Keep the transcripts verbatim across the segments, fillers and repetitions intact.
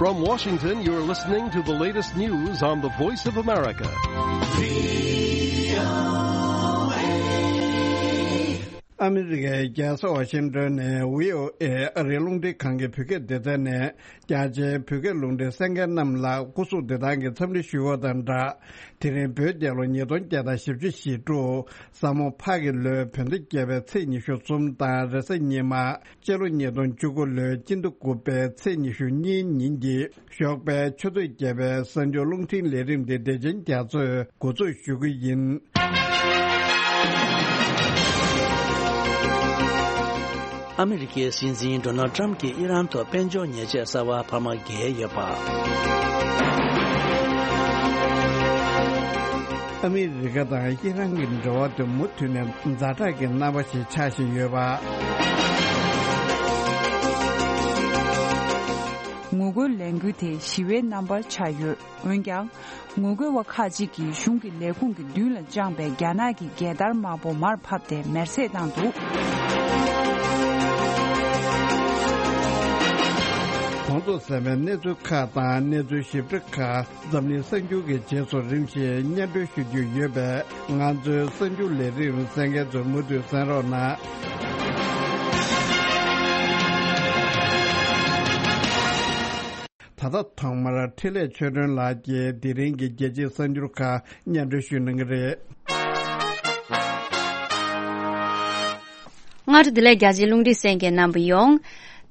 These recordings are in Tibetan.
From Washington, you're listening to the latest news on the Voice of America. ཨ་མི་རི་ཀའི་རྒྱལ་ས་ཝ་ཤིང་ཏོན་ནས་བྷི་ཨོ་ཨེ་ཨ་རིའི་རླུང་འཕྲིན་ཁང་གི་བོད་སྐད་སྡེ་ཚན་ནས་རྒྱ་ཆེའི་བོད་སྐད་རླུང་འཕྲིན་གསན་མཁན་རྣམས་ལ་སྐུ་གཟུགས་བདེ་ཐང་གི་འཚམས་འདྲི་ཞུ་བ་དང་སྦྲགས། དེ་རིང་བོད་རྒྱལ་ལོ་ཉིས་སྟོང་བརྒྱ་དང་བཞི་བཅུ་ཞེ་དྲུག་ཟ་མོ་ཕག་གི་ལོའི་བོད་ཟླ་བརྒྱད་པའི་ཚེས་ཉི་ཤུ་གསུམ་དང་རེས་གཟའ་ཉི་མ། སྤྱི་ལོ་ཉིས་སྟོང་བཅུ་དགུ་ལོའི་སྤྱི་ཟླ་དགུ་པའི་ཚེས་ཉི་ཤུ་གཉིས་ཉིན་གྱི་ཞོགས་པའི་ཆུ་ཚོད་བརྒྱད་པའི་གསར་འགྱུར་རླུང་འཕྲིན་ལས་རིམ་འདི་བདེ་ཆེན་རྒྱ་མཚོས་འགོ་འཛུགས་ཞུ་གི་ཡིན། ཨ་མི་རི་ཀའི་སྲིད་འཛིན་ཌོ་ནལ་ཊམ་གྱིས་ཨི་རན་ཐོག་དཔལ་འབྱོར་ཉེས་ཆད་གསར་པ་འཕར་མ་བརྒལ་ཡོད་པ། ཨ་མི་རི་ཀ་དང་ཨི་རན་གྱི་འབྲེལ་བ་དེ་མུ་མཐུད་ནས་ཛ་དྲག་གི་རྣམ་པ་ཞིག་ཆགས་བཞིན་ཡོད་པ། ངོ་རྒོལ་ལས་འགུལ་དེ་ཞི་བའི་རྣམ་པར་ཆགས་ཡོད། འོན་ཀྱང་། ངོ་རྒོལ་བ་ཁག་ཅིག་གིས་གཞུང་གི་ལས་ཁུངས་ཀྱི་མདུན་ལ་བཅངས་པའི་རྒྱ་ནག་གི་རྒྱལ་དར་དམར་པོ་མར་ཕབ་སྟེ་མེར་སྲེག་བཏང་འདུག། གོང་དུ་གསན་པའི་གནས་ཚུལ་ཁག་དང་གནས་ཚུལ་ཞིབ་ཕྲ་ཁག་འཛམ་གླིང་གསར་འགྱུར་གྱི་རྗེས་སུ་རིམ་བཞིན་སྙན་སྒྲོན་ཞུ་རྒྱུ་ཡོད་པས། ང་ཚོའི་གསར་འགྱུར་ལས་རིམ་གསན་མཁན་ཚོས་མུ་མཐུད་གསན་རོགས་གནང་། ད་ལྟ་ཐོག་མར་འཕྲིན་ལས་ཆོས་སྒྲོན་ལགས་ཀྱིས་དེ་རིང་གི་རྒྱལ་སྤྱིའི་གསར་འགྱུར་ཁག་སྙན་སྒྲོན་ཞུ་གནང་གི་རེད། སྔ་དྲོ་བདེ་ལེགས། རྒྱ་ཆེའི་རླུང་འཕྲིན་གསན་མཁན་རྣམ་པ་ཡོངས།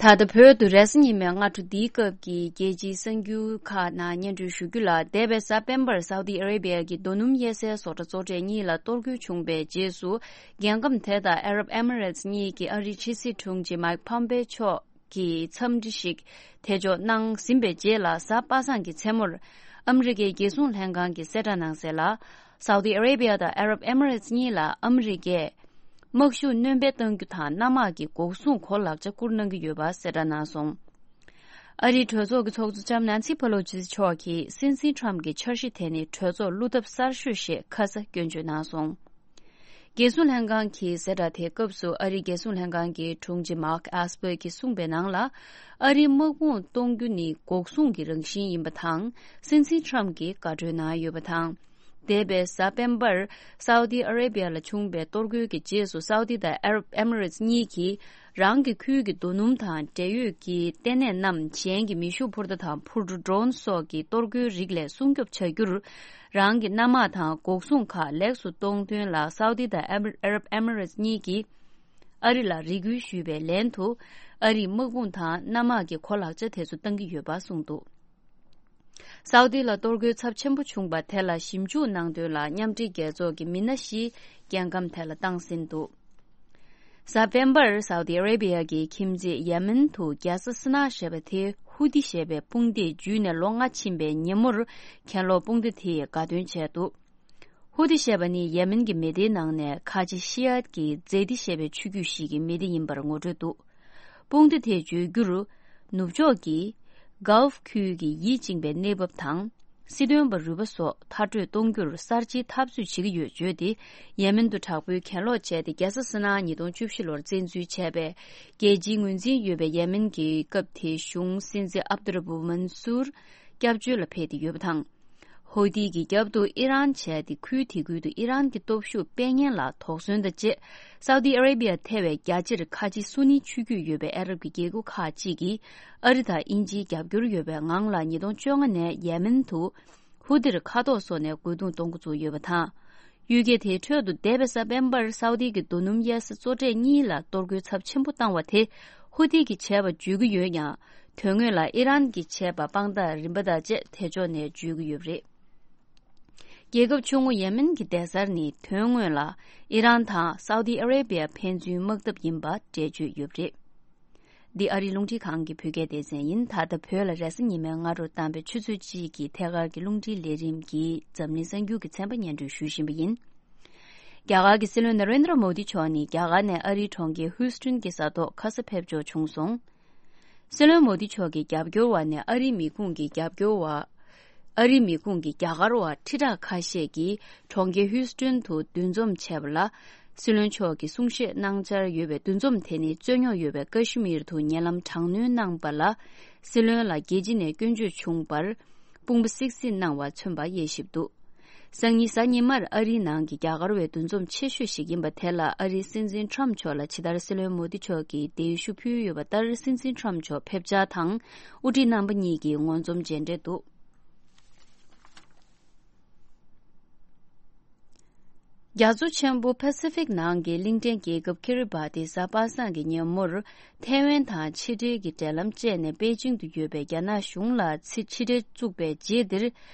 ད་ལྟ་བོད་དུ་རེས་གཟའ་ཉི་མའི་སྔ་དྲོ་འདིའི་སྐབས་ཀྱི་རྒྱལ་སྤྱིའི་གསར་འགྱུར་ཁག་ནང་སྙན་སྒྲོན་ཞུ་རྒྱུ་ལ། འདས་པའི་གཟའ་སྤེན་པར་སའུ་ཏི་ཨ་རེ་བྷི་ཡ་གི་རྡོ་སྣུམ་གཡར་སའི་བཟོ་གྲྭ་གཙོ་གྲས་གཉིས་ལ་གཏོར་རྒོལ་བྱུང་བའི་རྗེས་སུ། རྒྱལ་ཁམས་དེ་དང་ཨ་རབ་ཨེ་མི་རེ་ཊི་གཉིས་ཀྱི་ཨ་རིའི་ཕྱི་སྲིད་དྲུང་ཆེ་མའིག་ཕམ་པེ་མཆོག་གིས་འཚམས་འདྲི་ཞིག་ཐད་འཇོག་གནང་ཟིན་པའི་རྗེས་ལ། གཟའ་པ་སངས་ཀྱི་མཚན་མོར་ཨ་མི་རི་ཀའི་རྒྱལ་སྲུང་ལྷན་ཁང་གིས་གསལ་བསྒྲགས་གནང་གསལ་ལ། སའུ་ཏི་ཨ་རེ་བྷི་ཡ་དང་ཨ་རབ་ཨེ་མི་རེ་ཊི་གཉིས་ལ་ཨ་མི་རི་ཀས་དམག་ཤུགས་སྣོན་སྤེལ་གཏང་རྒྱུ་དང་། གནམ་དམག་གི་འགོག་སྲུང་གོ་ལག་ཆ་བསྐུར་གནང་གི་ཡོད་པ་གསལ་བསྒྲགས་གནང་སོང་། ཨ་རིའི་གྲོས་ཚོགས་ཀྱི་ཚོགས་གཙོ་ལྕམ་ནན་སི་ཕེ་ལོ་སི་མཆོག་གིས་སྲིད་འཛིན་ཁྲམ་གྱི་འཆར་གཞི་དེ་ནི་གྲོས་ཚོགས་བློ་འཐབ་གསར་ཤོས་ཞེས་ཁ་ས་སྐྱོན་བརྗོད་གནང་སོང་། རྒྱལ་སྲུང་ལྷན་ཁང་གི་གསལ་བསྒྲགས་དེའི་སྐབས་སུ། ཨ་རིའི་རྒྱལ་སྲུང་ལྷན་ཁང་གི་དྲུང་ཆེ་མཱག་ཨེས་པར་གྱིས་གསུངས་པའི་ནང་ལ། ཨ་རིའི་དམག་དཔུང་གཏོང་རྒྱུ་ནི་འགོག་སྲུང་གི་རང་བཞིན་ཡིན་པ་དང་། སྲིད་འཛིན་ཁྲམ་གྱིས་དགའ་སྤྲོའི་ནང་ཡོད་པ་དང་། འདས་པའི་གཟའ་སྤེན་པར་སའུ་ཏི་ཨ་རེ་བྷི་ཡ་ལ་བྱུང་བའི་གཏོར་རྒོལ་གྱི་རྗེས་སུ། སའུ་ཏི་དང་ཨ་རབ་ཨེ་མི་རེ་ཊི་གཉིས་ཀྱིས་རང་གི་ཁུལ་གྱི་རྡོ་སྣུམ་དང་འབྲེལ་ཡོད་ཀྱི་ལྟེ་གནས་རྣམས་གཞན་གྱི་མེ་ཤུགས་འཕུར་མདའ་དང་འཕུར་གྲུ། ཌོ་རོན་སོགས་ཀྱི་གཏོར་རྒོལ་རིགས་ལས་སྲུང་སྐྱོབ་བྱ་རྒྱུར། རང་གི་གནམ་དམག་དང་འགོག་སྲུང་ཁག་ལེགས་སུ་གཏོང་དོན་ལ། སའུ་ཏི་དང་ཨ་རབ་ཨེ་མི་རེ་ཊི་གཉིས་ཀྱིས་ཨ་རི་ལ་རེ་སྐུལ་ཞུས་པའི་ལན་དུ། ཨ་རིས་དམག་དཔུང་དང་གནམ་དམག་གི་གོ་ལག་ཆ་དེ་ཚོ་བཏང་གི་ཡོད་པ་གསུངས་འདུག། སའུ་ཏི་ལ་གཏོར་རྒོལ་ཚབས་ཆེན་པོ་བྱུང་བ་དེ་ལ་ཞིབ་འཇུག་གནང་དོན་ལ། མཉམ་འབྲེལ་རྒྱལ་ཚོགས་ཀྱི་མི་སྣ་བཞི་རྒྱལ་ཁམས་དེ་ལ་བཏང་ཟིན་འདུག། གཟའ་སྤེན་པར་སའུ་ཏི་ཨ་རེ་བྷི་ཡ་གི་ཁྱིམ་མཚེས་ཡེ་མེན་དུ་རྒྱལ་ས་སི་ན་ཞེས་པ་དེ་ཧུ་ཏི་ཞེས་པའི་དཔུང་སྡེས་འཇུས་ནས་ལོ་ལྔ་ཕྱིན་པའི་ཉིན་མོར། གྱེན་ལོག་དཔུང་སྡེ་དེས་དགའ་སྟོན་བྱས་འདུག། ཧུ་ཏི་ཞེས་པ་ནི་ཡེ་མེན་གྱི་མི་སྡེའི་ནང་ནས་ཁ་ཆེ་ཤི་ཡ་གི་ཛེ་ཏི་ཞེས་པའི་ཆོས་བརྒྱུད་ཞིག་གི་མི་སྡེ་ཡིན་པར་ངོ་སྤྲོད་འདུག། དཔུང་སྡེ་དེས་བརྗོད་རྒྱུར། ནུབ་ཕྱོགས་ཀྱི་གཱལཕ་ཁུལ་གྱི་ཡིད་གཅིག་པའི་གནས་བབ་དང་། སྲིད་དོན་པ་རུས་པ་སོགས་མཐར་སྐྲོད་གཏོང་རྒྱུར་གསར་བརྗེའི་འཐབ་རྩོད་བྱེད་ཀྱི་ཡོད་བརྗོད་དེ། ཡེ་མེན་དུ་དྲག་པོའི་གྱེན་ལོག་བྱས་ཏེ། རྒྱལ་ས་སི་ན་ཉིས་སྟོང་བཅུ་བཞི་ལོར་བཙན་འཛུལ་བྱས་པའི་རྒྱལ་སྤྱིའི་ངོས་འཛིན་ཡོད་པའི་ཡེ་མེན་གྱི་སྐབས་དེའི་གཞུང་སྲིད་འཛིན་ཨབ་ཏུ་ར་བུ་མན་སུར་སྐྱབས་བཅོལ་ལ་ཕེབས་ཏེ་ཡོད་པ་དང་། ཧོ་ཏི་གི་རྒྱབ་ཏུ་ཨི་རན་བྱས་ཏེ། ཁུལ་དེ་ཁུལ་དུ་ཨི་རན་གྱི་སྟོབས་ཤུགས་སྤེལ་ཉེན་ལ་དོགས་ཟོན་དང་བཅས། སའུ་ཏི་ཨ་རེ་བྷི་ཡ་ཐེ་བའི་རྒྱ་ཆེར་ཁ་ཆེ་སུ་ནི་ཆོས་བརྒྱུད་ཡོད་པའི་ཨ་རབ་ཀྱི་རྒྱལ་ཁབ་ཁག་ཅིག་གིས། ཨ་རི་དང་དབྱིན་ཇིའི་རྒྱབ་སྐྱོར་ཡོད་པའི་ངང་ལ། ཉིས་སྟོང་བཅོ་ལྔ་ནས་ཡེ་མེན་དུ་ཧུ་ཏིར་མཁའ་ཐོག་སོགས་ནས་རྒོལ་རྡུང་གཏོང་འགོ་བཙུགས་ཡོད་པ་དང་། གཡུལ་འགྱེད་དེའི་ཁྲོད་དུ། འདས་པའི་གཟའ་སྤེན་པར་སའུ་ཏི་གི་རྡོ་སྣུམ་གཡར་ས་གཙོ་གྲས་གཉིས་ལ་གཏོར་རྒོལ་ཚབས་ཆེན་པོ་བཏང་བ་དེ། ཧུ་ཏི་གིས་བྱས་པ་བརྗོད་ཀྱི་ཡོད་ཀྱང་། དོན་དངོས་ལ་ཨི་རན་གྱིས་བྱས་པ་དཔང་རྟགས་རིམ་པ་དང་བཅས་དེ་ཕྱོགས་ནས་བརྗོད་ཀྱི་ཡོད་པ་རེད། རྒྱལ་ཁབ་ཆུང་ངུ་ཡེ་མེན་གྱི་སྡེ་གཟར་ནི། དོན་དངོས་ལ་ཨི་རན་དང་སའུ་ཏི་ཨ་རེ་བྷི་ཡ་ཕན་ཚུན་དམག་འཐབ་ཡིན་པ་འགྲེལ་བརྗོད་ཡོད་པ་རེད། འདི་ཨ་རིའི་རླུང་འཕྲིན་ཁང་གི་བོད་སྐད་སྡེ་ཚན་ཡིན། ད་ལྟ་བོད་ལ་རེས་གཟའ་ཉི་མའི་སྔ་དྲོ་གཏམ་དཔེ་ཆུ་ཚོད་གཅིག་གི་ཐད་ཀར་གྱི་རླུང་འཕྲིན་ལས་རིམ་གྱིས་འཛམ་གླིང་གསར་འགྱུར་གྱི་ཚན་པ་སྙན་སྒྲོན་ཞུ་བཞིན་པ་ཡིན། རྒྱ་གར་གྱི་སྲིད་བློན་ན་རེན་དྲ་མོ་དི་མཆོག་ནི། རྒྱ་གར་ནས་ཨ་རིའི་གྲོང་ཁྱེར་ཧུའུ་སྟོན་གྱི་ས་ཐོག་ཁ་ས་ཕེབས་འབྱོར་བྱུང་སོང་། སྲིད་བློན་མོ་དི་མཆོག་གི་རྒྱབ་སྐྱོར་བ་ནས་ཨ་རིའི་མི་ཁུངས་ཀྱི་རྒྱབ་སྐྱོར་བ། ཨ་རིའི་མི་ཁུངས་ཀྱི་རྒྱ་གར་བ་ཁྲི་ཕྲག་ཁ་ཤས་ཀྱིས་གྲོང་ཁྱེར་ཧུའུ་སྟོན་དུ་འདུ་འཛོམས་བྱས་པ་ལ། སྲིད་བློན་མཆོག་གིས་གསུང་བཤད་གནང་འཆར་ཡོད་པའི་འདུ་འཛོམས་དེ་ནི་རྩོད་རྙོག་ཡོད་པའི་ཀ་ཤི་མིར་དུ་ཉེ་ལམ་དྲག་གནོན་གནང་པ་ལ། སྲིད་བློན་ལ་རྒྱལ་སྤྱི་ནས་སྐྱོན་བརྗོད་བྱུང་བར། དཔུང་པ་གསིག་གཟིགས་གནང་བ་མཚོན་པ་དབྱེ་ཞིབ་འདུག་སང་ཉིན་གཟའ་ཉི་མར་ཨ་རིའི་ནང་གི་རྒྱ་གར་བའི་འདུ་འཛོམས་ཆེ་ཤོས་ཤིག་ཡིན་པ་དེ་ལ། ཨ་རིའི་སྲིད་འཛིན་ཁྲམ་མཆོག་ལ་ཇི་ལྟར་སྲིད་བློན་མོ་དི་མཆོག་གིས་གདན་ཞུ་ཕུལ་ཡོད་པ་ལྟར། སྲིད་འཛིན་ཁྲམ་མཆོག་ཕེབས་འཆར་དང་། དབུ་ཁྲིད་རྣམ་པ་གཉིས་ཀྱིས་ངོ་འཛོམས་མཇལ་འཕྲད་འདུག་རྒྱ་མཚོ་ཆེན་པོ་པ་སི་ཕིག་ནང་གི་གླིང་ཕྲན་རྒྱལ་ཁབ་ཀི་རི་བ་ཏི་གཟའ་པ་སངས་ཀྱི་ཉིན་མོར། ཐའེ་ཝན་དང་ཕྱི་འབྲེལ་གྱི་འབྲེལ་ལམ་བཅད་ནས། པེ་ཅིང་དུ་ཡོད་པའི་རྒྱ་ནག་གཞུང་ལ་ཕྱི་འབྲེལ་བཙུགས་པའི་རྗེས་འདིར།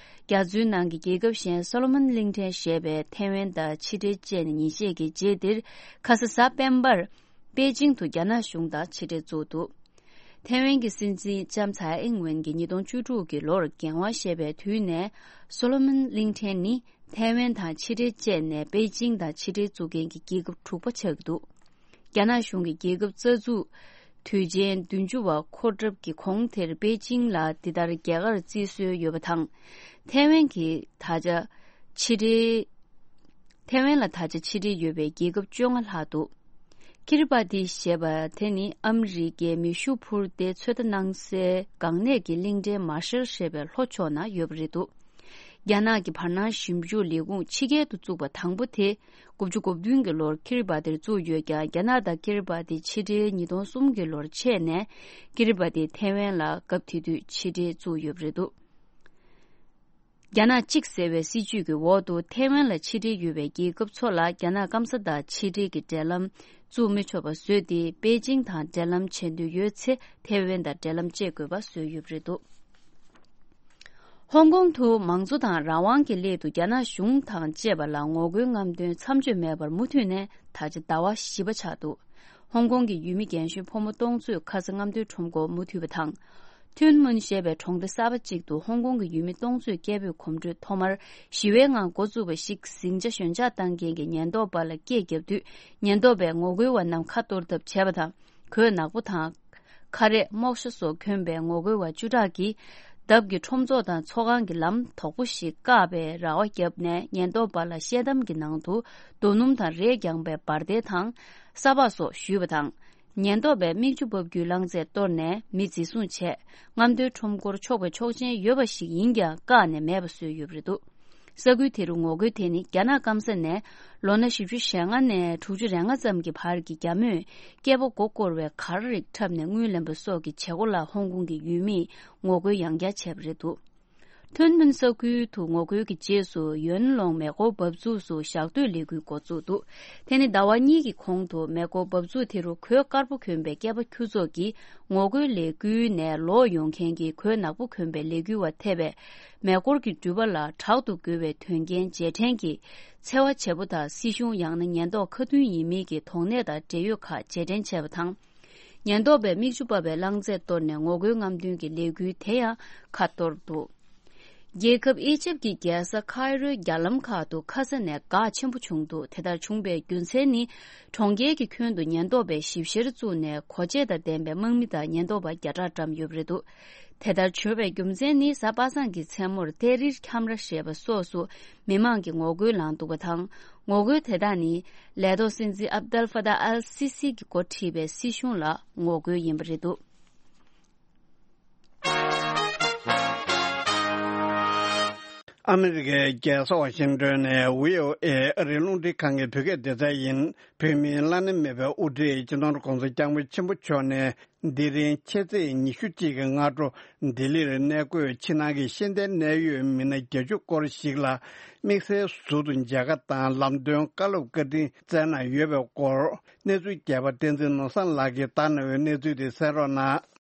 རྒྱ་མཚོའི་ནང་གི་རྒྱལ་ཁབ་གཞན་སོ་ལོ་མོན་གླིང་ཕྲན་ཞེས་པའི་ཐའེ་ཝན་དང་ཕྱི་འབྲེལ་བཅད་ནས་ཉིན་ཤས་ཀྱི་རྗེས་འདིར། ཁ་ས་གཟའ་སྤེན་པར། པེ་ཅིང་དུ་རྒྱ་ནག་གཞུང་དང་ཕྱི་འབྲེལ་བཙུགས་འདུག་ཐའེ་ཝན་གྱི་སྲིད་འཛིན་ལྕམ་ཚའེ་ཨིང་ཝེན་གྱིས་ཉིས་སྟོང་བཅུ་དྲུག་གི་ལོར་འགན་དབང་བཞེས་པའི་དུས་ནས། སོ་ལོ་མོན་གླིང་ཕྲན་ནི་ཐའེ་ཝན་དང་ཕྱི་འབྲེལ་བཅད་ནས་པེ་ཅིང་དང་ཕྱི་འབྲེལ་བཙུགས་མཁན་གྱི་རྒྱལ་ཁབ་དྲུག་པ་ཆགས་ཀྱི་འདུག་རྒྱ་ནག་གཞུང་གི་རྒྱལ་ཁབ་རྩ་འཛུགས་དུས་ཆེན་བདུན་ཅུ་བ་འཁོར་གྲབས་ཀྱི་གོང་དེར། པེ་ཅིང་ལ་འདི་ལྟར་རྒྱ་གར་བརྩི་སྲོལ་ཡོད་པ་དང་། ཐའེ་ཝན་གྱི་ད་ཆ་ཕྱི་འབྲེལ། ཐའེ་ཝན་ལ་ད་ཆ་ཕྱི་འབྲེལ་ཡོད་པའི་རྒྱལ་ཁབ་བཅོ་ལྔ་ལྷག་འདུག་ཀི་རི་པ་ཏི་ཞེས་པ་དེ་ནི་ཨ་མི་རི་ཀའི་མེ་ཤུགས་འཕུར་མདེལ་ཚོད་ལྟ་གནང་སའི་འགག་གནད་ཀྱི་གླིང་ཕྲན་མར་ཤལ་ཞེས་པའི་ལྷོ་ཕྱོགས་ན་ཡོད་པ་རེད་འདུག་རྒྱ་ནག་གི་བར་སྣང་ཞིབ་འཇུག་ལས་ཁུངས་ཕྱི་རྒྱལ་དུ་བཙུགས་པ་དང་པོ་དེ། དགུ་བཅུ་གོ་བདུན་གྱི་ལོར་ཀི་རི་པ་ཏིར་བཙུགས་ཡོད་ཀྱང་། རྒྱ་ནག་དང་ཀི་རི་པ་ཏི་ཕྱི་འབྲེལ་ཉིས་སྟོང་གསུམ་གྱི་ལོར་ཆད་ནས། ཀི་རི་པ་ཏིས་ཐའེ་ཝན་ལ་སྐབས་དེ་དུས་ཕྱི་འབྲེལ་བཙུགས་ཡོད་པ་རེད་འདུག་རྒྱ་ནག་གཅིག་ཟེར་བའི་སྲིད་ཇུས་ཀྱི་འོག་ཏུ། ཐའེ་ཝན་ལ་ཕྱི་འབྲེལ་ཡོད་པའི་རྒྱལ་ཁབ་ཚོ་ལ་རྒྱ་ནག་སྐམ་ས་དང་ཕྱི་འབྲེལ་གྱི་འབྲེལ་ལམ་བཙུགས་མི་ཆོག་པ་བཟོས་ཏེ། པེ་ཅིང་དང་འབྲེལ་ལམ་བྱེད་འདོད་ཡོད་ཚེ། ཐའེ་ཝན་དང་འབྲེལ་ལམ་བཅད་དགོས་པ་བཟོས་ཡོད་པ་རེད་འདུག་ཧོང་ཀོང་དུ་མང་གཙོ་དང་རང་དབང་གི་སླད་དུ་རྒྱ་ནག་གཞུང་དང་བཅས་པ་ལ་ངོ་རྒོལ་རྔམ་སྟོན་མཚམས་གཅོད་མེད་པར་མུ་མཐུད་ནས་ད་ཆ་ཟླ་བ་བཞི་པ་ཆགས་འདུག་ཧོང་ཀོང་གི་ཡུལ་མི་རྒན་གཞོན་ཕོ་མོ་སྟོང་ཚོས་ཁ་ས་རྔམ་སྟོན་ཁྲོམ་སྐོར་མུ་མཐུད་པ་དང་། ཐུན་མུན་ཞེས་པའི་གྲོང་སྡེ་གསར་པ་གཅིག་ཏུ་ཧོང་ཀོང་གི་ཡུལ་མི་སྟོང་ཚོས་སྐད་འབོད་གོམ་བགྲོད་ཐོག་མར་ཞི་བའི་ངང་འགོ་བཙུགས་པ་ཞིག་ཟིང་ཆ་ཞོད་འཇགས་བཏང་མཁན་གྱི་ཉེན་རྟོག་པ་ལ་སྐད་བརྒྱབ་དུས། ཉེན་རྟོག་པས་ངོ་རྒོལ་བ་རྣམས་ཁ་གཏོར་ཐབས་བྱས་པ་དང་། གོས་ནག་པོ་དང་། ཁ་རས་རྨོག་ཞྭ་སོགས་གྱོན་པའི་ངོ་རྒོལ་བ་བཅུ་ཕྲག་གིས། འདབས་ཀྱི་ཁྲོམ་ཚོགས་དང་ཚོགས་ཁང་གི་ལམ་དོག་པོ་ཞིག་བཀག་པའི་ར་བ་བརྒྱབ་ནས། ཉེན་རྟོག་པ་ལ་ཤེལ་དམ་གྱི་ནང་དུ་རྡོ་སྣུམ་དང་རས་བརྐྱངས་པའི་འབར་མདེལ་དང་། ས་ཕག་སོགས་གཞུས་པ་དང་། ཉེན་རྟོག་པས་མིག་ཆུ་འབབ་རྒྱུའི་རླངས་རྫས་གཏོར་ནས་མི་འཛིན་བཟུང་བྱས། རྔམ་སྟོན་ཁྲོམ་སྐོར་ཆོག་པའི་ཆོག་མཆན་ཡོད་པ་ཞིག་ཡིན་ཀྱང་བཀག་ནས་མེད་པ་བཟོས་ཡོད་པ་རེད་འདུག་ས་ཁུལ་དེ་རུ་ངོ་རྒོལ་དེ་ནི་རྒྱ་ནག་སྐམ་ས་ནས་ལོ་ན་བཞི་བཅུ་ཞེ་ལྔ་ནས་དྲུག་ཅུ་རེ་ལྔ་ཙམ་གྱི་བར་གྱི་རྒྱ་མོས་སྐྱེས་པ་མགོ་བསྐོར་བའི་གར་རིགས་འཁྲབ་ནས་རྔུལ་ལེན་པ་སོགས་ཀྱི་བྱེད་སྒོ་ལ་ཧོང་ཀོང་གི་ཡུལ་མིས་ངོ་རྒོལ་ཡང་བསྐྱར་བྱས་པ་རེད་འདུག་ཐུན་མིན་ས་ཁུལ་དུ་ངོ་རྒོལ་གྱི་རྗེས་སུ་ཡོན་ལོང་མེ་འཁོར་འབབ་ཚུགས་སུ་ཞག་སྡོད་ལས་འགུལ་འགོ་བཙུགས་འདུག་དེ་ནི་ཟླ་བ་གཉིས་ཀྱི་གོང་དུ་མེ་འཁོར་འབབ་ཚུགས་དེ་རུ་གོས་དཀར་པོ་གྱོན་པའི་སྐྱེས་པ་ཁྱུ་ཚོགས་ཀྱིས་ངོ་རྒོལ་ལས་འགུལ་ནས་ལོག་ཡོང་མཁན་གྱི་གོས་ནག་པོ་གྱོན་པའི་ལས་འགུལ་བ་ཐེ་བའི་མེ་འཁོར་གྱི་འགྲུལ་པ་ལ་དྲག་ཏུ་རྒོལ་བའི་དོན་རྐྱེན་རྗེས་དྲན་གྱི་འཚེ་བ་བྱེད་པོ་དང་སྲིད་གཞུང་ཡང་ན་ཉེན་རྟོག་ཁ་མཐུན་ཡིན་མིན་གྱི་དོགས་གནས་དང་འབྲེལ་ཡོད་ཁག་རྗེས་དྲན་བྱས་པ་དང་། ཉེན་རྟོག་པས་མིག་ཆུ་ཕབ་པའི་རླངས་རྫས་གཏོར་ནས་ངོ་རྒོལ་རྔམ་སྟོན་གྱི་ལས་འགུལ་དེ་ཡང་ཁ་གཏོར་འདུག་རྒྱལ་ཁབ་ཨི་ཇིབ་ཀྱི་རྒྱལ་ས་ཁའི་རོའི་རྒྱ་ལམ་ཁག་ཏུ་ཁ་ས་ནས་འགག་ཆེན་པོ་བྱུང་འདུག་དེ་ལྟར་བྱུང་བའི་རྒྱུ་མཚན་ནི། གྲོང་ཁྱེར་གྱི་ཁྱོན་དུ་ཉེན་རྟོག་པས་ཞིབ་བཤེར་བཙུགས་ནས་གོ་ཆས་དང་ལྡན་པའི་དམག་མི་དང་ཉེན་རྟོག་པ་བརྒྱ་ཕྲག་བཀྲམ་ཡོད་པ་རེད་འདུག་དེ་ལྟར་བྱུང་བའི་རྒྱུ་མཚན་ནི། གཟའ་པ་སངས་ཀྱི་མཚན་མོར་ཏེ་རིར་ཁྱམས་ར་ཞེས་པ་སོགས་སུ་མི་མང་གིས་ངོ་རྒོལ་ལངས་འདུག་པ་དང་། ངོ་རྒོལ་དེ་དག་ནི། ལས་ཐོག་སྲིད་འཛིན་ཨབ་དལ་ཧྥ་ཏཱ་ཨལ་སི་སི་གིས་འགོ་ཁྲིད་པའི་སྲིད་གཞུང་ལ་ངོ་རྒོལ་ཡིན་པ་རེད་འདུག་ཨ་མི་རི་ཀའི་རྒྱལ་ས་ཝ་ཤིང་ཏོན་ནས་བྷི་ཨོ་ཨེ་ཨ་རིའི་རླུང་འཕྲིན་ཁང་གི་བོད་སྐད་སྡེ་ཚན་ཡིན། བོད་མིའི་བླ་ན་མེད་པའི་དབུ་ཁྲིད་སྤྱི་ནོར་༧གོང་ས་༧སྐྱབས་མགོན་ཆེན་པོ་མཆོག་ནས། འདི་རིང་ཕྱི་ཚེས་ཉི་ཤུ་གཅིག་གི་སྔ་དྲོ་ལྡི་ལིར་གནས་འཁོད་ཕྱི་ནང་གི་ཤེས་ལྡན་གནད་ཡོད་མི་སྣ་བརྒྱད་ཅུ་སྐོར་ཞིག་ལ་དམིགས་བསལ་ཟུར་དུ་མཇལ་ཁ་དང་ལམ་སྟོན་བཀའ་སློབ་བཀའ་དྲིན་སྩལ་གནང་ཡོད་པའི་སྐོར། གནས་ཚུལ་མཁས་པ་བསྟན་འཛིན་ནོར་བཟང་ལགས་ཀྱིས་བཏང་གནང་བའི་གནས་ཚུལ་དེ་གསན་རོགས་གནང་།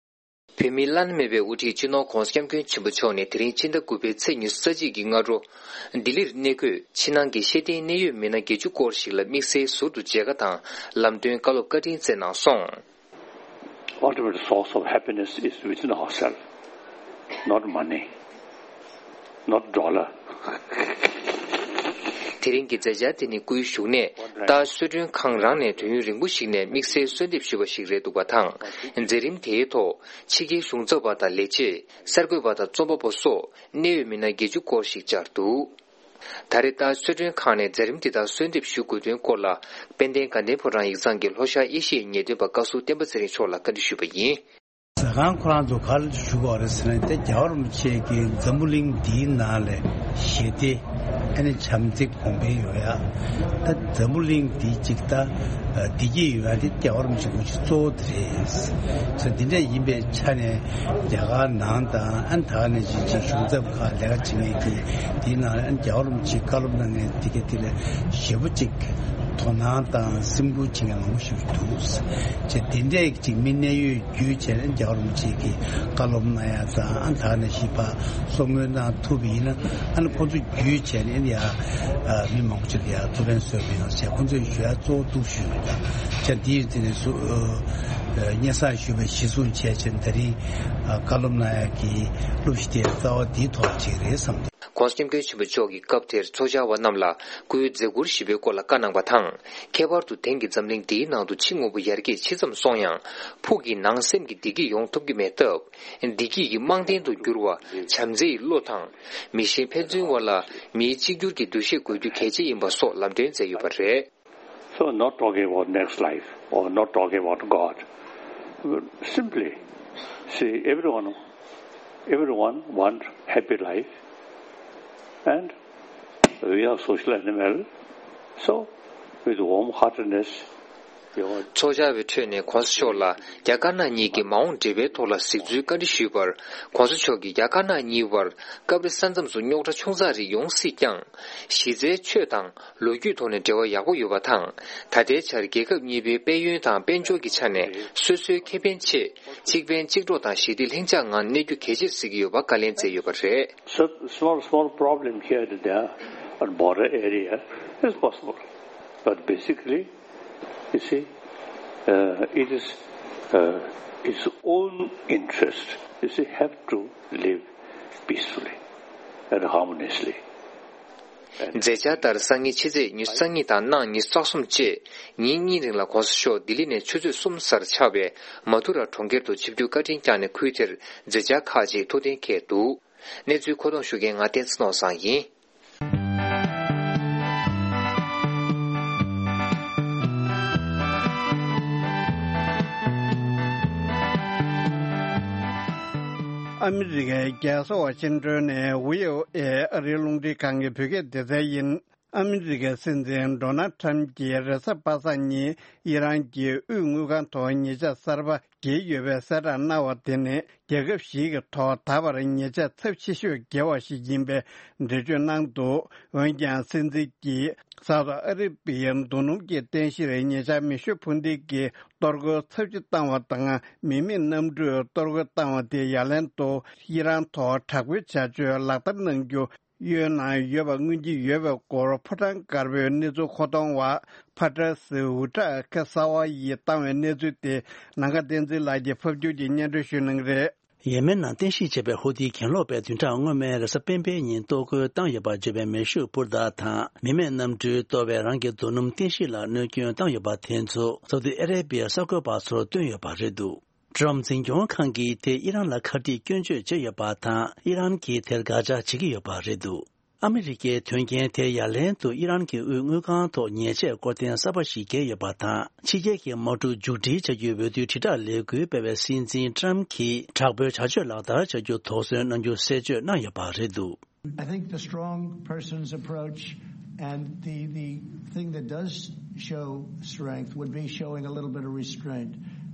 བོད་མིའི་བླ་ན་མེད་པའི་དབུ་ཁྲིད་སྤྱི་ནོར་༧གོང་ས་༧སྐྱབས་མགོན་ཆེན་པོ་མཆོག་ནས་དེ་རིང་ཕྱི་ཟླ་དགུ་པའི་ཚེས་ཉི་ཤུ་རྩ་གཅིག་གི་སྔ་དྲོ། ལྡི་ལིར་གནས་འཁོད་ཕྱི་ནང་གི་ཤེས་ལྡན་གནད་ཡོད་མི་སྣ་བརྒྱད་ཅུ་སྐོར་ཞིག་ལ་དམིགས་བསལ་ཟུར་དུ་མཇལ་ཁ་དང་ལམ་སྟོན་བཀའ་སློབ་བཀའ་དྲིན་སྩལ་གནང་སོང་། Ultimate source of happiness is within ourselves, not money, not dollar. དེ་རིང་གི་མཛད་འཆར་དེ་ནི་སྐུའི་བཞུགས་གནས་རྟ་གསོལ་མགྲོན་ཁང་རང་ནས་དུས་ཡུན་རིང་པོ་ཞིག་ནས་དམིགས་བསལ་གསོལ་འདེབས་ཞུས་པ་ཞིག་རེད་འདུག་པ་དང་། མཛད་རིམ་དེའི་ཐོག་ཕྱི་རྒྱལ་གཞུང་ཚབ་པ་དང་ལས་བྱེད། གསར་འགོད་པ་དང་རྩོམ་པ་པོ་སོགས་གནད་ཡོད་མི་སྣ་བརྒྱད་ཅུ་སྐོར་ཞིག་བཅར་འདུག་ད་རེས་ལྟར་གསོལ་མགྲོན་ཁང་ནས་མཛད་རིམ་འདི་དག་གསོལ་འདེབས་ཞུ་དགོས་དོན་སྐོར་ལ། དཔལ་ལྡན་དགའ་ལྡན་ཕོ་བྲང་ཡིག་ཚང་གི་ལྷོ་ཤར་ཨེ་ཤི་ཡའི་ཉེས་དོན་པ་བཀའ་ཟུར་བསྟན་པ་ཚེ་རིང་མཆོག་ལ་བཀའ་འདྲི་ཞུས་པ་ཡིན། ཟ་ཁང་ཁོ་རང་ཚོ་ག་ལ་ཞུ་དགོས་རེད་ཟེར་ན། ད་རྒྱལ་བ་རིན་པོ་ཆེ་གི་འཛམ་བུ་གླིང་འདིའི་ནང་ལ་ཞི་བདེ་ཨ་ནི་བྱམས་བརྩེ་གོང་འཕེལ་ཡོང་ཡ། ད་འཛམ་བུ་གླིང་འདི་གཅིག་ད་བདེ་སྐྱིད་ཡོང་ཡ་དེ་རྒྱལ་བ་རིན་པོ་ཆེ་སྐུ་ཚེ་གཙོ་བོ་དེ་རེད། ས་འདི་འདྲ་ཡིན་པའི་ཆ་ནས་རྒྱ་གར་ནང་དང་ཨ་ནི་ད་ག་ནང་བཞིན་ཅིག་གཞུང་ཚབ་ཁག་ལས་ཀ་བྱེད་མཁན་གྱི་འདིའི་ནང་ལ་ཨ་ནི་རྒྱལ་བ་རིན་པོ་ཆེ་བཀའ་སློབ་གནང་མཁན་དེ་ག་དེ་ལ་ཞེ་པོ་ཅིག་དོ་སྣང་དང་སེམས་ཁུར་བྱེད་མཁན་མང་པོ་ཞིག་འདུག་ཅེས་དེ་འདྲའི་ཅིག་མི་གནད་ཡོད་བརྒྱུད་བྱས་ནས་རྒྱལ་བ་རིན་པོ་ཆེ་གི་བཀའ་སློབ་གནང་ཡ་དང་ཨ་ད་ནས་ཞིབ་པ་གསུང་མོལ་གནང་ཐུབ་པ་ཡིན་ན། ཨ་ནི་ཁོང་ཚོ་བརྒྱུད་བྱས་ནས་ཡ་མི་མང་པོ་ཅིག་ལ་ཡ་ཐུགས་ཕན་གསོས་པ་ཡོང་ཟེར་ཁོང་ཚོས་ཞུ་ཡ་གཙོ་བོ་འདུག་ཞུས་ཡོད། ད་ཅག་འདི་ཡི་དེ་ནས་སུ་སྙན་སེང་ཞུས་པ་གཞི་བཟུང་བྱས་བྱས་ད་རིང་བཀའ་སློབ་གནང་ཡ་གི་སློབ་གཞི་དེ་རྩ་བ་འདིའི་ཐོག་ཅིག་རེད་བསམ་སྟེ། ༸གོང་ས་༸སྐྱབས་མགོན་ཆེན་པོ་མཆོག་གིས་སྐབས་དེར་ཚོགས་བཅར་བ་རྣམས་ལ་སྐུའི་མཛད་ཁུར་ཞིབ་པའི་སྐོར་ལ་བཀའ་གནང་བ་དང་། ཁྱད་པར་དུ་དེང་གི་འཛམ་གླིང་འདིའི་ནང་དུ་ཕྱི་དངོས་པོ་ཡར་རྒྱས་ཇི་ཙམ་སོང་ཡང་། ཕུགས་ཀྱི་ནང་སེམས་ཀྱི་བདེ་སྐྱིད་ཡོང་ཐུབ་ཀྱི་མེད་སྟབས། བདེ་སྐྱིད་ཀྱི་རྨང་རྟེན་དུ་གྱུར་བ་བྱམས་བརྩེའི་བློ་དང་། མི་ཤེས་ཕན་ཚུན་དབར་ལ་མིའི་གཅིག་གྱུར་གྱི་འདུ་ཤེས་དགོས་རྒྱུ་གལ་ཆེ་ཡིན་པ་སོགས་ལམ་སྟོན་མཛད་ཡོད་པ་རེད། So, not talking about next life or not talking about God. Simply, see, everyone, everyone want happy life, and we are social animal. So, with warm heartedness, your ཚོགས་བཅར་བའི་ཁྲོད་ནས་༸གོང་ས་མཆོག་ལ་རྒྱ་དཀར་ནག་གཉིས་ཀྱི་མ་འོངས་འབྲེལ་བའི་ཐོག་ལ་གཟིགས་ཚུལ་བཀའ་འདྲི་ཞུས་པར། ༸གོང་ས་མཆོག་གིས་རྒྱ་དཀར་ནག་གཉིས་བར་སྐབས་རེ་ས་མཚམས་སུ་རྙོག་དྲ་ཆུང་ཙག་རིགས་ཡོང་སྲིད་ཀྱང་། གཞི་རྩའི་ཆོས་དང་། ལོ་རྒྱུས་ཐོག་ནས་འབྲེལ་བ་ཡག་པོ་ཡོད་པ་དང་། ད་ལྟའི་ཆར་རྒྱལ་ཁབ་གཉིས་པོའི་དཔལ་ཡོན་དང་དཔལ་འབྱོར་གྱི་ཆ་ནས་སོ་སོའི་ཁེ་ཕན་ཆེད་གཅིག་ཕན་གཅིག་གྲོགས་དང་ཞི་བདེ་ལྷིང་འཇགས་ངང་གནས་རྒྱུ་གལ་ཆེར་གཟིགས་ཀྱི་ཡོད་པ་བཀའ་ལན་སྩལ་ཡོད་པ་རེད། So, small, small problem here and there on border area is possible. But basically, you see, uh, it is, uh, its own interest, you see, have to live peacefully and harmoniously. མཛད་འཆར་ལྟར་སང་ཉིན་ཕྱི་ཚེས་ཉི་ཤུ་རྩ་གཉིས་དང་གནངས་ཉི་ཤུ་རྩ་གསུམ་བཅས་ཉིན་གཉིས་རིང་ལ་༸གོང་ས་མཆོག་ལྡི་ལི་ནས་ཆུ་ཚོད་གསུམ་གསར་ཆགས་པའི་མ་ཐུ་ར་གྲོང་ཁྱེར་དུ་ཆིབས་བསྒྱུར་བཀའ་དྲིན་བསྐྱངས་ནས་ཁུལ་དེར་མཛད་འཆར་ཁག་ཅིག་ཐུགས་གཏན་འཁེལ་འདུག་གནས་ཚུལ་མཁོ་གཏོང་ཞུ་མཁན་ང་བསྟན་འཛིན་ནོར་བཟང་ཡིན། ཨ་མི་རི་ཀའི་རྒྱལ་ས་ཝ་ཤིང་ཏོན་ནས་བྷི་ཨོ་ཨེ་ཨ་རིའི་རླུང་འཕྲིན་ཁང་གི་བོད་སྐད་སྡེ་ཚན་ཡིན། ཨ་མི་རི་ཀའི་སྲིད་འཛིན་ཌོ་ནལ་ཊམ་གྱིས་རེས་གཟའ་པ་སངས་ཉིན་ཨི་རན་གྱི་དབུས་དངུལ་ཁང་ཐོག་ཉེས་ཆད་གསར་པ་འགེལ་ཡོད་པའི་གསལ་བསྒྲགས་གནང་བ་དེ་ནི་རྒྱལ་ཁབ་ཞིག་གི་ཐོག་ད་བར་ཉེས་ཆད་ཚབས་ཆེ་ཤོས་འགེལ་བ་ཞིག་ཡིན་པའི་འགྲེལ་བརྗོད་གནང་འདུག་འོན་ཀྱང་སྲིད་འཛིན་གྱིས་སའུ་ཏི་ཨ་རི་བི་ཡའི་རྡོ་སྣུམ་གྱི་རྟེན་གཞིར་ཉེ་ཆར་མེ་ཤུགས་འཕུར་མདེལ་གྱིས་གཏོར་རྒོལ་ཚབས་ཆེ་བཏང་བ་དང་མི་མེད་གནམ་གྲུས་གཏོར་རྒོལ་བཏང་བ་དེ་ཡ་ལན་དུ་ཨི་རན་ཐོག་དྲག་པོའི་བྱ་སྤྱོད་ལག་བསྟར་གནང་རྒྱུ། གཡོལ་ནང་ཡོད་པ་མངོན་གྱི་ཡོད་པའི་སྐོར་ཕོ་བྲང་དཀར་པོའི་གནས་ཚུལ་མཁོ་གཏོང་བ་ཕ་ཏྲ་སི་ཝུ་ཏྲ་ཁ་གསར་བ་ཡིས་བཏང་བའི་གནས་ཚུལ་དེ་ནམ་མཁའ་བསྟན་འཛིན་ལགས་ཀྱིས་ཕབ་སྒྱུར་གྱིས་སྙན་སྒྲོན་ཞུ་གནང་གི་རེད། ཡེ་མེན་ནང་རྟེན་གཞི་བྱས་པའི་ཧུ་ཐི་གྱེན་ལོག་པས་བདུན་ཕྲག་སྔོན་མའི་རེས་གཟའ་སྤེན་པའི་ཉིན་གཏོར་རྒོལ་བཏང་ཡོད་པར་བརྗོད་པའི་མེ་ཤུགས་སྤུར་རྟགས་དང་མི་མེད་གནམ་གྲུས་གཏོར་བས་རང་གི་རྡོ་སྣུམ་རྟེན་གཞི་ལ་གནོད་སྐྱོན་བཏང་ཡོད་པ་དེ་ཚོ་སའུ་ཏི་ཨ་རེ་བི་ཡའི་གསར་འགོད་པ་ཚོར་བཏོན་ཡོད་པ་རེད་འདུག་ཀྲམ་འཛིན་སྐྱོང་ཁང་གིས་དེ་ཨི་རན་ལ་ཁ་གཏད་སྐྱོན་བརྗོད་བྱས་ཡོད་པ་དང་ཨི་རན་གྱིས་དེར་དགག་བྱ་བྱེད་ཀྱི་ཡོད་པ་རེད་འདུག་ཨ་མི་རི་ཀའི་དོན་རྐྱེན་དེ་ཡ་ལན་དུ་ཨི་རན་གྱི་དབུས་དངུལ་ཁང་ཐོག་ཉེས་ཆད་སྐོར་ཐེངས་གསར་པ་ཞིག་བཀལ་ཡོད་པ་དང་ཕྱི་རྒྱལ་གྱི་དམག་འཁྲུག་མཇུག་སྒྲིལ་བྱ་རྒྱུའི་འོས་བསྡུའི་དྲིལ་བསྒྲགས་ལས་འགུལ་སྤེལ་བའི་སྲིད་འཛིན་ཀྲམ་གྱིས་དྲག་པོའི་བྱ་སྤྱོད་ལག་བསྟར་བྱ་རྒྱུ་དོགས་ཟོན་གནང་རྒྱུ་གསལ་བརྗོད་གནང་ཡོད་པ་རེད་འདུག I think the strong person's approach and the, the thing that does show strength would be showing a little bit of restraint.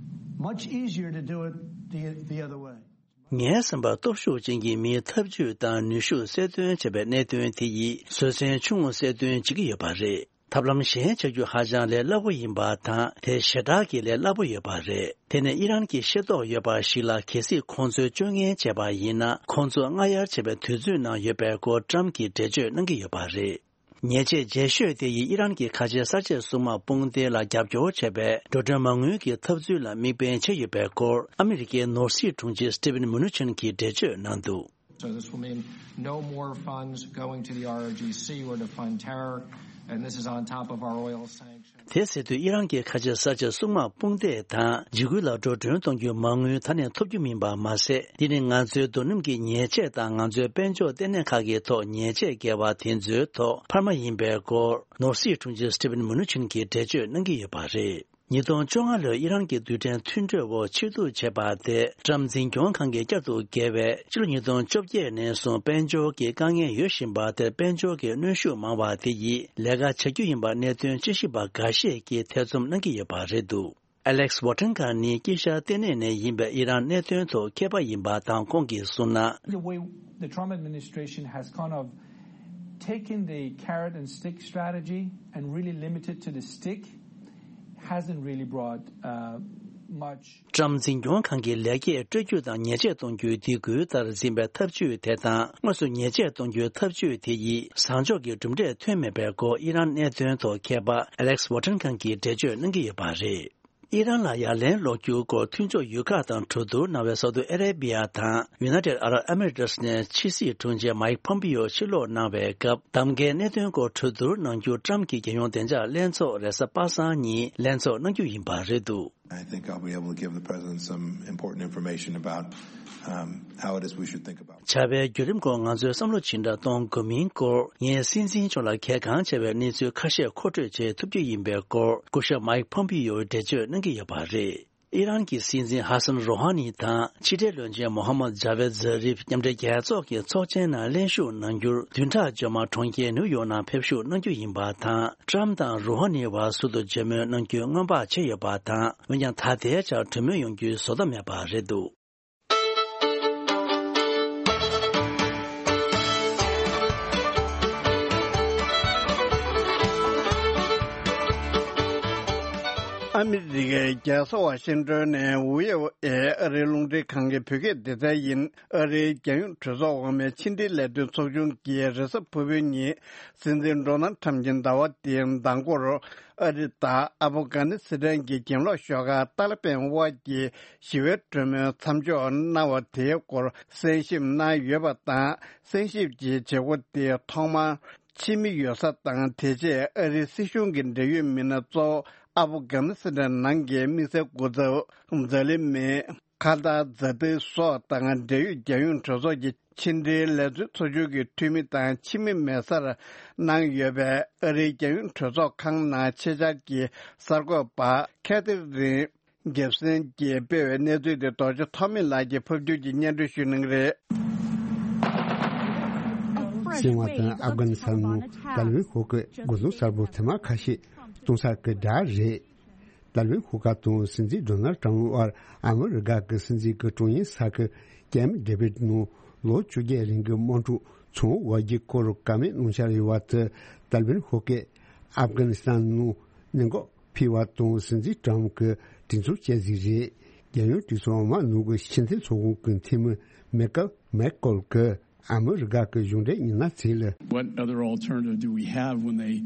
Much easier to do it the, the other way. ངའི་བསམ་པར་སྟོབས་ཤུགས་ཅན་གྱི་མིའི་ཐབས་ཇུས་དང་ནུས་ཤུགས་གསལ་སྟོན་བྱས་པའི་གནད་དོན་དེ་ཡིས་བཟོད་བསྲན་ཆུང་ངུ་གསལ་སྟོན་བྱེད་ཀྱི་ཡོད་པ་རེད། ཐབས་ལམ་གཞན་བྱ་རྒྱུ་ཧ་ཅང་ལས་སླ་པོ་ཡིན་པ་དང་དེ་ཞེ་དྲག་གི་ལས་སླ་པོ་ཡོད་པ་རེད། དེ་ནི་ཨི་རན་གྱི་ཤེས་རྟོགས་ཡོད་པ་ཞིག་ལ་གལ་སྲིད་ཁོང་ཚོས་སྤྱོད་ངན་བྱས་པ་ཡིན་ན་ཁོང་ཚོ་སྔ་གཡར་བྱེད་པའི་དུས་ཚོད་ནང་ཡོད་པའི་སྐོར་ཀྲམ་གྱིས་འགྲེལ་བརྗོད་གནང་གི་ཡོད་པ་རེད། ཉེས་ཆད་རྒྱས་ཤོས་དེ་ཡིས་ཨི་རན་གྱི་ཁ་ཆེ་གསར་བརྗེ་སྲུང་དམག་དཔུང་སྡེ་ལ་རྒྱབ་སྐྱོར་བྱས་པའི་འགྲོ་གྲོན་མ་དངུལ་གྱི་འཐབ་རྩོད་ལ་དམིགས་འབེན་བྱས་ཡོད་པའི་སྐོར་ཨ་མི་རི་ཀའི་ནོར་སྲིད་དྲུང་ཆེ་སི་ཏི་ཝན་མུ་ནུ་ཆིན་གྱིས་འགྲེལ་བརྗོད་གནང་འདུག So this will mean no more funds going to the R O G C or to fund terror. And this is on top of our oil sanctions. དེ་ཟེར་དུས་ཨི་རན་གྱི་ཁ་ཆེ་ས་ཆ་སྲུང་དམག་དཔུང་སྡེ་དང་འཇིགས་སྐུལ་ལ་འགྲོ་གྲོན་གཏོང་རྒྱུའི་མ་དངུལ་ད་ནས་ཐོབ་རྒྱུ་མིན་པ་མ་ཟད། འདི་ནི་ང་ཚོའི་རྡོ་སྣུམ་གྱི་ཉེས་ཆད་དང་ང་ཚོའི་དཔལ་འབྱོར་ལྟེ་གནས་ཁག་གི་ཐོག་ཉེས་ཆད་བཀལ་བ་དེ་ཚོའི་ཐོག་འཕར་མ་ཡིན་པའི་སྐོར་ནོར་སྲིད་དྲུང་ཆེ་སི་ཊི་ཝན་མུ་ནུ་ཆིན་གྱིས་འགྲེལ་བརྗོད་གནང་གི་ཡོད་པ་རེད། ཉིས་སྟོང་བཅོ་ལྔ་ལོའི་ཨི་རན་གྱི་རྡུལ་ཕྲན་མཐུན་གྲོས་འོག་ཕྱིར་བསྡུ་བྱས་པ་དེ་ཀྲམ་འཛིན་སྐྱོང་ཁང་གིས་བསྐྱར་དུ་འགེལ་བས། ཕྱི་ལོ་ཉིས་སྟོང་བཅོ་བརྒྱད་ནས་བཟུང་དཔལ་འབྱོར་གྱི་དཀའ་ངལ་ཡོད་བཞིན་པ་དེར་དཔལ་འབྱོར་གྱི་གནོན་ཤུགས་མང་བ་དེ་ཡིས་ལས་ཀ་བྱ་རྒྱུ་ཡིན་པར་གནད་དོན་དཔྱད་ཞིབ་པ་འགའ་ཤས་ཀྱིས་ཐེ་ཚོམ་གནང་གི་ཡོད་པ་རེད་འདུག Alex Wotrinka་ནི་དཀྱིལ་ཤར་ལྟེ་གནས་ནས་ཡིན་པའི་ཨི་རན་གནད་དོན་ཐོག་མཁས་པ་ཡིན་པ་དང་། ཁོང་གིས་གསུངས་ན། The way the Trump administration has kind of taken the carrot and stick strategy and really limited to the stick hasn't really brought uh, much. ཀྲམ་འཛིན་སྐྱོང་ཁང་གིས་ལེགས་སྐྱེས་སྤྲོད་རྒྱུ་དང་ཉེས་ཆད་གཏོང་རྒྱུའི་སྡིགས་སྐུལ་ལྟར་འཛིན་པའི་ཐབས་ཇུས་དེ་དང་། དངོས་སུ་ཉེས་ཆད་གཏོང་རྒྱུའི་ཐབས་ཇུས་དེ་ཡིས་བཟང་ཕྱོགས་ཀྱི་གྲུབ་འབྲས་ཐོན་མེད་པའི་སྐོར་ཨི་རན་གནད་དོན་ཐོག་མཁས་པ་Alex Wotrinka གིས་འགྲེལ་བརྗོད་གནང་གི་ཡོད་པ་རེད། ཨི་རན་ལ་ཡ་ལན་སློག་རྒྱུའི་སྐོར་མཐུན་ཕྱོགས་ཡུལ་ཁག་དང་གྲོས་བསྡུར་གནང་བའི་སའུ་ཏི་ཨ་རེ་བྷི་ཡ་དང་United Arab Emirates ནས་ཕྱི་སྲིད་དྲུང་ཆེ་Mike Pompeo ཕྱིར་ལོག་གནང་བའི་སྐབས། གདམ་ཀའི་གནད་དོན་སྐོར་གྲོས་བསྡུར་གནང་རྒྱུར་ཀྲམ་གྱི་རྒྱལ་ཡོངས་བདེ་འཇགས་ལྷན་ཚོགས་རེས་གཟའ་པ་སངས་ཉིན་ལྷན་ཚོགས་གནང་རྒྱུ་ཡིན་པ་རེད་འདུག I think I'll be able to give the president some important information about um, how it is we should think about བྱ་བའི་བརྒྱུད་རིམ་སྐོར་ང་ཚོས་བསམ་བློ་ཇི་འདྲ་གཏོང་དགོས་མིན་སྐོར། ངས་སྲིད་འཛིན་མཆོག་ལ་གལ་འགངས་ཆེ་བའི་གནས་ཚུལ་ཁ་ཤས་མཁོ་སྤྲོད་བྱེད་ཐུབ་རྒྱུ་ཡིན་པའི་སྐོར་སྐུ་ཞབས་Mike Pompeo འགྲེལ་བརྗོད་གནང་གི་ཡོད་པ་རེད། ཨི་རན་གྱི་སྲིད་འཛིན་ཧ་སན་རོ་ཧ་ནི་དང་ཕྱི་འབྲེལ་བློན་ཆེན་མོ་ཧམ་མད་ཇ་ཝེད་ཛ་རིབ། མཉམ་འབྲེལ་རྒྱལ་ཚོགས་ཀྱི་ཚོགས་ཆེན་ནང་ལྷན་ཞུགས་གནང་རྒྱུར་བདུན་ཕྲག་རྗེས་མ་གྲོང་ཁྱེར་ནིའུ་ཡོག་ནང་ཕེབས་ཞུགས་གནང་རྒྱུ་ཡིན་པ་དང་། ཀྲམ་དང་རོ་ཧ་ནི་བར་ཟུར་དུ་མཇལ་མོལ་གནང་རྒྱུའི་སྔོན་དཔག་བྱས་ཡོད་པ་དང་། འོན་ཀྱང་ད་ལྟའི་ཆར་གྲོས་མོལ་ཡོང་རྒྱུའི་བཟོ་ལྟ་མེད་པ་རེད་འདུག་ཨ་མི་རི་ཀའི་རྒྱལ་ས་ཝ་ཤིང་ཏོན་ནས་ཝི་ཨོ་ཨེ་ཨ་རིའི་རླུང་འཕྲིན་ཁང་གི་བོད་སྐད་སྡེ་ཚན་ཡིན། ཨ་རིའི་རྒྱལ་ཡོངས་གྲོས་ཚོགས་འོག་མའི་ཕྱི་འབྲེལ་ལས་དོན་ཚོགས་ཆུང་གིས་རེས་གཟའ་ཕུར་བུའི་ཉིན་སྲིད་འཛིན་ཌོ་ནལ་ཁྲམ་གྱི་ཟླ་བ་འདིའི་ཟླ་འགོར་ཨ་རི་དང་ཨབ་གྷ་ནི་སི་ཐན་གྱི་གྱེན་ལོག་ཤོག་ཁག་ཏཱ་ལི་བན་དབར་གྱི་ཞི་བའི་གྲོས་མོལ་མཚམས་འཇོག་གནང་བ་དེའི་སྐོར་གསན་ཞིབ་གནང་ཡོད་པ་དང་། གསན་ཞིབ་ཀྱི་བྱེད་སྒོ་དེ་ཐོག་མར་ཕྱི་མི་ཡོད་ས་དང་དེ་རྗེས་ཨ་རིའི་སྲིད་གཞུང་གི་འབྲེལ་ཡོད་མི་སྣ་གཙོ་བོ་ཨབ་གྷ་ནི་སི་ཐན་ནང་གི་དམིགས་བསལ་སྐུ་ཚབ་ཛ་ལི་མེ། ཁ་ཏར་ཛ་ཏི་སོགས་དང་འབྲེལ་ཡོད་རྒྱལ་ཡོངས་གྲོས་ཚོགས་ཀྱི་ཕྱི་འབྲེལ་ལས་དོན་ཚོགས་ཆུང་གི་འཐུས་མི་དང་ཕྱི་མི་མེད་སར་གནང་ཡོད་པའི་ཨ་རིའི་རྒྱལ་ཡོངས་གྲོས་ཚོགས་ཁང་ནང་ཆེད་བཅར་གྱི་གསར་འགོད་པ་ཁེ་ཐི་རིན་གེབ་སན་གྱིས་སྤེལ་བའི་གནས་ཚུལ་དེ་རྡོ་རྗེ་ཐོགས་མེད་ལགས་ཀྱིས་ཕབ་སྒྱུར་གྱིས་སྙན་སྒྲོན་ཞུ་གནང་གི་རེད། ཟིན་པ་དང་ཨབ་གྷ་ནི་སི་ཐན་ནང་ཏཱ་ལི་བན་ཤོག་ཁག་འགོ་འཛུགས་གསར་པ་དེ་མ་ཁ་ཤས་གཏོང་ས་གི་འདྲ་རེད། ཏཱ་ལི་བན་ཤོག་ཁག་དང་སྲིད་འཛིན་ཌོ་ནལ་ཏྲམ་དབར་ཨ་མི་རི་ཀ་གི་སྲིད་འཛིན་གྱི་དྲུང་ཡིག་ས་ཁུལ་ཀེམ་ཌེ་བིད་ནང་ལོ་བཅོ་བརྒྱད་རིང་གི་དམག་འཁྲུག་ཚང་བ་གི་སྐོར་བཀའ་མོལ་གནང་འཆར་ཡོད་པ་དེ་ཏཱ་ལི་བན་ཤོག་ཁག་ཨབ་གྷ་ནི་སི་ཐན་ནང་གནད་འགག་འཕེལ་བ་དང་སྲིད་འཛིན་ཏྲམ་གྱིས་དྲན་གསོ་བྱས་ཟིག་རེད། རྒྱལ་ཡོངས་གྲོས་ཚོགས་འོག་མ་ནང་གི་ཕྱི་འཐེན་ཚོགས་ཁང་གི་འཐུས་མི་མེ་ཀལ་མེག་ཀོལ་གྱིས། ཨ་མི་རི་ཀ་གི་གཞུང་འབྲེལ་མི་སྣ་ཚོས་ལ། What other alternative do we have when they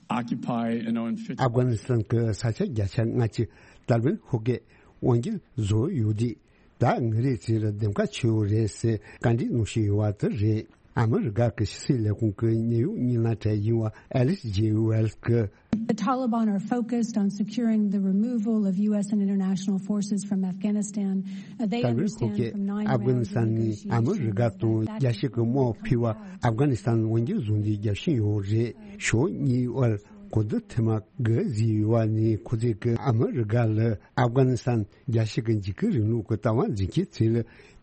occupy an unfit- ཨབ་གྷ་ནི་སི་ཐན་གྱི་ས་ཆ་བརྒྱ་ཆ་ལྔ་བཅུ་ཏཱ་ལི་བན་ཤོག་ཁག་གིས་དབང་སྒྱུར་བཟོས་ཡོད་དུས། ད་ང་རང་ཚོ་ལ་གདམ་ག་བྱས་ཡོད་རེད་ཟེར་བཀའ་འདྲི་གནང་བཞིན་ཡོད་པ་དེ་རེད། ཨ་མི་རི་ཀ་གི་ཕྱི་སྲིད་ལས་ཁུངས་ཀྱི་གནད་ཡོད་མི་སྣ་གྲས་ཡིན་པ་ཨེ་ལིས་ཇེ་ཝེལ་གྱིས། The Taliban are focused on securing the removal of U S and international forces from Afghanistan. Uh, they ཏཱ་ལི་བན་ཤོག་understand ཁག་གིས་from nine ཨབ་གྷ་ནི་rounds སི་ཐན་of ནས་ཨ་མི་རི་ཀ་negotiations དང་རྒྱལ་སྤྱི་གི་དམག་འཕུར་བ་ཨབ་གྷ་ནི་སི་ཐན་དབང་སྒྱུར་བཟུང་རྒྱུའི་རྒྱབ་སྐྱོར་ཡོད་རེད། ཕྱོགས་གཉིས་དབར་གོ་བསྡུར་ཐེངས་མ་དགུ་བྱས་ཡོད་པ་ནས། ཁོ་ཚོས་ཀྱིས་ཨ་མི་རི་ཀ་ལ་ཨབ་གྷ་ནི་སི་ཐན་རྒྱལ་སྤྱི་གི་འཇིགས་སྐུལ་རིང་ལུགས་ཀྱི་ལྟ་བ་འཛིན་མཁན་ཚོ་ལ་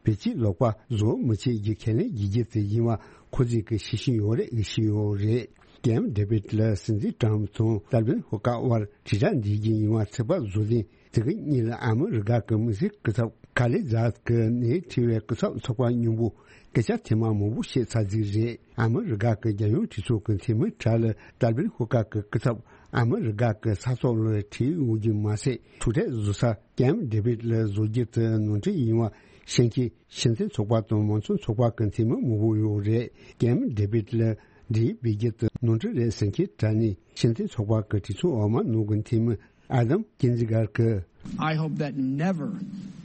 བེད་སྤྱོད་ལོག་པ་བཟོ་མི་བྱེད་རྒྱུ་ཁས་ལེན་བྱེད་རྒྱུ་དེ་ཡིན་པ་ཁོ་ཚོས་ཀྱིས་ཤེས་བཞིན་ཡོད་རེད། ཤེས་ཡོད་རེད། ཀེམ་ཌེ་བིད་ལ་སྲིད་འཛིན་ཏྲམ་དང་ཏཱ་ལི་བན་ཤོག་ཁག་དབར་དྲིལ་བསྒྲགས་འདི་བཞིན་ཡིན་པ་ཚོད་དཔག་བཟོ་ལེན་དེ་གི་གཉིས་ལ་ཨ་མི་རི་ཀ་གི་དམིགས་བསལ་སྐུ་ཚབ་ཁ་ལི་ཛཱད་ཀྱིས་ནས་ཁྲི་བའི་སྐུ་ཚབ་ཚོགས་པ་མཉམ་པོ་སྐད་ཆ་ཐེངས་མ་མང་པོ་བཤད་ཚར་ཟིག་རེད། ཨ་མི་རི་ཀ་གི་རྒྱལ་ཡོངས་གྲོས་ཚོགས་ཀྱི་འཐུས་མི་གྲས་ལ་ཏཱ་ལི་བན་ཤོག་ཁག་གི་སྐུ་ཚབ་ཨ་མི་རི་ཀ་གི་ས་ཐོག་ལ་ཁྲིད་ཡོང་རྒྱུ་མ་ཟད། ཐུག་འཕྲད་བཟོ་ས་ཀེམ་ཌེ་བིད་ལ་བཟོ་རྒྱུ་དེ་ནོར་འཁྲུལ་ཡིན་པ་ཤེས་མཁན་ཕྱི་འཐེན་ཚོགས་པ་དང་མང་གཙོ་ཚོགས་པ་གི་འཐུས་མི་མང་པོ་ཡོད་རེད། ཀེམ་ཌེ་བིད་ལ་འབྲེལ་ཡོད་འབུལ་རྒྱུ་དེ་ནོར་འཁྲུལ་རེད་ཟེར་མཁན་གྲས་ནས་ཕྱི་འཐེན་ཚོགས་པ་གི་གྲོས་ཚོགས་འོག་མ་ནང་གི་འཐུས་མི་ཨ་དམ་ཀིན་ཛི་གྷར་གྱིས། I hope that never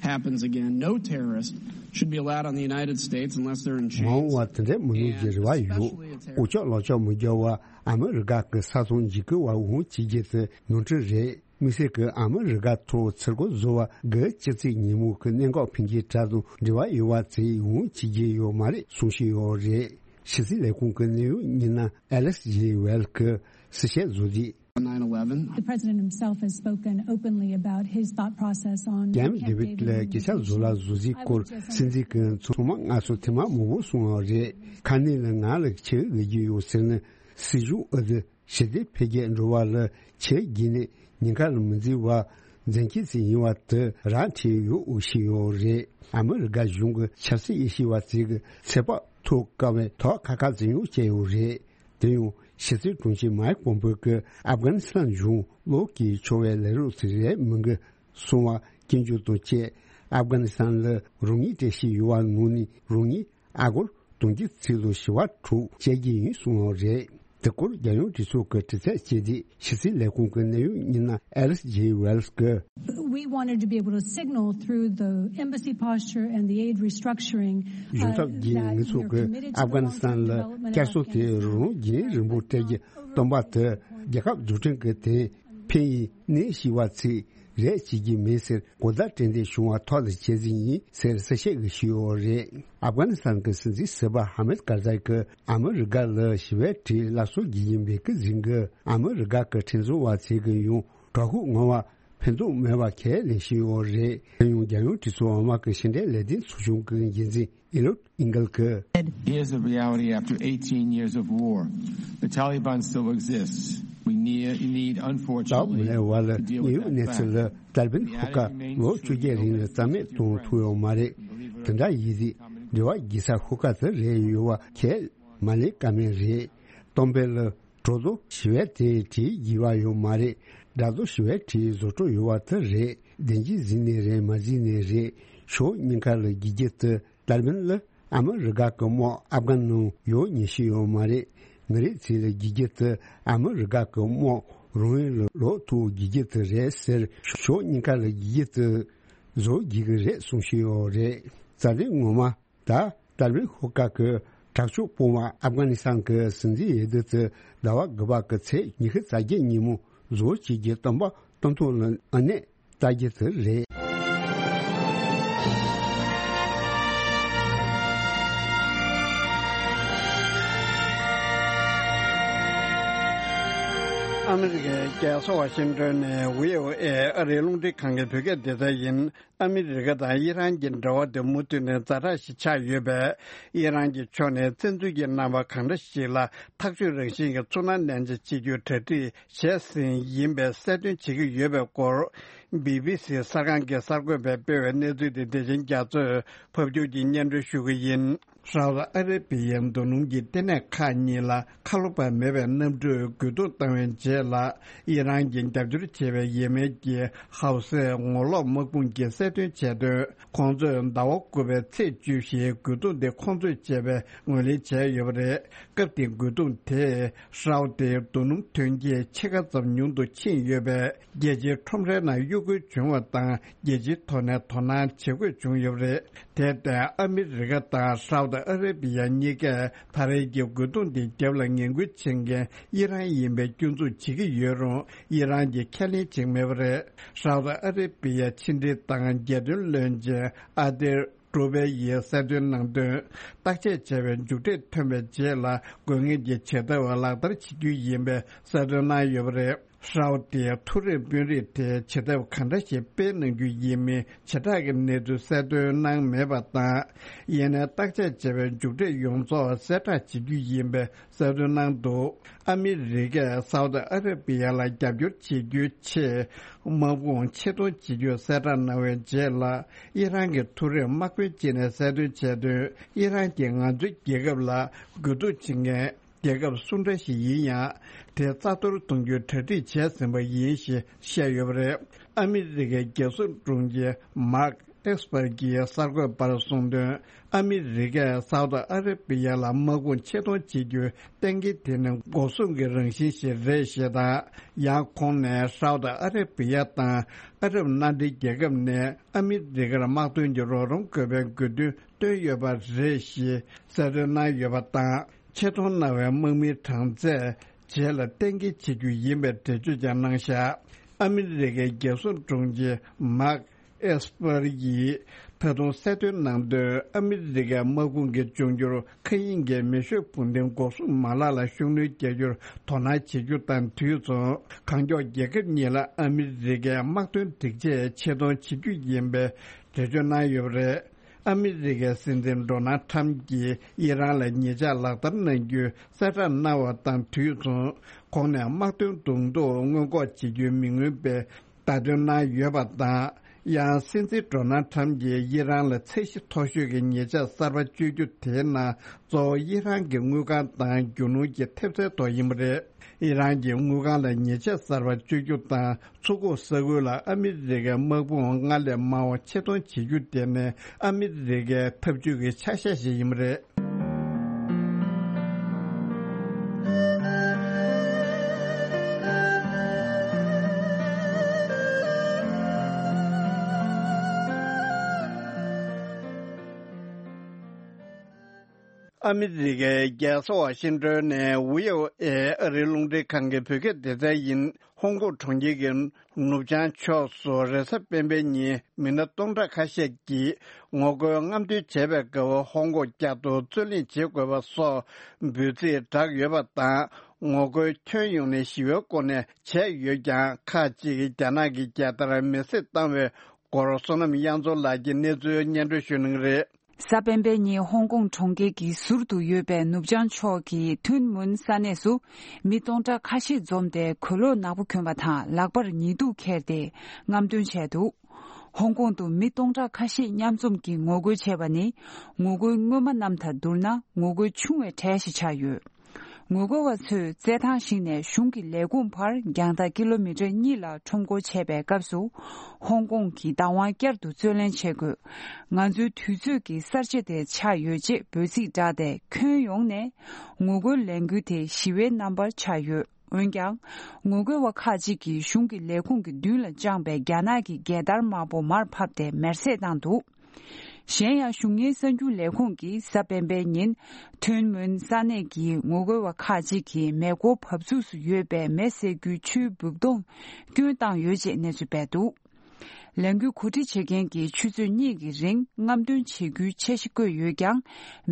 happens again, no terrorist should be allowed on the United States unless they're in chains. མ་འོངས་པར་དེ་འདྲའི་མི་སྣང་རྒྱུའི་རེ་བ་ཡོད། འུ་ཅག་ལག་ཆོག་མི་རྒྱག་པར་ཨ་མི་རི་ཀ་གི་ས་མཚམས་འཇིགས་སྐུལ་བ་འོང་བྱེད་རྒྱུ་དེ་ནོར་འཁྲུལ་རེད། དམིགས་བསལ་གྱིས་ཨ་མི་རི་ཀ་ཐོག་ཚུར་རྒོལ་བཟོ་བ་དགུ་བཅུ་ཚེས་ཉིན་མོ་གི་གནད་འགག་ཕན་ཆད་དྲག་དང་འབྲེལ་བ་ཡོད་པ་ཚོས་འོང་བྱེད་རྒྱུ་ཡོད་མ་རེད་གསུང་བཞིན་ཡོད་རེད། ཕྱི་སྲིད་ལས་ཁུངས་ཀྱི་གནད་ཡོད་མི་སྣ་ཨེ་ལིས་ཇེ་ཝེལ་གྱིས་གསལ་བཤད་བཟོས་རྗེས། The president himself has spoken openly about his thought process on the Camp David movement. ལ་སྐད་ཆ་བཟོ་ལ་བཟོ་རྩིས་སྐོར་སྲིད་འཛིན་གྱིས་ཚང་མ་སྔར་སོ་ཐེངས་མ་མང་པོ་གསུངས་པ་རེད། ཁ་སྣོན་ལ་ང་ལ་ཆེ་བའི་རྒྱུ་ཡོད་ཟེར་ནས་སྲིད་གཞུང་ཨུ་ཚུགས་ཞི་བདེ་འཕེལ་རྒྱས་འགྲོ་བ་ལ་ཆེས་རྒྱུན་ནས་ཉེན་ཁ་ལ་མི་འཛིན་པ་འཛིན་སྐྱོང་བྱེད་ཡིན་པ་དེ་ར་འཕྲོད་ཡོད་འོས་ཤིག་ཡོད་རེད། ཨ་མི་རི་ཀ་གཞུང་གི་ཆབ་སྲིད་དབྱེ་ཞིབ་པ་ཚོས་ཀྱི་ཚོད་དཔག་ཐོབ་དཀའ་བའི་ཐོག་ཁ་ཁ་འཛིན་ཡོང་བྱས་ཡོད་རེད། དེ་ཡང་ཕྱི་སྲིད་དྲུང་ཆེ་མའེ་ཀོམ་པེ་ཀྱིས་ཨབ་གྷ་ནི་སི་ཐན་གཞུང་ལོག་གིས་ཆོག་པའི་ལས་རོགས་ཚོ་རེད་མི་འགི་སོང་བ་སྐྱོན་བརྗོད་དང་བཅས་ཨབ་གྷ་ནི་སི་ཐན་ལ་རང་ཉིད་སྤྲད་བཞིན་ཡོད་པ་ནང་ནས་རང་ཉིད་ཨ་སྒོར་དུང་ཕྱུར་ཚིག་ལོ་བཞི་བ་དྲུག་བཅད་རྒྱུ་ཡིན་གསུངས་པ་རེད། དེ་སྐོར་རྒྱལ་ཡོངས་གྲོས་ཚོགས་ཀྱི་དྲི་རྩད་བྱས་ཏེ་ཕྱི་སྲིད་ལས་ཁུངས་ཀྱི་གནད་ཡོད་མི་སྣ་ཨེ་ལིས་ཇེ་ཝེལ་གྱིས། We wanted to be able to signal through the embassy posture and the aid restructuring, གཞུང་ཚབ་ཀྱིས་ངེད་ཚོ་གིས་ཨབ་གྷ་ནི་སི་ཐན་ལ་བསྐྱར་གསོ་དེ་རང་རྒྱུན་རིང་པོ་སྤྲད་རྒྱུ་སྟོན་པ་དེ་རྒྱལ་ཁབ་འཛུགས་སྐྲུན་གྱི་དེ་ཕན་ཡིན་གནས་ཤིག་བ་ཚིག་རེད་བྱེད་ཀྱི་མེད་ཟེར་གོ་བརྡ་སྤྲད་འདོད་བྱུང་བ་ཐོག་ལ་བྱས་ཟིན་ཡིན་ཟེར་གསལ་བཤད་ཞུས་ཡོད་རེད། ཨབ་གྷ་ནི་སི་ཐན་གྱི་སྲིད་འཛིན་ཟུར་པ་ཧ་མེད་ཀར་ཛའི་གིས་ཨ་མི་རི་ཀ་ལ་ཞི་བའི་གྲས་སླར་གསོ་བགྱིད་ཀྱིན་པའི་སྐུ་གཟུགས་ཀྱིས་ཨ་མི་རི་ཀ་གི་ཁྲིམས་བཟོ་བ་ཚོས་ཀྱི་ཡང་དྲག་ཤུགས་ངང་བ་ཕན་ཐོགས་མེད་པ་ཁས་ལེན་བཞིན་ཡོད་རེད། དེ་ཡང་རྒྱལ་ཡོངས་གྲོས་ཚོགས་འོག་མ་གི་ཕྱི་འབྲེལ་ལས་དོན་ཚོགས་ཆུང་གི་འགན་འཛིན་ཨི་ལོད་ཨིང་གལ་གྱིས། Here's the reality after eighteen years of war. The Taliban still exists. We need, need, unfortunately, རྟག་མི་ལའི་བར་ལ་དངོས་ཡོད་གནས་ཚུལ་ལ་ཏཱ་ལི་བན་ཤོག་ཁག་ལོ་བཅོ་བརྒྱད་རིང་ལ་རྩ་མེད་གཏོང་ཐུབ་ཡོད་མ་རེད། དེ་འདྲ་ཡིན་དུས་འབྲེལ་བ་བགྱིད་ས་ཤོག་ཁག་དེ་རེད་ཡོད་པ་ཁས་མ་ལེན་ཀ་མེད་རེད། གཏམ་དཔེ་ལ། གྲོགས་ཚོ་ཞི་བའི་གྲས་གྲས་བགྱིད་པ་ཡོད་མ་རེད། དགྲ་ཚོ་ཞི་བའི་གྲས་བཟོ་སྤྲོ་ཡོད་པ་དེ་རེད། བདེན་གྱི་གཟིགས་ནས་རེད་མ་གཟིགས་ནས་རེད། ཕྱོགས་གཉིས་ཀ་ལ་བགྱིད་རྒྱུ་དེ་ཏཱ་ལི་བན་ལ་ཨ་མི་རི་ཀ་གི་དམག་ཨབ་གྷན་ནང་ཡོད་ཉེན་ཤས་ཡོད་མ་རེད། མི་རིགས་ཚོ་ལ་བགྱིད་རྒྱུ་དེ་ཨ་མི་རི་ཀ་གི་དམག་རང་ཡུལ་ལ་ལོག་ཐུབ་བགྱིད་རྒྱུ་དེ་རེད་ཟེར། ཕྱོགས་གཉིས་ཀ་ལ་བགྱིད་རྒྱུ་དེ་བཟོ་བགྱིད་ཀྱི་རེད་གསུང་བཞིན་ཡོད་རེད། རྩ་དོན་ངོ་མ། ད་ཏཱ་ལི་བན་ཤོག་ཁག་གི་དྲག་ཤོས་དཔུང་པ་ཨབ་གྷ་ནི་སི་ཐན་གྱི་སྲིད་འཛིན་འོས་བསྡུ་དེ་ཟླ་བ་དགུ་པ་གི་ཚེས་ཉི་ཤུ་རྩ་བརྒྱད་ཉིན་མོ་བཟོ་བྱེད་རྒྱུ་གཏམ་པ་སྟོན་ཐོག་ལ་ཨ་ནེ་ལྟ་རྒྱུ་དེ་རེད། ཨ་མི་རི་ཀའི་རྒྱལ་ས་ཝ་ཤིང་ཏོན་ནས་བྷི་ཨོ་ཨེ་ཨ་རིའི་རླུང་འཕྲིན་ཁང་གི་བོད་སྐད་སྡེ་ཚན་ཡིན། ཨ་མི་རི་ཀ་དང་ཨི་རན་གྱི་འབྲེལ་བ་དེ་མུ་མཐུད་ནས་ཛ་དྲག་ཞིག་ཆགས་ཡོད་པས། ཨི་རན་གྱི་ཕྱོགས་ནས་བཙན་འཛུལ་གྱི་རྣམ་པ་གང་འདྲ་ཞིག་ལ་ཐག་གཅོད་རང་བཞིན་གྱི་ཚོར་སྣང་ལེན་བྱ་བྱེད་རྒྱུར་གྲ་སྒྲིག་བྱས་ཟིན་ཡིན་པའི་གསལ་སྟོན་བྱེད་ཀྱི་ཡོད་པའི་སྐོར། བི་བི་སི་གསར་ཁང་གི་གསར་འགོད་པས་སྤེལ་བའི་གནས་ཚུལ་དེ་བདེ་ཆེན་རྒྱ་མཚོས་ཕབ་སྒྱུར་གྱིས་སྙན་སྒྲོན་ཞུ་གི་ཡིན། ཧྲའོ་ཏི་ཨ་ར་བི་ཡའི་མདོ་སྣུམ་གྱི་ལྟེ་གནས་ཁག་གཉིས་ལ་ཁ་ལོ་པ་མེད་པའི་གནམ་གྲུས་རྒོལ་རྡུང་བཏང་བའི་རྗེས་ལ། ཨི་རན་གྱིས་རྒྱབ་སྐྱོར་བྱས་པའི་ཡེ་མེན་གྱི་ཧའུ་སའི་ངོ་ལོག་དམག་དཔུང་གིས་གསལ་སྟོན་བྱས་དོན། ཁོང་ཚོས་ཟླ་བ་དགུ་པའི་ཚེས་བཅུ་བཞིའི་རྒོལ་རྡུང་དེ་ཁོང་ཚོས་བྱས་པའི་ངོས་ལེན་བྱས་ཡོད་པ་རེད། སྐབས་དེའི་རྒོལ་རྡུང་དེས་ཧྲའོ་ཏིའི་རྡོ་སྣུམ་ཐོན་སྐྱེད་ཕྱེད་ཀ་ཙམ་ཉུང་དུ་ཕྱིན་ཡོད་པས། རྒྱལ་སྤྱིའི་ཁྲོམ་རའི་ནང་གཡོ་འགུལ་བྱུང་བ་དང་། རྒྱལ་སྤྱིའི་ཐོག་ནས་དོ་སྣང་བྱེད་དགོས་བྱུང་ཡོད་པ་རེད། དེར་བརྟེན། ཨ་མི་རི་ཀ་དང་ཧྲའོ་ཏི་ཨ་ར་བི་ཡ་གཉིས་ཀས་ད་རེས་ཀྱི་རྒོལ་རྡུང་འདིའི་རྒྱབ་ལ་ངན་སྐུལ་བྱེད་མཁན་ཨི་རན་ཡིན་པའི་སྐྱོན་འཛུགས་བྱེད་ཀྱི་ཡོད་རུང་། ཨི་རན་གྱིས་ཁས་ལེན་བྱེད་ཀྱི་མེད་པ་རེད། ཧྲའོ་ཏི་ཨ་ར་བི་ཡའི་ཕྱི་འབྲེལ་དང་རྒྱལ་དོན་བློན་ཆེན་ཨ་དེར་ཀྲུ་པེ་ཡིས་གསལ་སྟོན་གནང་དོན། བརྟག་དཔྱད་བྱས་པའི་མཇུག་འབྲས་ཐོན་པའི་རྗེས་ལ། དགོས་ངེས་ཀྱི་བྱེད་ཐབས་ལག་བསྟར་བྱེད་རྒྱུ་ཡིན་པའི་གསལ་སྟོན་གནང་ཡོད་པ་རེད། ཧྲའོ་ཏིའི་མཐོ་རིམ་དཔོན་རིགས་དེས་བྱེད་ཐབས་གང་འདྲ་ཞིག་སྤེལ་གནང་རྒྱུ་ཡིན་མིན་བྱེ་བྲག་གི་གནས་ཚུལ་གསལ་སྟོན་གནང་མེད་པ་དང་། ཡིན་ནའི་བརྟག་དཔྱད་བྱས་པའི་མཇུག་འབྲས་ཡོངས་རྫོགས་གསལ་བསྒྲགས་བྱེད་རྒྱུ་ཡིན་པའི་གསལ་སྟོན་གནང་འདུག་ཨ་མི་རི་ཀས་སའུ་ཏི་ཨ་ར་བི་ཡ་ལ་རྒྱབ་སྐྱོར་བྱེད་རྒྱུའི་ཆེད། དམག་དཔུང་ཆེད་གཏོང་བྱེད་རྒྱུ་གསལ་བསྒྲགས་གནང་བའི་རྗེས་ལ། ཨི་རན་གྱི་མཐོ་རིམ་དམག་དཔོན་གཅིག་ནས་གསལ་སྟོན་བྱས་དོན། ཨི་རན་གྱིས་ང་ཚོའི་རྒྱལ་ཁབ་ལ་རྒོལ་རྡུང་བྱེད་མཁན། རྒྱལ་ཁབ་སུ་འདྲ་ཞིག་ཡིན་ཡང་། དེ་རྩ་གཏོར་གཏོང་རྒྱུའི་གྲ་སྒྲིག་བྱས་ཟིན་པ་ཡིན་ཞེས་བཤད་ཡོད་པ་རེད། ཨ་མི་རི་ཀའི་རྒྱལ་སྲུང་དྲུང་ཆེ་མཱག་ ཨེགས་པར་གྱིས་གསར་འགོད་པར་གསུངས་དོན། ཨ་མི་རི་ཀས་སའུ་ཏི་ཨ་ར་པི་ཡ་ལ་དམག་དཔུང་ཆེད་གཏོང་བྱེད་རྒྱུའི་གཏན་འཁེལ་དེ་ནི་འགོག་སྲུང་གི་རང་བཞིན་ཞིག་རེད་ཞེས་དང་། ཡང་ཁོང་ནས་སའུ་ཏི་ཨ་ར་པི་ཡ་དང་ཨ་རབ་མནའ་འབྲེལ་རྒྱལ་ཁབ་ནས་ཨ་མི་རི་ཀར་དམག་དོན་གྱི་རོགས་རམ་དགོས་པའི་དགོས་འདུན་བཏོན་ཡོད་པ་རེད་ཞེས་གསལ་སྟོན་གནང་ཡོད་པ་དང་། ཆེད་གཏོང་གནང་བའི་དམག་མིའི་གྲངས་ཚད་རྗེས་ལ་གཏན་འཁེལ་བྱེད་རྒྱུ་ཡིན་པའི་འགྲེལ་བརྗོད་ཀྱང་གནང་བཞག་ཨ་མི་རི་ཀའི་རྒྱལ་སྲུང་དྲུང་ཆེ་མཱག་ཨེས་པར་ཡིས་ད་དུང་གསལ་སྟོན་གནང་དོན། ཨ་མི་རི་ཀའི་དམག་དཔུང་གི་འབྱུང་འགྱུར་མཁའ་དབྱིངས་ཀྱི་མེ་ཤུགས་འཕུར་མདེལ་འགོག་སྲུང་མ་ལག་ལ་ཤུགས་སྣོན་རྒྱག་རྒྱུར་དོ་སྣང་བྱེད་རྒྱུ་དང་དུས་མཚུངས། གང་མགྱོགས་རྒྱལ་ཁབ་གཉིས་ལ་ཨ་མི་རི་ཀའི་དམག་དོན་སྒྲིག་ཆས་ཆེད་གཏོང་བྱེད་རྒྱུ་ཡིན་པའི་འགྲེལ་བརྗོད་གནང་ཡོད་པ་རེད། ཨ་མི་རི་ཀའི་སྲིད་འཛིན་ཌོ་ནལ་ཁྲམ་གྱིས་ཨི་རན་ལ་ཉེས་ཆད་ལག་བསྟར་གནང་རྒྱུའི་གསལ་བསྒྲགས་གནང་བ་དང་དུས་མཚུངས། ཁོང་ནས་དམག་དོན་གདོང་ཐུག་སྔོན་འགོག་བྱེད་རྒྱུའི་མི་མངོན་པའི་བརྡ་སྟོན་གནང་ཡོད་པ་དང་། ཡང་སྲིད་འཛིན་ཌོ་ནལ་ཁྲམ་གྱིས་ཨི་རན་ལ་ཚད་གཞི་མཐོ་ཤོས་ཀྱི་ཉེས་ཆད་གསར་པ་གཅོད་རྒྱུ་དེའི་ནང་གཙོ་བོ་ཨི་རན་གྱི་དངུལ་ཁང་དང་རྒྱུ་ནོར་གྱི་ཐེབས་རྩའི་ཐོག་ཡིན་པ་རེད། ཨི་རན་གྱི་དངུལ་ཁང་ལ་ཉེས་ཆད་གསར་པ་གཅོད་རྒྱུ་དང་། མཚོ་ཁུག་ས་ཁུལ་ལ་ཨ་མི་རི་ཀའི་དམག་དཔུང་སྔར་ལས་མང་བ་ཆེད་གཏོང་བྱེད་རྒྱུ་དེ་ནི་ཨ་མི་རི་ཀའི་འཐབ་ཇུས་ཀྱི་ཆ་ཤས་ཤིག་ཡིན་པ་རེད། ཨ་མི་རི་ཀའི་རྒྱལ་ས་ཝ་ཤིང་ཏོན་ནས་ཝི་ཨོ་ཨེ་ཨ་རིའི་རླུང་འཕྲིན་ཁང་གི་བོད་སྐད་སྡེ་ཚན་ཡིན། ཧོང་ཀོང་གྲོང་ཁྱེར་གྱི་ནུབ་བྱང་ཕྱོགས་སུ་རེས་གཟའ་སྤེན་པའི་ཉིན་མི་སྣ་སྟོང་ཕྲག་ཁ་ཤས་ཀྱིས་ངོ་རྒོལ་རྔམ་སྟོན་བྱས་པའི་སྐབས། ཧོང་ཀོང་བསྐྱར་དུ་རྩོད་གླེང་བྱེད་དགོས་པ་སོགས་འབོད་ཚིག་བསྒྲགས་ཡོད་པ་དང་། ངོ་རྒོལ་ཁྱོན་ཡོངས་ནས་ཞི་བའི་སྒོ་ནས་བྱས་ཡོད་ཀྱང་། ཁག་ཅིག་གིས་རྒྱ་ནག་གི་རྒྱལ་དར་མེ་བསྲེགས་བཏང་བའི་སྐོར། བསོད་ནམས་དབྱངས་འཛོམས་ལགས་ཀྱིས་གནས་ཚུལ་སྙན་སྒྲོན་ཞུ་གནང་གི་རེད། གཟའ་སྤེན་པའི་ཉིན་ཧོང་ཀོང་གྲོང་ཁྱེར་གྱི་ཟུར་དུ་ཡོད་པའི་ནུབ་བྱང་ཕྱོགས་ཀྱི་ཐུན་མུན་ས་གནས་སུ་མི་སྟོང་ཕྲག་ཁ་ཤས་འཛོམས་ཏེ་གོས་ལོག་ནག་པོ་གྱོན་པ་དང་། ལག་པར་ཉི་གདུགས་འཁྱེར་ཏེ་རྔམ་སྟོན་བྱས་འདུག་ཧོང་ཀོང་དུ་མི་སྟོང་ཕྲག་ཁ་ཤས་མཉམ་འཛོམས་ཀྱིས་ངོ་རྒོལ་བྱས་པ་ནི། ངོ་རྒོལ་སྔོན་མ་རྣམས་དང་བསྡུར་ན་ངོ་རྒོལ་ཆུང་བའི་གྲས་ཤིག་ཆགས་ཡོད། ངོ་རྒོལ་བ་ཚོས་རྩེད་ཐང་ཞིག་ནས་གཞུང་གི་ལས་ཁུངས་བར་རྒྱང་ཐག་ཀི་ལོ་མི་ཊར་གཉིས་ལ་ཁྲོམ་སྐོར་བྱས་པའི་སྐབས་སུ། ཧོང་ཀོང་གི་བདག་དབང་བསྐྱར་དུ་རྩོད་ལེན་བྱེད་དགོས། ང་ཚོའི་དུས་ཚོད་ཀྱི་གསར་བརྗེ་དེ་ཆགས་ཡོད་ཅེས་འབོད་ཚིག་བསྒྲགས་ཏེ། ཁྱོན་ཡོངས་ནས་ངོ་རྒོལ་ལས་འགུལ་དེ་ཞི་བའི་རྣམ་པར་ཆགས་ཡོད། འོན་ཀྱང་། ངོ་རྒོལ་བ་ཁག་ཅིག་གིས་གཞུང་གི་ལས་ཁུངས་ཀྱི་མདུན་ལ་བཅངས་པའི་རྒྱ་ནག་གི་རྒྱལ་དར་དམར་པོ་མར་ཕབ་སྟེ་མེར་སྲེག་བཏང་འདུག་གཞན་ཡང་། གཞུང་གཉེར་གསར་འགྱུར་ལས་ཁུངས་ཀྱིས་གཟའ་སྤེན་པའི་ཉིན་ཐུན་མོན་ས་གནས་ཀྱི་ངོ་རྒོལ་བ་ཁག་ཅིག་གིས་མེ་འཁོར་བབས་ཚུགས་སུ་ཡོད་པའི་མེ་བསད་རྒྱུའི་ཆུའི་སྦུག་དོང་བསྐྱོན་བཏང་ཡོད་ཅེས་གནས་ཚུལ་སྤེལ་འདུག་ལས་འགུལ་གོ་སྒྲིག་བྱེད་མཁན་གྱིས་ཆུ་ཚོད་གཉིས་ཀྱི་རིང་རྔམ་སྟོན་བྱེད་རྒྱུའི་འཆར་གཞི་བཀོད་ཡོད་ཀྱང་།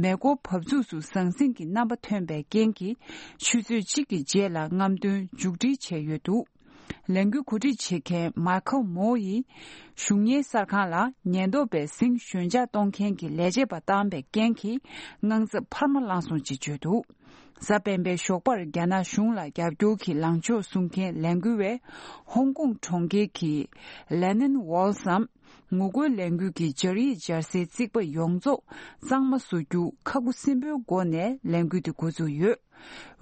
མེ་འཁོར་བབས་ཚུགས་སུ་ཟང་ཟིང་གི་རྣམ་པ་ཐོན་པའི་རྐྱེན་གྱིས། ཆུ་ཚོད་གཅིག་གི་རྗེས་ལ་རྔམ་སྟོན་མཇུག་སྒྲིལ་བྱས་ཡོད་འདུག་ལས་འགུལ་གོ་སྒྲིག་བྱེད་མཁན་མཱ་ཁལ་མོ་ཡིས། གཞུང་གཉེར་གསར་ཁང་ལ་ཉེན་རྟོག་པས་ཟིང་ཞོད་འཇགས་གཏོང་མཁན་གྱི་ལས་བྱེད་པ་བཏང་པའི་རྐྱེན་གྱིས། དངངས་འཚབ་འཕར་མ་ལངས་སོང་ཅེས་བརྗོད་འདུག་གཟའ་སྤེན་པའི་ཞོགས་པར་རྒྱ་ནག་གཞུང་ལ་རྒྱབ་སྐྱོར་གྱི་ལངས་ཕྱོགས་བཟུང་མཁན་ལས་འགུལ་བས། ཧོང་ཀོང་གྲོང་ཁྱེར་གྱི་ལེ་ནན་ཝོལ་སམ། ངོ་རྒོལ་ལས་འགུལ་གྱི་སྦྱར་ཡིག་སྦྱར་སའི་རྩིག་པ་ཡོངས་རྫོགས་གཙང་མ་བཟོ་རྒྱུ་ཁག་པོ་སེམས་པོའི་སྒོ་ནས་ལས་འགུལ་དེ་འགོ་བཙུགས་ཡོད།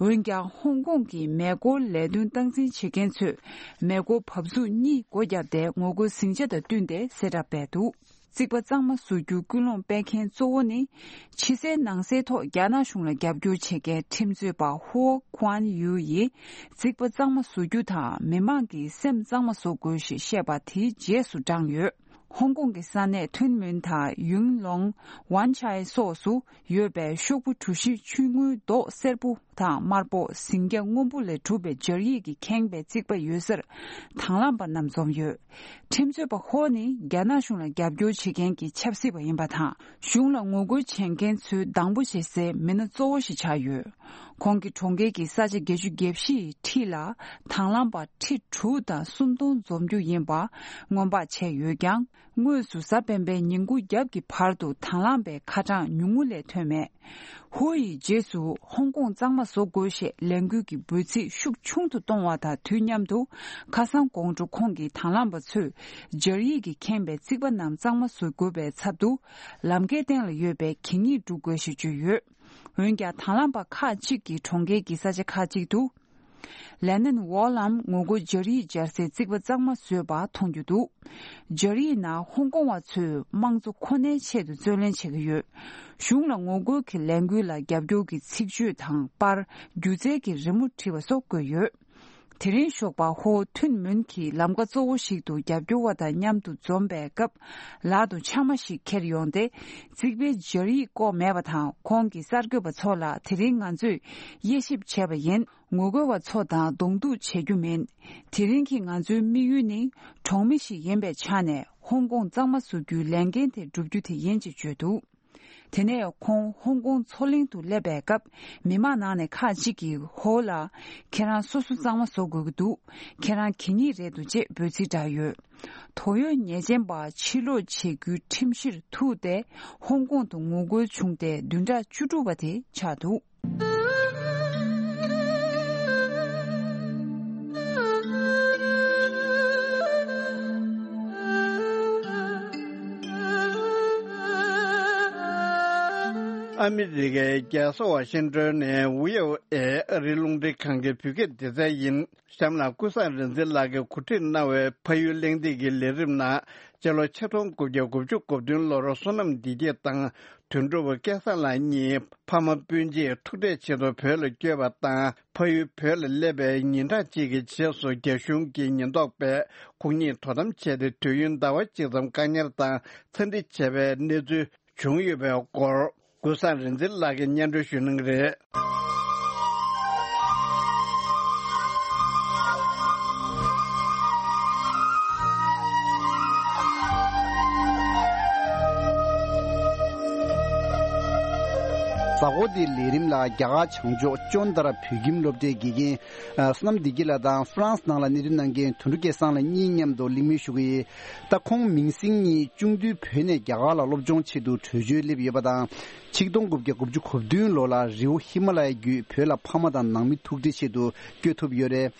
འོན་ཀྱང་། ཧོང་ཀོང་གི་མེ་འཁོར་ལས་དོན་སྟངས་འཛིན་བྱེད་མཁན་ཚོས། མེ་འཁོར་བབས་ཚུགས་གཉིས་སྒོ་བརྒྱབ་སྟེ། ངོ་རྒོལ་ཟིང་ཆ་དང་བསྟུན་ཏེ་གསལ་བསྒྲགས་སྤེལ་འདུག་རྩིག་པ་གཙང་མ་བཟོ་རྒྱུའི་སྐུལ་སློང་སྤེལ་མཁན་གཙོ་བོ་ནི། ཕྱི་གསལ་ནང་གསལ་ཐོག་རྒྱ་ནག་གཞུང་ལ་རྒྱབ་སྐྱོར་བྱེད་མཁན་ཁྲིམས་རྩོད་པ་ཧུའོ་ཁུའན་ཡུའུ་ཡིས། རྩིག་པ་གཙང་མ་བཟོ་རྒྱུ་དང་། མི་མང་གི་སེམས་གཙང་མ་བཟོ་དགོས་ཞེས་བཤད་པ་དེའི་རྗེས་སུ་འབྲངས་ཡོད། ཧོང་ཀོང་གི་ས་གནས་ཐུན་མིན་དང་ཡུང་ལོང་། ཝན་ཆའེ་སོགས་སུ་ཡོད་པའི་ཤོག་བུ་གྲུ་བཞི་ཆུང་ངུའི་མདོག་སེར་པོ་དང་དམར་པོ། ཟིང་སྐྱ་སྔོན་པོ་ལས་གྲུབ་པའི་སྦྱར་ཡིག་གིས་ཁེངས་པའི་རྩིག་པ་ཡོད་སར་དང་བླངས་པ་རྣམས་འཛོམས་ཡོད། ཁྲིམས་རྩོད་པ་ཧོ་ནི་རྒྱ་ནག་གཞུང་ལ་རྒྱབ་སྐྱོར་བྱེད་མཁན་གྱི་ཆབ་སྲིད་པ་ཡིན་པ་དང་། གཞུང་ལ་ངོ་རྒོལ་བྱེད་མཁན་ཚོའི་སྡང་པོ་བྱེད་སའི་མི་སྣ་གཙོ་བོ་ཞིག་ཆགས་ཡོད། ཁོང་གིས་གྲོང་ཁྱེར་གྱི་ས་ཆ་བརྒྱད་ཅུ་གྱ་བཞི་ཡི་འཁྲིས་ལ་དང་བླངས་པ་ཁྲི་དྲུག་དང་སུམ་སྟོང་འཛོམས་རྒྱུ་ཡིན་པ་སྔོན་དཔག་བྱས་ཡོད་ཀྱང་། དངོས་སུ་གཟའ་སྤེན་པའི་ཉིན་གུང་རྒྱབ་ཀྱི་བར་དུ་དང་བླངས་པའི་ཁ་གྲངས་ཉུང་ངུ་ལས་ཐོན་མེད། ཧུའུ་ཡི་རྗེས་སུ་ཧོང་ཀོང་གཙང་མ་བཟོ་དགོས་ཞེས་ལས་འགུལ་གྱི་འབོད་ཚིག་ཤུགས་ཆུང་དུ་གཏོང་བ་དང་དུས་མཉམ་དུ། ཁ་སང་དགོང་དྲོ་ཁོང་གི་དང་བླངས་པ་ཚོས་སྦྱར་ཡིག་གིས་ཁེངས་པའི་རྩིག་པ་རྣམས་གཙང་མ་བཟོ་དགོས་པའི་ཚབ་ཏུ། ལམ་ཁའི་སྟེང་ལ་ཡོད་པའི་གད་སྙིགས་སྒྲུག་དགོས་ཞེས་བརྗོད་ཡོད། འོན་ཀྱང་། དང་བླངས་པ་ཁག་ཅིག་གིས་གྲོང་ཁྱེར་གྱི་ས་ཆ་ཁག་ཅིག་ཏུ། ལེ་ནན་ཝོལ་ལམ་ངོ་རྒོལ་སྦྱར་ཡིག་སྦྱར་སའི་རྩིག་པ་གཙང་མ་བཟོས་པ་མཐོང་རྒྱུ་འདུག། སྦྱར་ཡིག་ནང་ཧོང་ཀོང་བ་ཚོས་དམངས་གཙོ་ཁོ་ནའི་ཆེད་དུ་བརྩོན་ལེན་བྱེད་ཀྱི་ཡོད། གཞུང་ལ་ངོ་རྒོལ་གྱི་ལས་འགུལ་ལ་རྒྱབ་སྐྱོར་གྱི་ཚིག་བརྗོད་དང་པར། སྒྱུ་རྩལ་གྱི་རི་མོ་བྲིས་པ་སོགས་བཀོད་ཡོད། དེ་རིང་ཞོགས་པ་ཧོ་ཐུན་མུན་གྱི་ལམ་ཀ་གཙོ་བོ་ཞིག་ཏུ་རྒྱབ་སྐྱོར་བ་དང་མཉམ་དུ་འཛོམས་པའི་སྐབས། ལག་ཏུ་ཕྱགས་མ་ཞིག་འཁྱེར་ཡོང་སྟེ། རྩིག་པའི་སྦྱར་ཡིག་བཀོག་མེད་པ་དང་། ཁོང་གིས་གསར་འགོད་པ་ཚོ་ལ། དེ་རིང་ང་ཚོས་དབྱེ་ཞིབ་བྱས་པ་ཡིན། ངོ་རྒོལ་བ་ཚོ་དང་གདོང་ཐུག་བྱེད་རྒྱུ་མིན། དེ་རིང་གི་ང་ཚོའི་དམིགས་ཡུལ་ནི། གྲོང་མི་ཞིག་ཡིན་པའི་ཆ་ནས་ཧོང་ཀོང་གཙང་མ་བཟོ་རྒྱུའི་ལས་འགན་དེ་བསྒྲུབ་རྒྱུ་དེ་ཡིན་ཅེས་བརྗོད་འདུག། དེ་ནས་ཁོང་ཧོང་ཀོང་མཚོ་གླིང་དུ་སླེབས་པའི་སྐབས། མི་མང་ནང་ནས་ཁག་ཅིག་གིས་ཧོ་ལ། ཁྱེད་རང་སོ་སོ་གཙང་མ་བཟོ་དགོས་ཀྱི་འདུག། ཁྱེད་རང་གད་སྙིགས་རེད་འདུག་ཅེས་འབོད་ཚིག་བསྒྲགས་ཡོད། དོགས་ཡོད་ཉེས་ཅན་པ་ཕྱིར་སློག་བྱེད་རྒྱུའི་ཁྲིམས་གཞིར་ཐུག་སྟེ། ཧོང་ཀོང་དུ་ངོ་རྒོལ་བྱུང་སྟེ། བདུན་ཕྲག་བཅུ་དྲུག་པ་དེ་ཆགས་འདུག། ཨ་མི་རི་ཀའི་རྒྱལ་ས་ཝ་ཤིང་ཏོན་ནས་ཝི་ཨོ་ཨེ་ཨ་རིའི་རླུང་འཕྲིན་ཁང་གི་བོད་སྐད་སྡེ་ཚན་ཡིན། གཤམ་ལ་ཀུན་བཟང་རིག་འཛིན་ལགས་ཀྱིས་གོ་སྒྲིག་གནང་བའི་ཕ་ཡུལ་གླེང་སྟེགས་ཀྱི་ལས་རིམ་ནང་། སྤྱི་ལོ་ཆིག་སྟོང་དགུ་བརྒྱ་དགུ་བཅུ་གོ་བདུན་ལོར་བསོད་ནམས་བདེ་སྐྱིད་དང་དོན་གྲུབ་སྐལ་བཟང་ལགས་གཉིས་ཕ་མ་སྤུན་མཆེད་ཐུག་འཕྲད་ཆེད་དུ་བོད་ལ་བསྐྱོད་པ་དང་། ཕ་ཡུལ་བོད་ལ་སླེབས་པའི་ཉིན་གྲངས་གཅིག་གི་རྗེས་སུ། རྒྱ་གཞུང་གི་ཉེན་རྟོག་པས་ཁོང་གཉིས་དོ་དམ་བྱས་ཏེ། དུས་ཡུན་ཟླ་བ་གཅིག་ཙམ་བཀག་ཉར་དང་འཚམས་འདྲི་བྱས་པའི་གནས་ཚུལ་བྱུང་ཡོད་པའི་སྐོར། ཀུན་བཟང་རིག་འཛིན་ལགས་ཀྱིས་སྙན་སྒྲོན་ཞུ་གནང་གི་རེད། གཟའ་འཁོར་འདིའི་ལས་རིམ་ལ་རྒྱ་གར་བྱང་ཕྱོགས་ཅོན་དར་བོད་ཁྱིམ་སློབ་གྲྭའི་དགེ་རྒན། ཨ། བསོད་ནམས་བདེ་སྐྱིད་ལགས་དང་ཧྥ་རན་སི་ནང་ལ་གནས་སྡོད་གནང་མཁན་དོན་གྲུབ་སྐལ་བཟང་ལགས་གཉིས་མཉམ་དུ་གླེང་མོལ་ཞུ་གི་ཡིན། ད་ཁོང་མིང་སྲིང་གཉིས་གཅུང་དུས་བོད་ནས་རྒྱ་གར་ལ་སློབ་སྦྱོང་ཆེད་དུ་བྲོས་བྱོལ་སླེབས་ཡོད་པ་དང་། ཆིག་སྟོང་དགུ་བརྒྱ་དགུ་བཅུ་གོ་བདུན་ལོ་ལ་རི་བོ་ཧི་མ་ལ་ཡ་བརྒྱུད་བོད་ལ་ཕ་མ་དང་ནང་མི་ཐུག་འཕྲད་ཆེད་དུ་བསྐྱོད་ཐུབ་ཡོད་རེད།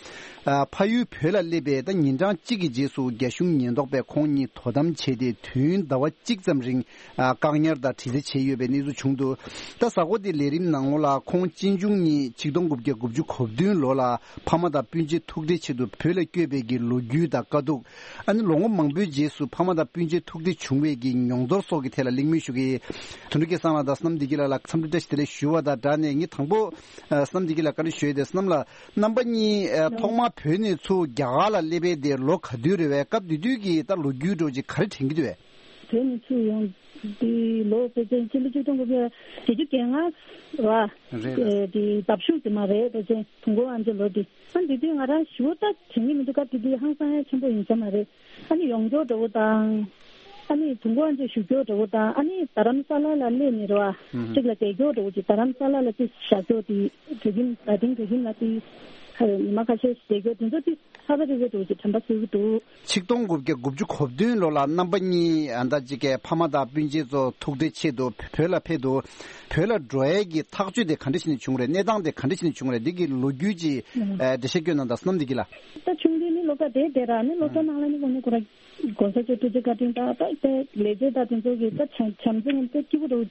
ཨ། ཕ་ཡུལ་བོད་ལ་སླེབས་པའི་ད་ཉིན་གྲངས་གཅིག་གི་རྗེས་སུ་རྒྱ་གཞུང་ཉེན་རྟོག་པས་ཁོང་གཉིས་དོ་དམ་བྱས་ཏེ། དུས་ཡུན་ཟླ་བ་གཅིག་ཙམ་རིང་ཨ། བཀག་ཉར་དང་དྲི་རྩད་བྱས་ཡོད་པའི་གནས་ཚུལ་བྱུང་འདུག། ད་གཟའ་འཁོར་འདིའི་ལས་རིམ་ནང་ལོགས་ལ་ཁོང་གཅེན་གཅུང་གཉིས་ཆིག་སྟོང་དགུ་བརྒྱ་དགུ་བཅུ་གོ་བདུན་ལོ་ལ་ཕ་མ་དང་སྤུན་མཆེད་ཐུག་འཕྲད་ཆེད་དུ་བོད་ལ་བསྐྱོད་པའི་གི་ལོ་རྒྱུས་དང་དཀའ་སྡུག། ཨ་ནི་ལོ་ངོ་མང་པོའི་རྗེས་སུ་ཕ་མ་དང་སྤུན་མཆེད་ཐུག་འཕྲད་བྱུང་བའི་གི་མྱོང་ཚོར་སོགས་ཀྱི་ཐད་ལ་གླེང་མོལ་ཞུ་གི་ཡིན། དོན་གྲུབ་སྐལ་བཟང་ལགས་དང་བསོད་ནམས་བདེ་སྐྱིད་ལགས་ལ་འཚམས་འདྲི་བཀྲ་ཤིས་བདེ་ལེགས་ཞུ་བ་དང་སྦྲགས་ནས། ངས་དང་པོ་ཨ། བསོད་ནམས་བདེ་སྐྱིད་ལགས་བཀའ་འདྲི་ཞུ་ཡས་དེ། བསོད་ནམས་ལགས། རྣམ་པ་གཉིས་ཨ། ཐོག་མར་བོད་ནས་ཚུར་རྒྱ་གར་ལ་སླེབས་པའི་དེ་ལོ་ག་དུས་རེད་པས། སྐབས་དེ་དུས་ཀྱི་ད་ལོ་རྒྱུས་འདྲ་བོ་ཅིག་ག་རེ་དྲན་གྱི་འདུག་པས། བོད་ནས་ཚུར་ཡོང་དུས་ལོ་ཕལ་ཆེར་ཕྱི་ལོ་ཆིག་སྟོང་དགུ་བརྒྱ་བརྒྱད་ཅུ་གྱ་ལྔ་རེད། རེད། དེ་ཟླ་གཞུག་དེ་མ་རེད། ཕལ་ཆེར་དུས་འཁོར་དབང་ཆེན་ལོ་དེ། ཨ། དེ་དུས་ང་རང་ཞེ་པོ་ད་དྲན་གྱི་མི་འདུག། སྐབས་དེ་དུས་ཧང་སང་ཡ་ཆེན་པོ་ཡིན་ས་མ་རེད། ཨ་ནི་ཡོང་འབྱོར་འདྲ་བོ་དང་། ཨ་ནི་དུས་འཁོར་དབང་ཆེན་བཞུགས་རྒྱུ་འདྲ་བོ་དང་། ཨ་ནི་རྡ་རམ་ས་ལ་ལ་སླེབས་ནས་རེད་པ། ཨུམ། གཅིག་ལ་བསྡད་རྒྱུ་འདྲ་བོ་ཅིག། རྡ་རམ་ས་ལ་ལ་ཅིག་བཞག་རྒྱུ་དེ། བོད་ཁྱིམ་རྡ་སྟེང་བོད་ཁྱིམ་ལ་ཅིག་ཉི་མ་ཁ་ཤས་ཤིག་བསྡད་རྒྱུ་དེ་ཚོ་ཅིག་ཧ་ལས་པའི་འདྲ་བོ་ཅིག་དྲན་པ་གསོས་ཀྱི་འདུག། ཆིག་སྟོང་དགུ་བརྒྱ་དགུ་བཅུ་གོ་བདུན་ལོ་ལ་རྣམ་པ་གཉིས་ཨ་ད་ཅིག་གི་ཕ་མ་དང་སྤུན་མཆེད་ཚོ་ཐུག་འཕྲད་ཆེད་དུ་བོད་ལ་ཕེབས་འདུག། བོད་ལ་འགྲོ་ཡས་ཀྱི་ཐག་གཅོད་དེ་ག་འདྲ་བྱས་ནས་བྱུང་རེད། གནས་སྟངས་དེ་ག་འདྲ་བྱས་ནས་བྱུང་རེད། འདི་གི་ལོ་རྒྱུས་ཅིག་ཨ། འགྲེལ་བཤད་སྐྱོན་གནང་དང་། བསོད་ནམས་བདེ་སྐྱིད་ལགས། ད་ཆུང་དུས་ནས་སློབ་གྲྭ་དེ་དེ་ར་ནི་སློབ་གྲྭ་ནང་ལ་ནི་ཁོ་ནི་ཁོ་ར་གོང་ས་མཆོག་ཐུགས་རྗེ་བཀའ་དྲིན་དང་། ད་དེ་ལས་བྱེད་དང་དེ་ཚོ་གི་ད་བྱམས་བྱམས་བརྩེ་ངན་དེ་སྐྱིད་པོ་འདྲ་བོ་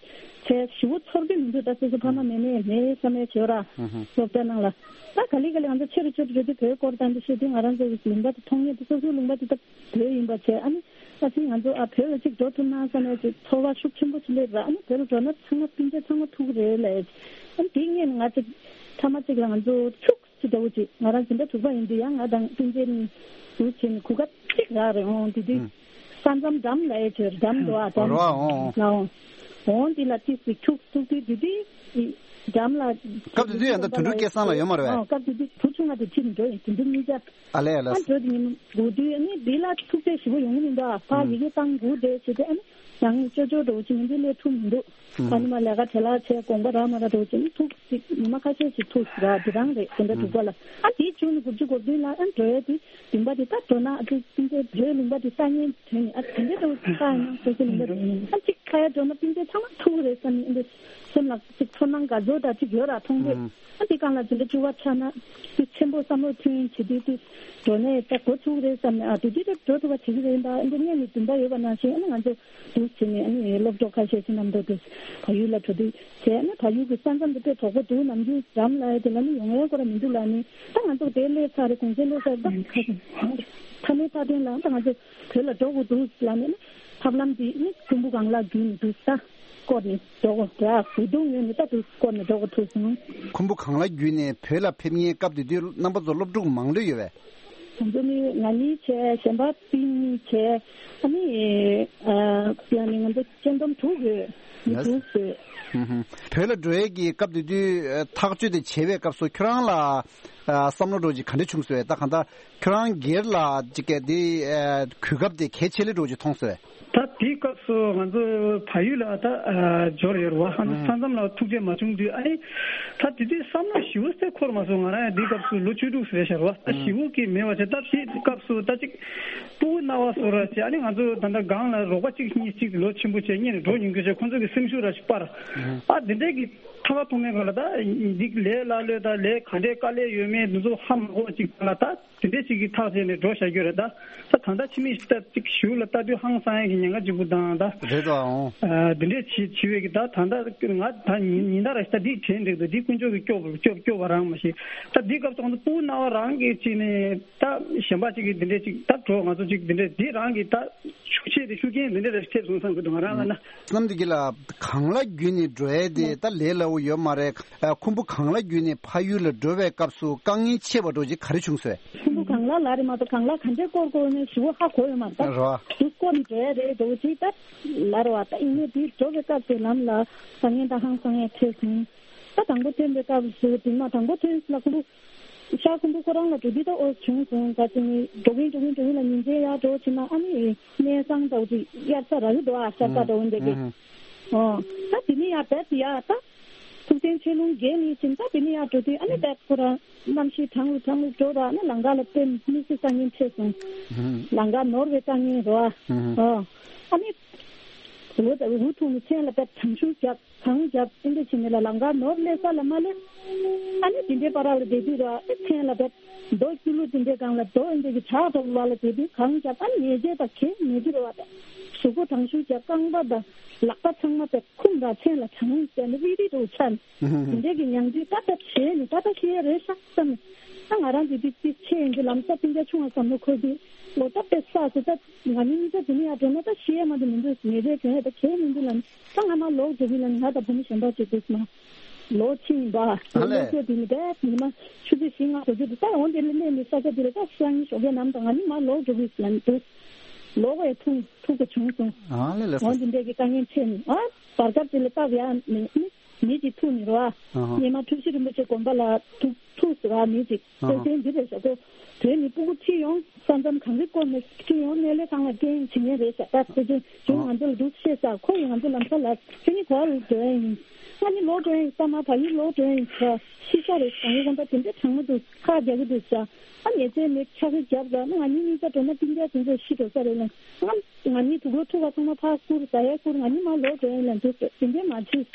བྱས། ཞེ་པོ་ཚོར་གྱི་མི་འདུག། ད་སོ་སོ་ཕ་མ་མེད་མེད་མེད་བསམ་ཡས་བྱེད་ར། ཧུམ་ཧུམ། སློབ་གྲྭ་ནང་ལ། ད་ག་ལེ་ག་ལེ་ང་ཚོ་ཆེ་རུ་ཆེ་རུ་འགྲོ་དུས་བོད་སྐོར་དང་འདི་བཤད་དུས་ང་རང་ཚོ་གི་ལུང་པ་དེ་མཐོང་ཡས་དེ། སོ་སོའི་ལུང་པ་དེ་ད་བོད་ཡིན་པ་བྱས། ཨ་ནི་ཨ་ཙི་ང་ཚོ་ཨ་བོད་ལ་ཅིག་འགྲོ་ཐུབ་ན་བསམ་ཡས་ཅིག་ཚོར་བ་ཤུགས་ཆེན་པོ་ཅིག་སླེབས་ར། ཨ་ནི་བོད་ལ་འགྲོ་ན་ཚང་མ་སྤུན་མཆེད་ཚང་མ་ཐུག་རེད་ལབ་ཡས། ཨ་ནི་དེ་སྔོན་ང་ཚོ་ཐ་མ་གཅིག་ལ་ང་ཚོ་ཕྱུགས་ཅིག་འདྲ་བོ་ཅིག། ང་རང་འཛིན་གྲྭ་དྲུག་པ་ཡིན་དུས་ཡང་ང་དང་སྤུན་མཆེད་གཉིས་འདུག་བྱས་ནས་གོ་སྐབས་གཅིག་རག་རེད། འོང་དེ་དུས་ཨུམ། ས་མཚམས་འགྲམ་ལ་ཡ་བྱོས། འགྲམ་འདུག་ཨ། འགྲམ་རོ་ཨ། འོང་། ལ་འོང་། འོང་དེ་ལ་ཏིས་ཏིས་ཐུག་ཐུག་དུས་དེ་དུས་འགྲམ་ལ། སྐབས་དེ་དུས་ཡང་ད་དོན་གྲུབ་སྐལ་བཟང་ལགས་ཡོད་མ་རེད་པས། ཨོ། སྐབས་དེ་དུས་བུ་ཆུང་བ་དེ་ཁྲིད་འགྲོ་ཡིན། དེ་དུས་གཉིས་ཆ། ཨ་ལས་ཨ་ལས། ཨ་འགྲོ་དེ་ཉིན་འགྲོ་དུས་ཨ་ནི་དེ་ལ་ཐུག་འཕྲད་ཞེ་པོ་ཡོང་གི་མི་འདུག་ཨ། ཕ་ཨུམ། ཡི་གེ་བཏང་དགོས་རེད་བྱས་ཏེ། ཨ་ནི་ཡང་ཅོ་ཅོ་འདྲ་བོ་ཅིག་ཡིན་དུས་སླེབས་ཐུབ་མི་འདུག། ཨ་ནི་མ་ལས་ཀ་བྲེལ་བ་ཆེ། དགོངས་པ་རག་མ་རག་འདྲ་བོ་ཅིག་ནི་ཐུག་ཅིག་ཉི་མ་ཁ་ཤས་ཤིག་ཐུག་ར། དེ་རང་རེད། དེ་འདྲ་འདུག་པ་ལ། ཨ་དེའི་བྱུང་ནས་དགུ་བཅུ་གོ་བདུན་ལ་ཨ་འགྲོ་ཡས་དེ་ལུང་པ་དེ་ད་འགྲོ་ན་ཨ་ཅིག་ཅིག་བོད་ལུང་པ་དེ་ལྟ་ཉན་དོན་ནི་ཨ་དེ་འདྲ་འདྲ་བོ་ཅིག་ལྟ་ཡིན་ན་སོ་སོའི་ལུང་པ་དེ་ཨ་ཅིག་ ཁ་ཡ་འགྲོ་ན་སྤུན་ཟླ་ཚང་མ་ཐུག་རེད་བསམ་ནས་འདི་སེམས་ལ་ཅིག་ཚོར་སྣང་དགའ་ཚོར་དང་ཅིག་ཡོད་ར་མཐོང་དུས། ཨ་འདི་སྒང་ལ་འཛིན་གྲྭ་བཅུ་པ་ཆགས་ན་འདི་ཆེན་པོ་བསམ་བློ་མཐུན་བྱེད་དུས་འདི་འགྲོ་ནས་ད་འགོ་ཚུགས་རེད་བསམ་ནས། ཨ་དེ་དུས་ད་འགྲོ་ཐུབ་པ་བྱེད་ཀྱི་རེད། ད་ཨ་འདི་སྔོན་ནས་འདུན་པ་ཡོད་པ་ནང་བཞིན་ཨ་ནི་ང་ཚོ་འདུག་བྱས་ནས་ཨ་ནི་སློབ་གྲོགས་ཁ་ཤས་ཚོ་རྣམས་དུ་འདུག་བལ་ཡུལ་ལ་འགྲོ་དུས་བྱས་ཨ་ནི་བལ་ཡུལ་གྱི་ས་མཚམས་དེ་དཔེ་དོག་པོ་འདུག་ནམ་རྒྱུན་འགྲམ་ལ་ཡ་དེ་ལ་ནི་ཡོང་ཡ་སྐོར་མི་འདུག་ལ་ནི། ད་ང་ཚོ་དེ་སླེབས་ཚར་རེད། གུང་སེང་སླེབས་ཚར་རེད། ད་ཁ་ཤས་མཐའ་མའི་མཐའ་དོན་ལ་ད་ང་ཚོ་བོད་ལ་འགྲོ་དགོས་འདུག་ལ་ནི་ཐབས་ལམ་འདི་ནི་ཁུམ་བུ་གངས་ལ་བརྒྱུད་ནས་འདུག་ད་སྐོར་ནས་འགྲོ་དགོས་རེད། ཨ་བོད་དུ་ངོས་ནས་ད་འདུག་སྐོར་ནས་འགྲོ་དགོས་ཐུག་སོང་། ཁུམ་བུ་གངས་ལ་བརྒྱུད་ནས་བོད་ལ་ཕེབས་མཁན་སྐབས་དེ་དུས་རྣམ་པ་ཚོ་སློབ་ཕྲུག་མང་ལོས་ཡོད་པས། ང་ཚོ་ནི་ང་གཉིས་བྱས། གཞན་པ་སྤུན་གཉིས་བྱས། ཨ་ནི་ཨ་ཡང་ནི་ང་ཚོ་སྤྱན་ལྡོམ་དྲུག་ཡོད། མི་ལགས། དྲུག་ཡོད། ཧུམ་ཧུམ། བོད་ལ་འགྲོ་ཡས་ཀྱི་སྐབས་དེ་དུས་ཨ་ཐག་གཅོད་དེ་བྱེད་པའི་སྐབས་སུ་ཁྱོད་རང་ལ་ཨ་བསམ་བློ་འདྲ་ཅིག་ག་འདྲ་བྱུང་སོང་། ད་གང་ལྟར་ཁྱོད་རང་སྒེར་ལ་ཅིག་ག་དེ་ཨ་གོ་སྐབས་དེ་གལ་ཆེ་ལེ་འདྲ་ཅིག་མཐོང་སོང་། ད་དེའི་སྐབས་སུ་ང་ཚོ་བལ་ཡུལ་ལ་ད་ཨ་འབྱོར་ཡོད་རེད་བ། ང་ཚོ་ཨང་། ས་མཚམས་ལ་ཐུག་འཕྲད་མ་བྱུང་དུས་ཨ་ནི་ད་དེ་དུས་བསམ་བློ་ཞེ་པོ་ཅིག་འཁོར་མ་སོང་། ང་རང་ཡང་དེའི་སྐབས་སུ་ལོ་བཅུ་དྲུག་ཙམ་རེད་ཤག་རེད་བ། ད་ཨང་། ཞེ་པོ་ཅིག་མེད་པ་བྱས། ད་དེའི་སྐབས་སུ་ད་ཅིག་སྤུ་གུ་སྣ་བ་སོ་ར་བྱས། ཨ་ནི་ང་ཚོ་ད་ལྟ་སྒང་ལ་རོགས་པ་གཅིག་གཉིས་གཅིག་ལོ་ཆེན་པོ་བྱས་སྔོན་ནས་འགྲོ་མྱོང་མཁན་བྱས། ཁོང་ཚོ་གི་སེམས་ཤུགས་ར་ཅིག་སྤར། ཨང་། ཨ་དེ་འདྲས་ཀྱི་ཐོག་ཁ་ཐོག་མའི་སྒང་ལ་ད་འདི་ལས་སླ་ལོས་ད་ལས་ག་འདྲས་དཀའ་ལས་ཡོད་མེད་འདི་ཚོ་ཧ་མ་གོ་བ་ཅིག་ལ་ད། དེ་འདྲས་ཅིག་གིས་ཐག་བཅད་ནས་འགྲོ་བཞག་རྒྱུ་རེད་ད། ད་ད་ལྟ་ཕྱི་མིག་ཅིག་ལྟ་ཅིག་གཞུག་ལ་ལྟ་དུས་ཧང་སང་ཡ་གི་ཉེན་ཁ་གཅིག་པུ་དང་ད། རེད་དོ། ཨོ། ཨ་འདི་འདྲས་བྱེད་བྱེད་པའི་གི་ད་ད་ལྟ་ང་ད་ཉིན་ཉིན་ལྟར་ད་འདི་དྲན་འགྲིག་འདུག་འདི་དཀོན་མཆོག་གིས་སྐྱོབ་སྐྱོབ་སྐྱོབ་པ་རང་མ་ཤེས། ད་འདི་སྐབས་སུ་ང་ཚོ་སྤུ་གུ་སྣ་བ་རང་གིས་བྱས་ནས་ད་གཞན་པ་ཅིག་གིས་འདི་འདྲས་ཅིག་ད་འགྲོ། ང་ཚོ་ཅིག་འདི་འདྲས་འདི་རང་གིས་ད་ཤུགས་ཆེ་དེ་ཤུགས་རྐྱེན་འདི་འདྲས་རེ་ཐེབས་སོང་བསམ་གི་འདུག་ང་རང་ལ་ན། བསམ་འདི་གི་ལ་གངས་ལ་བརྒྱུད་ནས་འགྲོ་ཡས་དེ་ད་ལས་སླ་བོ་ཡོད་མ་རེད། ཨ་ཁུམ་བུ་གངས་ལ་བརྒྱུད་ནས་ཕ་ཡུལ་ལ་འགྲོ་བའི་སྐབས་སུ་དཀའ་ངལ་ཆེ་བ་འདྲ་ཅིག་ག་རེ་བྱུང་སོང་། ཁུམ་བུ་གངས་ལ་ལ་རེད་མ་གཏོགས་གངས་ལ་ག་འདྲས་སྐོར་དགོས་ནས་ཞུ་བ་ཧ་གོ་ཡོད་མ་རེད། རོ། དུ་སྐོར་ནས་འགྲོ་ཡ་རེད་འདྲ་ཅིག་ད་ལ་རེད་བ། ད་ཡིན་ནའི་དེ་འགྲོ་བའི་སྐབས་དེ་ལམ་ལ་བཟང་ངན་དང་ཧང་སང་ཡ་འཕྲད་སོང་། ད་དང་པོ་ཐོན་པའི་སྐབས་སུ་དེ་མ་དང་པོ་ཐོན་ལ་ཁུམ་བུ་ཤར་ཁུམ་བུ་ཁོ་རང་ལ་འགྲོ་དུས་ད་ཨོ་བྱུང་སོང་། ད་དེ་ནི་འགྲོ་གིན་འགྲོ་གིན་འགྲོ་གིན་ལ་ཉིན་མཚན་ཡར་འགྲོ་ཕྱིན་ན་ཨ་ནི་གནས་ཚང་འདྲ་ཅིག་དབྱར་རྩྭ་ར་ལུ་འགྲོ་ཨ་ཤར་རྩྭ་འདྲ་འོན་འདྲ་གི། ཨོ། ད་དེ་ནི་ཡར་བས་ཡ་ད། ཐུགས་རྗེ་ཆེ་ལུང་རྒྱལ་ལི་ཅིན་ད་དེ་ནི་ཡར་འགྲོ་དུས་ཨ་ནི་བས་ཁོ་རང་གནམ་གཤིས་གྲང་རུ་གྲང་རུ་འགྲོ་ར་ཨ་ནི་ལམ་ཁ་ལ་དཔེ་དམིགས་བསལ་དཀའ་ངལ་འཕྲད་སོང་། ལམ་ཁ་ནོར་བའི་དཀའ་ངལ་རོ་ཨ། ཨོ། ཨ་ནི། འུ་འུ་ཐུག་ནི་མཚན་ལ་བས་གྲང་ཤུར་རྒྱབ། གངས་རྒྱབ་ཨེ་འདྲ་བྱས་ནས་ལ་ལམ་ཁ་ནོར་སླེབས་ས་ལ་མ་སླེབས། ཨ་ནི་དེ་འདྲའི་བར་ལ་བསྡད་དུས་ར་ཨེ་མཚན་ལ་བབས། རྡོ་སྐྱུ་ལུ་དེ་འདྲའི་སྒང་ལ་རྡོ་ཨེ་འདྲ་གི་བྲག་རྡོ་བར་ལ་བསྡད་དུས་གངས་རྒྱབ། ཨ་ནི་ཉལ་ཆས་དང་གས་མེད་དུས་ར་བ་དང་གཟུགས་པོ་གྲང་ཤུར་རྒྱབ། རྐང་པ་དང་ལག་པ་ཚང་མ་བབས་འཁུམས་ར་མཚན་ལ་གྲང་ཟེར་ནས་རིལ་རིལ་འདྲ་བོ་ཆགས་ནས་དེ་འདྲའི་གི་མྱང་དུས་ད་ད་ཞེད་ནས་ད་ད་ཤི་ཡ་རེད་ཤག་བསམ་ནས། ད་ང་རང་གི་དུས་ཚིགས་ཆེ་ཡིན་གྱི་ལམ་སང་སྤུན་ཀྱག་ཆུང་བ་བསམ་བློ་འཁོར་དུས་ལོ་ད་དཔེ་བསགས་སོ། ད་ང་གཉིས་གཉིས་ཀ་དེ་ནས་ཡར་འགྲོ་ན་ད་ཤི་ཡ་མ་གཏོགས་མི་འདུག་ཉལ་ཆས་གྱོན་ཡ་ད་གས་མི་འདུག་ལབ་ནས། ད་ང་མར་ལོག་འགྲོ་གི་ལབ་ནས་ང་དང་བུ་མོ་གཞན་པ་ཅིག་འདུག་མ། ལོག་ཕྱིན་ཡིན་པ། ཨ་ལས། ལོག་ཚོད་དེ་ནི་བས་ཉི་མ་ཆུ་ཚོད་བཞི་ལྔ་དགོས་ཚོད་དེ་ད་འོ་དེ་ལས་སླེབས་ནས་ས་ཆ་དེ་ལ་ད་ཤར་ཉིན་ཞོགས་ཀས་ནམ་དང་ང་གཉིས་མར་ལོག་འགྲོ་གི་ལབ་ནས་འདུག་ལོག་པའི་ཐུག་ཐུག་པ་བྱུང་སོང་། ཨ་ལས་ལས། འོ་འདི་འདྲས་ཀྱི་དཀའ་ངལ་འཕྲད་ནས་ཨ་བར་སྐབས་དེ་ལ་སྟབས་ཡག་ནས་ནི་མི་གཅིག་ཐུག་ནས་རོ་ཨ། ཨ་ཧ། སྔོན་མ་འཁྲུལ་ཞིག་རིན་པོ་ཆེ་དགོན་པ་ལ་ཐུག་ཐུག་ཟེར་བ་མི་གཅིག་ཨ་ཧ། སེ་སེན་འདི་རེད་ཟེར་གོ། དེ་ནི་སྤུ་གུ་ཁྲིད་ཡོང་ས་མཚམས་གངས་རི་སྐོར་ནས་ཁྲིད་ཡོང་གནས་ལས་ཁང་ལ་སྐད་འབྱིན་མཁན་རེད་ཟེར། ད་ཁོ་ཚོས་ཨ་ང་ཚོ་ལ་འདུག་བཤད་ས་ཁོ་ཡིས་ང་ཚོ་ལམ་ཁ་ལ་ཁྱེད་གཉིས་ག་བར་ལ་འགྲོ་ཡ་ཡིན། ང་གཉིས་ལོག་འགྲོ་ཡ་ཡིན། ས་མ་བ་ཡུལ་ལོག་འགྲོ་ཡ་ཡིན་ཟེར། ཤི་ཤ་རེད་ཟེར། ངའི་དགོན་པ་དེ་འདྲ་གྲང་མོ་འདུག་ཁ་རྒྱག་གི་འདུག་ཟེར། ཨ་ཉལ་ཆས་མེད་ཆ་གི་རྒྱབ་ལ་ཨ་ང་གཉིས་གཉིས་ཀ་འགྲོ་ན་སྤུན་ཀྱག་དེ་ཚོ་ཤི་འགྲོ་ས་རེད་ལབ། ང་ང་གཉིས་དུག་ལོག་འཐུ་བ་ཚང་མ་ཕར་བསྐུར་ཟ་ཡ་བསྐུར། ང་གཉིས་མར་ལོག་འགྲོ་ཡིན་ལབ་འདུག་དེ་འདྲས་མ་བྱེད།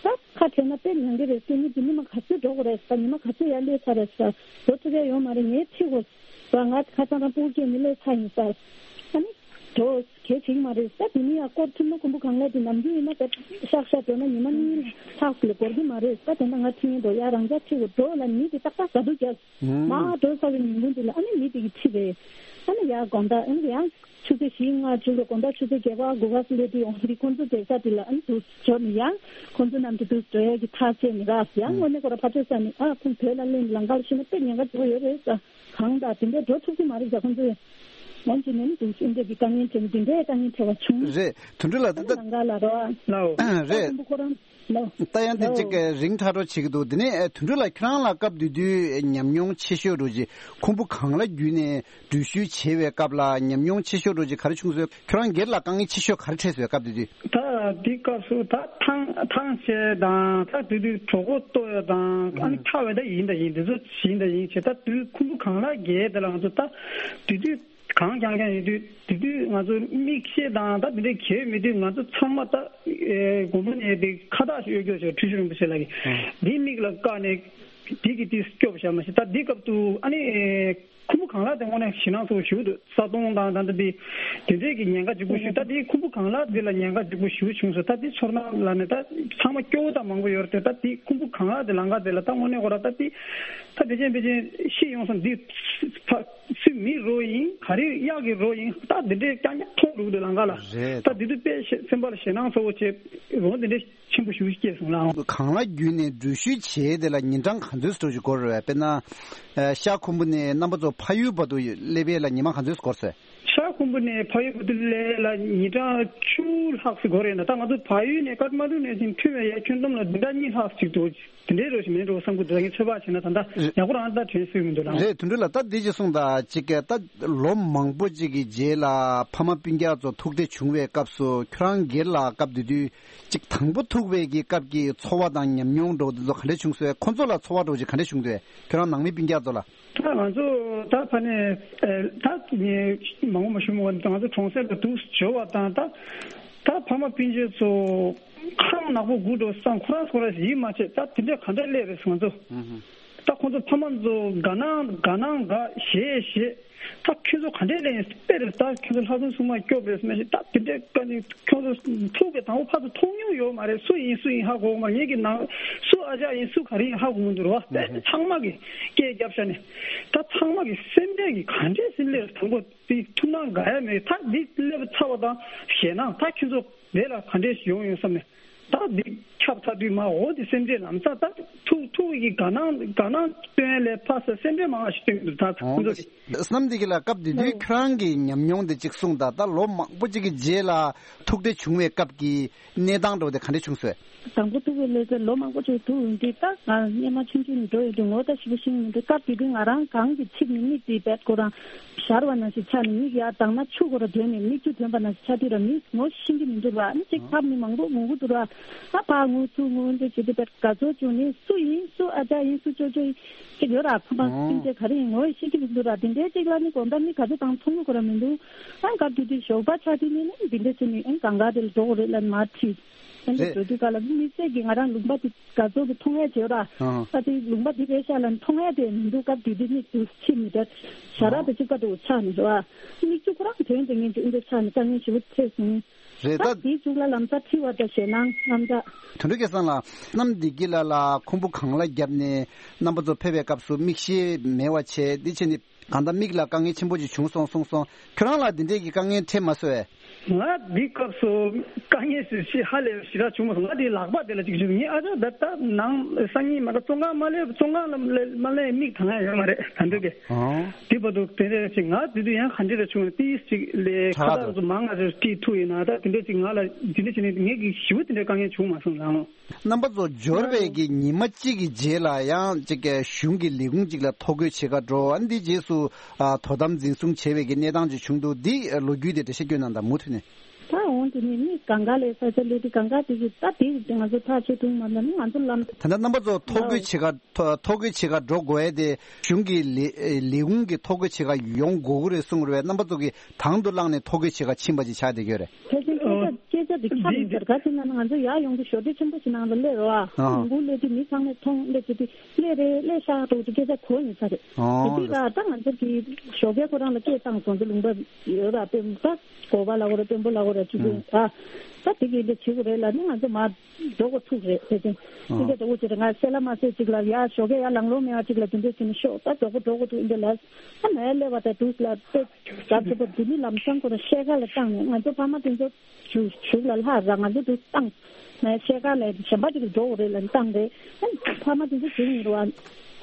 ད་ཁ་བྲལ་ན་དཔེ་མྱང་གི་རེད། དེ་ནི་དེ་ནི་མ་ག་ཚོད་འགྲོ་དགོས་རེད་ཟེར། ཉི་མ་ག་ཚོད་ཡར་སླེབས་ཚར་རེད་ཟེར། འགྲོ་ཐུབ་ཡ་ཡོད་མ་རེད། ངས་ཁྲིད་དགོས་ཟེར། ང་ཁ་སང་རང་སྤུ་གུ་སྐྱེས་ནས་སླེབས་ཚར་ཡིན་ཟེར། ཨ་ནི་འགྲོ་གལ་ཆེ་གི་མ་རེད་ཟེར། དེ་ནི་ཡར་སྐོར་ཐུབ་ན་ཁུམ་བུ་གངས་ལ་དེ་ནམ་རྒྱུན་ཡིན་ན་ད་ཤག་ཤག་འགྲོ་ན་ཉི་མ་གཉིས་ལྷག་ལས་འགོར་གི་མ་རེད་ཟེར། དེ་འདྲ་ང་ཁྲིད་ངེས་འགྲོ་ཡ་རང་ཅག་ཁྲིད་དགོས་འགྲོ་ལ་མི་དེ་ཏག་ཏག་ག་དུས་རྒྱབ། མ་འགྲོ་ས་བའི་ཉིན་གུང་དེ་ལ་ཨ་ནི་མི་དེ་གི་ཁྲིད་རེད། ཨ་ནི་ཡར་དགོང་དག་ཨ་ནི་ཡང་ཆུ་ཚོད་བཞི་ལྔ་བཅུ་ལ་དགོང་དག་ཆུ་ཚོད་བརྒྱད་པ་དགུ་པ་སླེབས་དུས་ཡོང་དུས་ཁོང་ཚོ་བསྡད་ས་དེ་ལ་ཨ་ནི་དུ་འབྱོར་ནས་ཡང་ཁོང་ཚོ་རྣམས་ཀྱི་དུ་འགྲོ་ཡས་ཀྱི་ཐག་བཅད་ནས་ར་ཡང་དངོས་གནས་ཁོ་ར་ཕར་ཕྱོགས་ས་ནས་ཨ་ཁོང་བོད་ལ་སླེབས་ནས་ལམ་ཁར་ཤི་ན་དཔེ་ཉེན་ཁ་ཆེ་བོ་ཡོད་རེད་ཟེར། གང་ལྟར་དེ་འདྲའི་འགྲོ་ཐུབ་ཀྱི་མ་རེད་ཟེར། ཁོང་ཚོས་ཡང་ཅི་ནས་ནི་དུ་ཨིན་འདྲས་ཀྱི་དཀའ་ངལ་འཕྲད་ནས་དེ་འདྲའི་དཀའ་ངལ་འཕྲད་པ་བྱུང་། རེད། དོན་གྲུབ་ལགས། ད་ལྟ་ལམ་ཁ་ལ་རོ་ཨ། ལའོ། རེད། ཁོང་ཚོ་ཁོ་རང་ལོ། ད་ཡང་དེ་ལོ། གཅིག་གི་རིང་ཐག་གྲོ་བྱེད་ཀྱི་འདུག་དེ་ནས་དོན་གྲུབ་ལགས་ཁྱོད་རང་ལ་སྐབས་དེ་དུས་ཉམས་མྱོང་ཆེ་ཤོས་རུ་ཅིག་ཁུམ་བུ་གངས་ལ་བརྒྱུད་ནས་འགྲུལ་བཞུད་བྱེད་པའི་སྐབས་ལ་ཉམས་མྱོང་ཆེ་ཤོས་རུ་ཅིག་ག་རེ་བྱུང་སོང་། ཁྱོད་རང་སྒེར་ལ་དཀའ་ངལ་ཆེ་ཤོས་ག་རེ་འཕྲད་སོང་སྐབས་དེ་དུས། ད་དེ་སྐབས་སུ་ད་ཐང་ཐང་ཆད་དང་ད་དེ་དུས་གྲོད་ཁོག་ལྟོགས་ཡ་དང་ཨ་ནི་ཨ་ཁ་བའི་ད་ཡིན་ད་ཡིན་དེ་ཚོ་ཡིན་ད་ཡིན་བྱས། ད་དུས་ཁུམ་བུ་གངས་ལ་བརྒལ་དེ་ལ་ང་ཚོ་ད་དེ་དུས། གང་རྐྱང་རྐྱང་ཡིན་དུས་དེ་དུས་ང་ཚོ་མིག་ཤེལ་དང་ད་དེ་འདྲའི་གྱོན་མེད་དུས་ང་ཚོ་ཚང་མ་ད་དགོན་པ་ནས་དེ་ཁ་བཏགས་ཤིག་གཡོག་རྒྱུ་ཞིག་འཁྲུལ་ཞིག་རིན་པོ་ཆེ་ལགས་ཀྱིས་འདི་མིག་ལ་བཀག་ནས་དེ་གི་དེ་སྐྱོབ་བཞག་མ་ཤེས། ད་འདི་སྐབས་དུ་ཨ་ནི་ཁུམ་བུ་གངས་ལྷ་དེ་དངོས་གནས་ཞེད་སྣང་ཚ་པོ་ཞེ་པོ་འདུག་ས་དོང་དང་ད་ལྟ་དེ་དེ་འདྲས་ཀྱི་ཉེན་ཁ་ལྗིད་པོ་ཞེ་པོ། ད་དེ་ཁུམ་བུ་གངས་ལྷ་དེ་ལ་ཉེན་ཁ་ལྗིད་པོ་ཞེ་པོ་བྱུང་སོང་། ད་དེ་ཚོར་སྣང་ལ་ནས་ད་ཚང་མ་སྐྱོ་བོ་དང་མང་པོ་ཡོད་རེད། ད་དེ་ཁུམ་བུ་གངས་ལྷ་དེ་ལམ་ཁ་དེ་ལ་ད་དངོས་གནས་ཁོ་ར་ད་དེ་ད་དེ་ཅན་དེ་ཅན་ཤི་ཡོང་སོང་། འདི་ཕ་སུ་མི་རོ་ཡིན་ག་རེ་གཡག་གི་རོ་ཡིན་ད་དེ་འདྲས་རྐྱང་རྐྱང་མཐོང་འདུག་དེ་ལམ་ཁ་ལ། རེད། ད་དེ་དུས་དཔེ་སེམས་པ་ལ་ཞེད་སྣང་ཚ་པོ་བྱས་འོ་དེ་འདྲས་ཆེན་པོ་ཞེ་པོ་སྐྱེས་སོང་ལགས། གངས་ལྷ་བརྒྱུད་ནས་འགྲུལ་བཞུད་བྱས་དེ་ལ་ཉིན་གྲངས་ག་ཚོད་འགྲོ་ཞིག་འགོར་རེད། དཔེར་ན་ཤར་ཁུམ་བུ་ནས་རྣམ་པ་ཚོ་ཕ་ཡུལ་བར་དུ་སླེབས་ཡས་ལ་ཉི་མ་ག་ཚོད་འགོར་སོང་། ཤར་ཁུམ་བུ་ནས་ཕ་ཡུལ་བར་དུ་སླེབས་ལ་ཉིན་གྲངས་བཅུ་ལྷག་ཙམ་འགོར་ཡོད་ན། ད་ང་ཚོ་ཕ་ཡུལ་ནས་ཀཏ་མན་ཌུ་ནས་ཅིག་ཐོན་པའི་ཡ་ཁྱོན་བསྡོམས་ལ་བདུན་ཕྲག་གཉིས་ལྷག་ཅིག་འདུག་དེ་འདྲའི་རོ་ཞིག་མིན་འགྲོ་བསམ་གྱི་འདུག་ངས་ཚོད་དཔག་བྱས་ན་ད་ལྟ་ཡག་པོ་རང་ལྟ་དྲན་སྲིད་མི་འདུག་ལགས། རེད། དོན་དུ་ལ་ད་འདི་ཅིག་གསུངས་དང་ཅིག་ད་ལོ་མང་པོ་ཅིག་གི་རྗེས་ལ་ཕ་མ་སྤུན་ཀྱག་ཚོ་ཐུག་འཕྲད་བྱུང་བའི་སྐབས་སུ་ཁྱོད་རང་སྒེར་ལ་སྐབས་དེ་དུས་ཅིག་དང་པོ་ཐུག་པའི་གི་སྐབས་ཀྱི་ཚོར་བ་དང་ཉམས་མྱོང་འདྲ་བོ་དེ་ཚོ་ག་འདྲ་བྱུང་སོང་། ཁོ་ཚོ་ལ་ཚོར་བ་འདྲ་བོ་ཅིག་ག་འདྲ་བྱུང་འདུག་ཁྱོད་རང་ནང་མི་སྤུན་ཀྱག་ཚོ་ལ། ད་ང་ཚོ་ད་ཕ་ནས་ད་ངས་མང་པོ་མ་ཞུ་མི་དགོས། ང་ཚོ་གྲོང་གསེབ་ལ་འདུག་འབྱོར་བ་དང་ད་ད་ཕ་མ་སྤུན་མཆེད་ཚོ་ཁམས་ནག་པོ་དགུ་འགྲོ་སང་ཁོ་རང་ཁོ་རང་ཡིད་མ་ཆེས། ད་དེ་འདྲ་ག་འདྲ་སླེབས་རེད་ང་ཚོ། ད་ཁོ་ཚོ་ཕ་མ་ཚོ་དགའ་སྣང་དགའ་སྣང་དགའ་ཞེད་ཞེད། ད་ཁྱོད་ཚོ་ག་འདྲས་ལས་དཔེ་རེད། ད་ཁྱོད་ཚོ་ལྷ་སྲུང་སྲུང་མ་སྐྱོབ་རེད་སྨྲས་ཤིག་ད་དེ་འདྲས་བཀའ་ནི་ཁྱོད་ཚོ་ཐུག་པའི་དང་པོ་ཕར་ཚུར་མཐོང་མྱོང་ཡོད་མ་རེད། སུ་ཡིན་སུ་ཡིན་ཧ་གོ་གི་མ་རེད། ངེད་ཀྱི་ནང་སུ་ཨ་ཅག་ཡིན་སུ་ག་རེ་ཡིན་ཧ་གོ་མི་འདུག་རེད་བ། དཔེ་ཚང་མ་གི་སྐད་རྒྱབ་ཤ་ནས་ད་ཚང་མ་གི་སེམས་ཁྲལ་གི་ག་འདྲས་སེམས་ལས་དང་པོ་དེ་ཐུགས་སྣང་དགའ་ཡ་མེད། ད་འདི་སླེབས་ཚར་བ་དང་ཞེད་སྣང་ད་ཁྱོད་ཚོ་དེ་ལ་ག་འདྲས་ཡོང་ཡོང་བསམ་ནས། ད་འདི་ཁྱབ་ཚར་དུས་མ་འོ་དེ་སེམས་ཁྲལ་ལམ་སང་ད་ཐུག་ཐུག་གི་དགའ་སྣང་དགའ་སྣང་སྟོན་ལས་ཕ་ས་སེམས་ཁྲལ་མང་བ་ཞིག་སྟོན་གྱི་འདུག་ད་ཁོང་ཚོ་གི། བསམ་འདི་གི་ལ་སྐབས་དེ་དུས་ཨ་ཁྱོད་རང་གི་ཉམས་མྱོང་དེ་གཅིག་གསུངས་དང་། ད་ལོ་མང་པོ་གཅིག་གི་རྗེས་ལ་ཐུག་འཕྲད་བྱུང་བའི་སྐབས་ཀྱི་གནས་སྟངས་འདྲ་བོ་དེ་ག་འདྲ་བྱུང་སོང་། དང་པོ་ཐུག་པའི་ལས་ཀ་ལོ་མང་པོ་ཅིག་ཐུག་ཡོང་དུས་ད་ང་སྔོན་མ་ཆུང་ཆུང་ནས་འགྲོ་ཡོང་དུས་ངོ་ད་ཞིབ་པོ་ཤེས་ཀྱི་མི་འདུག་སྐབས་དེ་དུས་ང་རང་གང་གི་ཚིག་ནི་མིག་དེ་བེད་ཁོ་རང་ཞར་བ་ནང་བཞིན་ཆགས་ནས་མིག་ཡར་གདངས་ན་ཆུ་ཁོ་ར་དོན་ནས་མིག་ཆུ་དོན་པ་ནང་བཞིན་ཆགས་དུས་ར་མི་ངོ་ཤེས་ཀྱི་མི་འདུག་ར། ཨ་ནི་གཅིག་ཕབ་ནི་མང་པོ་ངུ་གི་འདུག་ར། ཨ་ཕ་ངུ་ཚུ་ངུ་འདི་བྱེད་དུས་བེད་དགའ་ཚོར་བྱུང་ནི་སུ་ཡིན་སུ་ཨ་ཅག་ཡིན་སུ་ཅོ་ཅོ་ཡིན་གཅིག་ཡོད་ར། ཕ་མ་སྤུན་མཆེད་ག་རེ་ཡིན་ངོ་ཤེས་ཀྱི་མི་འདུག་ར། དེ་འདྲའི་གཅིག་ལ་ནི་དགོང་དག་མི་ག་ཚོད་དང་མཐོང་གི་ཁོ་ར་མི་འདུག་ཨ་སྐབས་དེ་དུས་ཞོགས་པ་ཆགས་དུས་ནི་ནི་འདི་འདྲ་བྱས་ནི་ཨ་གང་ག་དེ་ལ་འགྲོ་དགོས་རེད་ལབ་མར་ཁྲིད། ཨ་འདི་རེད། འགྲོ་དུས་ག་ལ་མི་སེར་གྱི་ང་རང་ལུང་པ་དེ་དགའ་ཚོར་གྱི་མཐོང་ཡ་བྱེད་ར། ཨ་ཨ་དེ་ལུང་པ་དེ་རེད་ཤག་ལ་མཐོང་ཡ་དེ་མི་འདུག་སྐབས་དེ་དུས་ནི་དུ་ཕྱི་མི་འདྲ་ཞྭ་ར་དེ་གཅིག་པ་དུ་ཆགས་ནི་རེད་བ། མིག་ཆུ་ཁོ་རང་དོན་དེ་ངན་གྱི་ཨ་འདྲ་ཆགས་ནི་དཀའ་ངལ་ཞེ་པོ་འཕྲད་སོང་། རེད་ད། ད་དེའི་མཇུག་ལ་ལམ་སང་འཁྲི་བ་དང་ཞེད་སྣང་དངངས་སྐྲག་དོན་གྲུབ་སྐལ་བཟང་ལགས། གནམ་བདེ་སྐྱིད་ལགས་ལ་ཁུམ་བུ་གངས་ལ་བརྒྱབ་ནས་རྣམ་པ་ཚོ་ཕེབས་པའི་སྐབས་སུ་མིག་ཤེལ་མེད་པ་བྱས། འདི་བྱས་ནས་གང་ལྟར་མིག་ལ་དཀའ་ངལ་ཆེན་པོ་ཅིག་བྱུང་སོང་གསུངས་སོང་། ཁྱོད་རང་ལ་འདི་འདྲས་ཀྱི་དཀའ་ངལ་འཕྲད་མ་སོང་ངས། ང་འདི་སྐབས་སུ་དཀའ་ངལ་ཞིག་ཞིག་ཧ་ལས་ཞེ་དྲག་བྱུང་མ་སོང་། ང་འདི་ལག་པ་དེ་ལ་ཅིག་བྱུང་ངས་ཨ་ཅག་ད་ལྟ་ནང་སང་ཉིན་མ་གཏོགས་བཙོན་ཁང་མ་སླེབས་བཙོན་ཁང་ལ་མ་སླེབས་མིག་དང་ཡ་ཡོད་མ་རེད་ད་འདོད་གི། ཨང་། དེ་བར་དུ་དེ་འདྲ་ཞིག་ང་དེ་དུས་ཡང་ག་འདྲ་རེ་བྱུང་ན་ཏིས་ཅིག་ལས་ཁ་ཁྲག་ལྟ་ཚོ་མང་ང་ཚོ་ཏིས་ཐུག་ཡིན་ན་ད་དེ་འདྲ་ཅིག་ང་ལ་དེ་འདྲ་བྱས་ནས་ངས་ཀྱི་ཞེ་པོ་དེ་འདྲ་དཀའ་ངལ་བྱུང་མ་སོང་ལགས། རྣམ་པ་ཚོ་འབྱོར་བའི་གི་ཉི་མ་གཅིག་གི་རྗེས་ལ་ཡང་ཅིག་གཞུང་གི་ལས་ཁུངས་ཅིག་ལ་ཐོ་འགོད་བྱེད་ག་འགྲོ། ཨ་འདི་རྗེས་སུ་ཨ་དོ་དམ་འཛིན་བཟུང་བྱས་པའི་གི་གནས་སྟངས་ཅིག་བྱུང་འདུག་འདི་ལོ་རྒྱུས་དེ་འགྲེལ་བཤད་སྐྱོན་གནང་དང་མུ་མཐུད་ནས། ད་འོང་དེ་ནས་མི་གང་ག་ལས་ས་ཆ་ལས་དེ་གང་ག་དེ་གི་ད་དེ་ང་ཚོ་ཐག་ཆོད་ཐུབ་མ་ད་ནི་ང་ཚོ་ལམ། ད་ལྟ་རྣམ་པ་ཚོ་ཐོ་འགོད་བྱེད་ག་ཐོ་ཐོ་འགོད་བྱེད་ག་འགྲོ་དགོས་ཡས་དེ་གཞུང་གི་ལས་ལས་ཁུངས་ཀྱི་ཐོ་འགོད་བྱེད་ག་ཡོང་དགོས་ཀྱི་རེད་གསུངས་རེད་བས། རྣམ་པ་ཚོ་གིས་དང་དུ་བླངས་ནས་ཐོ་འགོད་བྱེད་ག་ཕྱིན་པ་ཅིག་ཆགས་བསྡད་ཀྱི་ཡོད་རེད། ཕལ་ཆེར་སྐད་ཆ་སྐད་ཆ་དེ་ཁྱབ་ཡིན་ཟེར། ག་ཅི་ན་ང་ཚོ་ཡར་ཡོང་གི་ཞོ་ཏི་ཆེན་པོ་ཞིག་ནང་ལ་སླེབས་རོགས་ཨ། ཨང་། ལུང་ཁུག་སླེབས་དུས་མི་ཚང་མས་མཐོང་སླེབས་བྱེད་དུས་སླེབས་རེད་སླེབས་ཤག་འགྲོ་དུས་སྐད་ཆ་གོ་ཡིན་ས་རེད། ཨང་། དེ་དུས་ར་ད་ང་ཚོ་གི་ཞོགས་ཀས་ཁོ་རང་ལ་སྐད་བཏང་སོང་ཚེ་ལུང་པ་ཡོད་ར་དཔོན་ད་གོ་བ་ལ་འོ་ར་དཔོན་པོ་ལ་འོ་ར་ཅིག་ཨང་། ཨ་ད་དེ་གི་འདི་བྱེད་དགོས་རེད་ལ་ནི་ང་ཚོ་མ་འགྲོ་དགོས་ཐུག་རེད་ཕལ་ཆེར། ཨང་། སྐད་ཆ་འགྲོ་དགོས་བྱེད་རེད། ང་སེ་ལ་མ་སེ་ཅིག་ལ་ཡ་ཞོགས་ཀས་ཡ་ལང་ལོང་མེད་པ་ཅིག་ལ་དེ་འདྲས་བྱེད་ནི་ཤོག་ད་འགྲོ་དགོས་འགྲོ་དགོས་ཐུག་འདི་ལ་ཨ་ནའི་སླེབས་པ་ད་དུས་ལ་ཏེ་ད་དེ་པ་དེ་ནི་ལམ་སང་ཁོ་ར་ཤེལ་ཀ་ལ་བཏང་ནས་ང་ཚོ་ཕ་མ་དེ་ཚོ་གཞུག་གཞུག་ལ་ལྷག་ར་ང་ཚོ་དུ་བཏང་ནས་ཤེལ་ཀ་ལ་གཞན་པ་ཅིག་འགྲོ་དགོས་རེད་ལ་བཏང་རེད། ཨ་ཕ་མ་དེ་ཚོ་གཞུག་ཡིན་རུ་བ་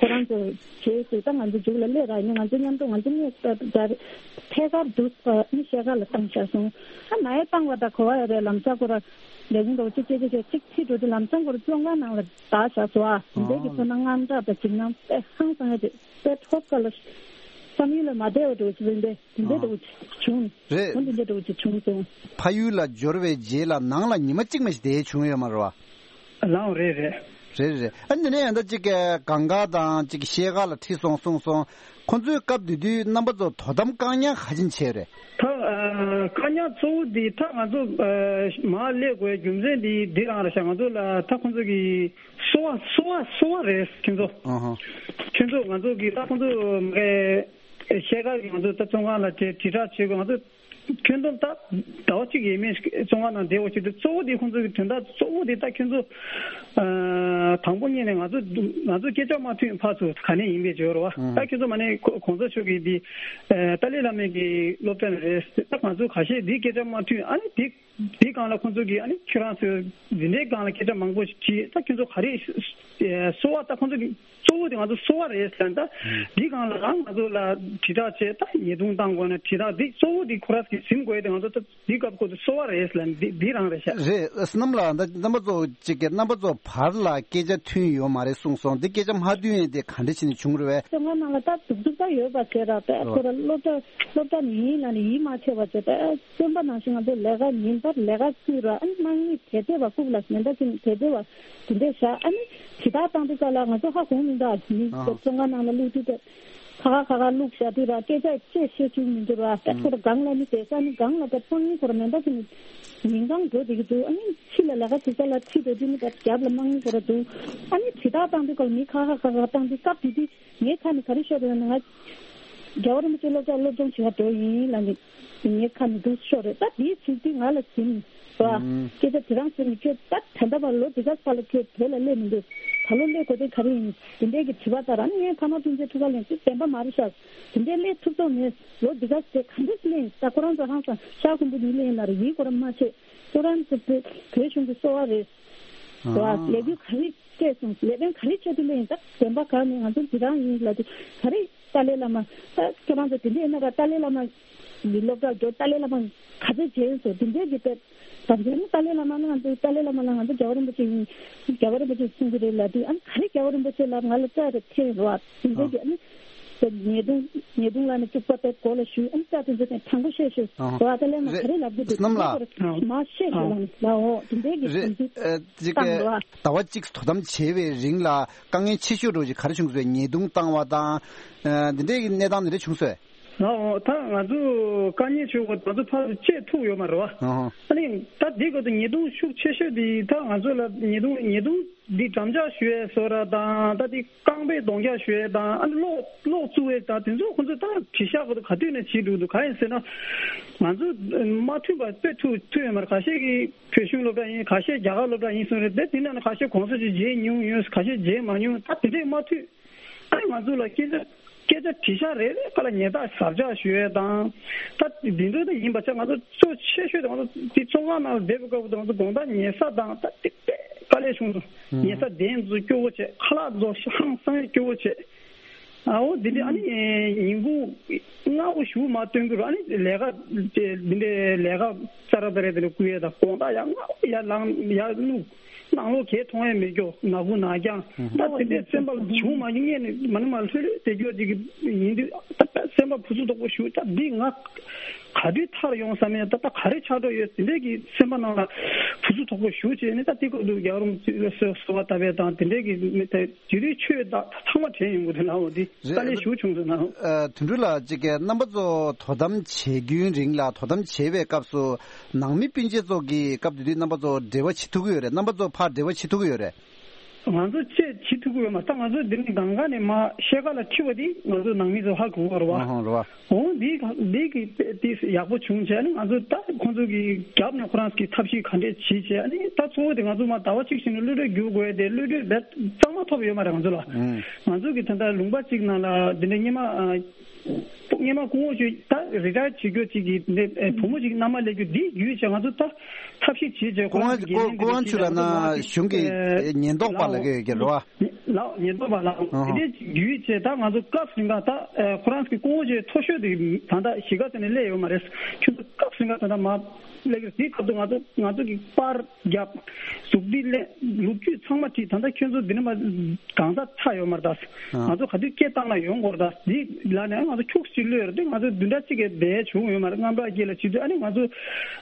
ཁོ་རང་ཚོ་བྱེད་ཟེར་ད་ང་ཚོ་གཞུག་ལ་སླེབས་ར་ཡིན་ང་ཚོ་མཉམ་དུ་ང་ཚོ་གཉིས་ད་ད་ཐད་ཀར་དུ་ནི་ཤེལ་ཀ་ལ་བཏང་བཞག་སོང་། ཨ་ནའི་བཏང་བ་ད་གོ་བ་ཡོད་རེད་ལམ་སང་ཁོ་ར་ལས་ཁུངས་འགྲོ་ཅིག་ཅིག་ཅིག་ཅིག་ཅིག་ཕྱིར་འགྲོ་དུས་ལམ་སང་ཁོ་ར་བཙོན་ཁང་ནང་ལ་བདག་བཞག་སོང་ཨ། འདས་ཀྱི་ཚོ་ན་དངངས་སྐྲག་དང་འཇིགས་སྣང་དཔེ་ཧང་སང་ཡ་དེ་དཔེ་ཐོབ་ཀ་ལ་བསམ་ཡུལ་ལ་མ་བདེ་བ་འགྲོ་ཅིག་རེད་འདས། དེ་འདྲ་འདྲ་བོ་ཅིག་བྱུང་། རེད། འོ་འདི་འདྲ་འདྲ་བོ་ཅིག་བྱུང་སོང་། ཕ་ཡུལ་ལ་འབྱོར་བའི་རྗེས་ལ་ནང་ལ་ཉི་མ་གཅིག་མ་ཞིག་བསྡད་བྱུང་ཡོད་མ་རེད་བ། ལགས་རེད་རེད། རེད་རེད། ཨ་ནི་ནས་ཡང་ད་ཅིག་གི་གངས་དཀར་དང་ཅིག་ཤེལ་དཀར་ལ་ཁྲིད་སོང་གསུངས་སོང་། ཁོང་ཚོའི་སྐབས་དེ་དུས་རྣམ་པ་ཚོ་དོ་དམ་བཀག་ཉར་ག་ཅིན་བྱས་རེད། ད་ཨ་བཀག་ཉར་གཙོ་བོ་འདི་ད་ང་ཚོ་ཨ་མར་སླེབས་དགོས་རྒྱུ་མཚན་འདི་འདི་རང་རེད་ཤག་ང་ཚོ་ལ་ད་ཁོང་ཚོ་གི་སོ་བ་སོ་བ་སོ་བ་རེད་ཁྱོད་ཚོ། ཨ་ཧ། ཁྱོད་ཚོ་ང་ཚོ་གི་ད་ཁོང་ཚོ་མ་གི་ཤེལ་དཀར་གི་ང་ཚོ་ད་བཙོན་ཁང་ལ་དེ་དྲིལ་བསྒྲགས་བྱེད་དགོས། ང་ཚོ་ཁྱོད་ཚོ་ད་ཟླ་བ་གཅིག་ཡས་མས་བཙོན་ཁང་ནང་བསྡད་དགོས་ཆེད་དུ་གཙོ་བོ་དེ་ཁོང་ཚོ་གི་དོན་དག་གཙོ་བོ་དེ་ད་ཁྱོད་ཚོ་ཨ་དང་པོ་ཉིད་ནས་ང་ཚོ་ང་ཚོ་སྐད་ཆ་མ་མཐུན་ཕར་ཚུར་ག་ནས་ཡིན་པའི་བརྗོད་རོགས། ཨ་ད་ཁྱོད་ཚོ་མ་ནས་གོང་ས་མཆོག་གི་འདི་ཨ་ཏཱ་ལའི་བླ་མའི་གི་སློབ་གྲྭ་ནས་རེད། ད་ང་ཚོ་ཁ་ཤས་འདི་སྐད་ཆ་མ་མཐུན་ཨ་ནི་འདི་འདི་སྒང་ལ་ཁོང་ཚོ་གི་ཨ་ནི་ཁྱོད་རང་ཚོ་འདི་འདྲའི་སྒང་ལ་སྐད་ཆ་མང་པོ་ཞིག་དྲིས། ད་ཁྱོད་ཚོ་ག་རེ་གསོལ་བ་ད་ཁོང་ཚོ་གི་གཙོ་བོ་དེ་ང་ཚོ་གསོལ་བ་རེད་ཟེར། ད་འདི་སྒང་ལ་རང་ང་ཚོ་ལ་དྲིལ་བསྒྲགས་བྱས། ད་ཉེས་རྡུང་བཏང་དགོས་ན་དྲིལ་བསྒྲགས་འདི་གཙོ་བོ་འདི་ཁོ་རང་གིས་ཟིན་དགོས་དེ་ང་ཚོ་ད་འདི་སྐབས་ཁོ་ཚོ་གསོལ་བ་རེད་ཟེར་འདི་འདི་རང་རེད་ཤག་རེད། བསོད་ནམས་ལགས། ད་རྣམ་པ་ཚོ་གཅིག་གི་རྣམ་པ་ཚོ་བར་ལ་སྐད་ཆ་མཐུན་ཡོད་མ་རེད་གསུངས་སོང་། འདི་སྐད་ཆ་མ་མཐུན་ཡས་དེ་ག་འདྲ་བྱས་ནས་བྱུང་རེད་བས། བཙོན་ཁང་ནང་ལ་ད་སྡུག་སྡུག་ད་ཡོད་པ་བྱས་ར། ད་ཁོ་ར་སློབ་གྲྭ་སློབ་གྲྭ་ནས་ཡིན་ལ་ནས་ཡིད་མ་ཆེས་པ་བྱས། ད་བཙོན་པ་ནང་བཞིན་ང་ཚོ་ལས་ཀ་ཉིན་ལྟར་ལས་ཀ་བཙུགས་ར། ཨ་ནི་དམག་མི་དེ་དེ་བ་རྐུབ་ལ་མེ་མདའ་གྱོན་དེ་དེ་བ་དེ་འདྲས་བཞག་ཨ་ནི་དྲིལ་བསྒྲགས་བཏང་དུས་སྐབས་ལ་ང་ཚོ་ཧ་གོ་མི་འདུག་ཨ་ནི་ཨ་བཙོན་ཁང་ནང་ལ་བླུགས་དུས་དེ་ཁ་ཁ་ཁ་ཁ་བླུགས་བཞག་དུས་ར་སྐད་ཆ་ཅིག་བཤད་བཅུག་མི་འདུག་ར། ད་ཁོ་ར་སྒང་ལ་ནི་བསྡད་ས་ནི་སྒང་ལ་ད་དམག་མི་ཁོ་ར་མེ་མདའ་གྱོན་ནས་ཉིན་གང་འགྲོ་བསྡད་ཀྱི་འདུག་ཨ་ནི་ཕྱི་ལ་ལས་ཀ་བྱེད་ས་ལ་ཁྲིད་འགྲོ་དུས་ནི་ད་རྒྱབ་ལ་དམག་མི་ཁོ་ར་འདུག་ཨ་ནི་དྲིལ་བསྒྲགས་བཏང་དུས་སྐབས་ལ་མི་ཁ་ཁ་ཁ་ཁ་བཏང་དུས་སྐབས་དེ་དུས། ངའི་ཁ་ནས་ག་རེ་ཤོར་རེད་ན། ང་རྒྱལ་བ་རིན་པོ་ཆེ་སློབ་གྲྭ་སློབ་སྦྱོང་བྱེད་ག་འགྲོ་ཡིན་ལབ་ནས་ངའི་ཁ་ནས་འདུག་ཤོར་རེད། ད་དེའི་ཚིག་དེ་ང་ལ་ཟིན་སོ། ཨ། སྐད་ཆ་དེ་རང་ཟིན་ནས་ཁྱོད་ད་ད་ལྟ་བར་ལོ་འདི་ག་ས་ལ་ཁྱོད་བོད་ལ་སླེབས་མི་འདུག་ད་ལོ་སླེབས་དགོས་དོན་ག་རེ་ཡིན། དེ་འདྲའི་གི་དྲི་བ་ལྟར་ཨ་ནི་ངས་ཕ་མ་སྤུན་མཆེད་ཐུག་ག་ལེན་དུས་བདེན་པ་མ་རེད་ཤག་དེ་འདྲའི་སླེབས་ཐུབ་ཐུབ་མེད། ལོ་འདི་ག་ས་དེ་ག་འདྲས་སླེབས་ཡིན། ད་ཁོ་རང་ཚོ་ཧང་སང་ཤག་ཁུམ་བུ་ནི་སླེབས་ཡིན་ལ་རེ་ཡིན་ཁོ་རང་མ་ཤེས། ཁྱོད་རང་ཚོ་བོད་བོད་གཞུང་གི་གསོ་བ་རེད། ཨ། ལས་འགུལ་ག་རེ་སྤྲད་སོང་། ལས་དོན་ག་རེ་བྱས་དུས་ལས་ཡིན། ད་བདེན་པ་གང་ནས་ང་ཚོ་འདི་རང་ཡིན་ལབ་དུས་ག་རེ་ཏཱ་ལའི་བླ་མ་ད་ཁྱོད་རང་ཚོ་དེ་འདྲས་ཡིན་ན་ར་ཏཱ་ལའི་བླ་མ་གི་སློབ་གྲྭར་འགྲོ། ཏཱ་ལའི་བླ་མ་ག་ཚོད་བྱས་སོང་། དེ་འདྲས་ཀྱི་ཏེ་ད་འདི་ནི་ཏཱ་ལའི་བླ་མ་ལ་ང་ཚོ་ཏཱ་ལའི་བླ་མ་ལ་ང་ཚོ་རྒྱལ་བ་རིན་པོ་ཆེ་ཡིན། རྒྱལ་བ་རིན་པོ་ཆེ་གསུང་གི་རེད་ལབ་དུས་ཨ་ནི་ག་རེ་རྒྱལ་བ་རིན་པོ་ཆེ་ལབ་ང་ལ་རྩ་རེ་འཐེན་རོགས་ཨ། དེ་འདྲས་ཀྱི་ཨ་ནི་ཉེས་རྡུང་ཉེས་རྡུང་ལ་ནི་བཅུག་པ་དེ་གོ་ལ་ཞུས་ཨ་ནི་རྩ་དེ་ཚོ་དེ་དྲང་པོ་བཤད་ཤོད་རོགས་ཨ། ཏཱ་ལའི་བླ་མ་ག་རེ་ལབ་གི་འདུག་བསོད་ནམས་ལགས། མ་བཤད་ཤོད་ལ་ནི་ལའོ་དེ་འདྲས་ཀྱི་རེད། དེ་ཚོ་ཨ། ཅིག་བཏང་རོགས་ཨ། ཟླ་བ་གཅིག་དོ་དམ་བྱས་པའི་རིང་ལ་དཀའ་ངལ་ཆེ་ཤོས་འདྲ་ཞིག་ག་རེ་བྱུང་སོང་། ཉེས་རྡུང་བཏང་བ་དང་། ཨ། འདི་འདྲའི་གནས་སྟངས་འདི་འདྲ་བྱུང་སོང་། ལའོ། ད་ང་ཚོ་དཀའ་ངལ་ཆེ་བ་ང་ཚོ་ཕར་ཚུར་བཅད་ཐུབ་ཡོད་མ་རེད་བ། ཨ་ནི་ད་འདི་ག་ཚོད་ཉེས་རྡུང་ཤུགས་ཆེ་ཤོས་འདི་ད་ང་ཚོ་ལ་ཉེས་རྡུང་ཉེས་རྡུང་འདི་འགྲམ་ལྕག་གཞུ་ཡས་བཟོ་ར་དང་ད་འདི་རྐང་པས་རྡོག་རྒྱག་གཞུ་ཡས་དང་ཨ་ནི་གློག་གློག་བཙུགས་ཡས་དང་དེ་ཚོ་ཁོ་ཚོ་ད་དྲིལ་བསྒྲགས་ག་ཚོད་ག་དུས་ནས་བྱེད་འགྲོ་འདུག་གང་ཡིན་ཟེར་ན། ང་ཚོ་མ་མཐུན་པ་དཔེ་ཐུག་ཐུག་ཡོད་མ་རེད། ཁ་ཤས་ཀྱིས་བོད་གཞུང་སློབ་གྲྭ་ཡིན། ཁ་ཤས་རྒྱ་གར་སློབ་གྲྭ་ཡིན་གསུངས་རེད་དེ། དེ་ནང་ནས་ཁ་ཤས་གོང་ས་མཆོག་མཇལ་མྱོང་ཡོད། ཁ་ཤས་མཇལ་མ་མྱོང་། ད་དེ་འདྲས་མ་མཐུན། ཨ་ནི་ང་ཚོ་ལ་སྐད་ཆ་སྐད་ཆ་དྲིལ་བསྒྲགས་རེ་རེ་ཁ་ལ་ཉེས་རྡུང་ཟབ་རྒྱག་ཞུ་ཡས་དང་། ད་འདི་འདྲ་ད་ཡིན་པ་ཆ་ང་ཚོ་གཙོ་ཆེ་ཤོས་དེ་ང་ཚོ་དེ་བཙོན་ཁང་ནང་ལ་བསྡད་པའི་སྐབས་དུ་ང་ཚོ་དགོང་དག་ཉལ་ས་དང་ད་དེ་དཔེ་དཀའ་ལས་བྱུང་སོང་། ཉལ་ས་གདན་ཚོ་སྐྱོ་བོ་བྱས། ཁ་ལག་ཚོ་ཧང་སང་སྐྱོ་བོ་བྱས། ཨའོ་འདི་འདྲ་ཨ་ནི་ཉིན་གུང་སྔ་པོ་ཞུ་མ་སྟོན་གྱི་རུ་ཨ་ནི་ལས་ཀ་འདི་འདྲའི་ལས་ཀ་ཙ་ར་ཙ་ར་དེ་འདྲ་བསྐུལ་ཡས་དང་དགོང་དག་ཡར་སྔ་པོ་ཡར་ལངས་ཡར་བླུགས། ནང་ལོགས་གས་མཐོང་ཡས་མེད་སྐྱོ། ནག་ཁུང་ནག་རྐྱང་། ད་དེ་འདྲའི་སེམས་པ་བྱུང་མ་ཡིན་ངས་ནི་མ་ནི་མ་ལྷོད་ལྷོད་དེ་སྐྱོ་ཅིག་ཡིན་དུས་ད་སེམས་པ་ཕུ་སུ་དོག་པོ་ཞུ། ད་འདི་ང་ག་དུས་ཐར་ཡོང་བསམ་ཡས། ད་ད་ག་རེ་ཆགས་འགྲོ་ཡོད་དེ་འདྲའི་གི་སེམས་པ་ནང་ལ་ཕུ་སུ་དོག་པོ་ཞུ་བྱས་ནི་ད་དེ་སྐབས་དུ་རྒྱལ་བ་རིན་པོ་ཆེ་གསོལ་བ་བཏབ་པས་དང་དེ་འདྲའི་གི་མི་དེ་དེ་དུས་ཆོས་ད་ཚང་མ་དྲན་ཡོང་གི་འདུག་ལགས། འོ་འདི་དཀའ་ལས་ཞུ་བྱུང་སོང་ན། ཨ། དོན་གྲུབ་ལགས་ཅིག་གི་རྣམ་པ་ཚོ་དོ་དམ་བྱེད་རྒྱུའི་རིང་ལ་དོ་དམ་བྱེད་པའི་སྐབས་སུ་ནང་མི་སྤུན་མཆེད་ཚོ་གི་སྐབས་དེ་དུས་རྣམ་པ་ཚོ་འབྲེལ་བ་བྱེད་ཐུབ་ཀྱི་ཡོད་རེད། རྣམ་པ་ཚོ་ཕར་འབྲེལ་བ་བྱེད་ཐུབ་ཀྱི་ཡོད་རེད། ང་ཚོ་བཅས་བྱེད་ཐུབ་ཀྱི་ཡོད་མ་རེད། ད་ང་ཚོ་འདི་ནས་གང་ག་ནས་མ་ཤེལ་དཀར་ལ་ཁྲིད་པ་དེ་ང་ཚོ་ནང་མི་ཚོ་ཧ་གོ་གི་རེད་བ། ཨ་ཧོ་རེད་བ། འོ་འདི་ག་འདི་གི་དེ་ཡག་པོ་བྱུང་བྱས་ནས་ང་ཚོ་ད་ཁོང་ཚོ་གི་རྒྱབ་ནས་ཁོ་རང་གི་ཐབས་ཤེས་ག་འདྲས་བྱེད་བྱས་ཨ་ནི་ད་གཙོ་བོ་དེ་ང་ཚོ་མ་ཟླ་བ་གཅིག་བཞིན་དུ་གློད་གྲོལ་བསྒྱུར་དགོས་དེ་གློད་གྲོལ་རྦད་གཙང་མ་ཐོབ་ཡོད་མ་རེད་ང་ཚོ་ལ། ཨང་། ང་ཚོ་གི་ད་ལྟ་ལུང་པ་གཅིག་ནང་ལ་འདི་འདྲ་སྔོན་མ་སྔོན་མ་སྐུ་ངོ་ཞུ་ད་རི་ཊ་ཡར་བྱེད་རྒྱུ་གཅིག་གི་འདི་བུ་མོ་གཅིག་མནའ་མ་སླེབས་རྒྱུ་འདི་བརྒྱུད་བྱས་ང་ཚོ་ད་ཐབས་ཤེས་བྱེད་བྱས་ཁོ་རང་གི་སྐུ་ངོ་ཁྱོད་ལ་ན་གཞུང་གི་ཉེན་རྟོག་པ་ལ་གི་ཡོད་ཀྱི་རེད་བ། ལགས་ཉེན་རྟོག་པ་ལགས། ཨ་ཧ། དེ་འདྲའི་བརྒྱུད་བྱས་ད་ང་ཚོ་སྐབས་ཟིན་ག་ད་ཁོ་རང་གི་སྐུ་ངོ་ཆེ་མཐོ་ཤོས་དེ་ད་ལྟ་གཞིས་ཀ་རྩེ་ནས་སླེབས་ཡོད་མ་རེད། ཁྱོད་ཚོ་སྐབས་ཟིན་ག་ད་ལྟ་མ་སླེབས་ཀྱི་དེའི་སྐབས་དུ་ང་ཚོ་ང་ཚོ་གི་པར་རྒྱབ་གཟུགས་འདི་ལེན་ལོ་རྒྱུས་ཚང་མ་བྲིས། ད་ལྟ་ཁྱོད་ཚོ་འདི་ནས་མ་གང་ཟག་ཚ་ཡོད་མ་རེད་ད། ཨ། ང་ཚོ་ག་དུས་སྐད་བཏང་ན་ཡོང་དགོས་རེད་ད། འདི་ལ་ནས་ ང་ཚོ་ཁྱུག་ཅིག་གློད་རེད་དེ། ང་ཚོ་བདུན་ཕྲག་གཅིག་གི་བསྡད་བྱུང་ཡོད་མ་རེད། རྔམ་སྐྲག་སྐྱེས་ལ་བྱེད་དུས། ཨ་ནི་ང་ཚོ་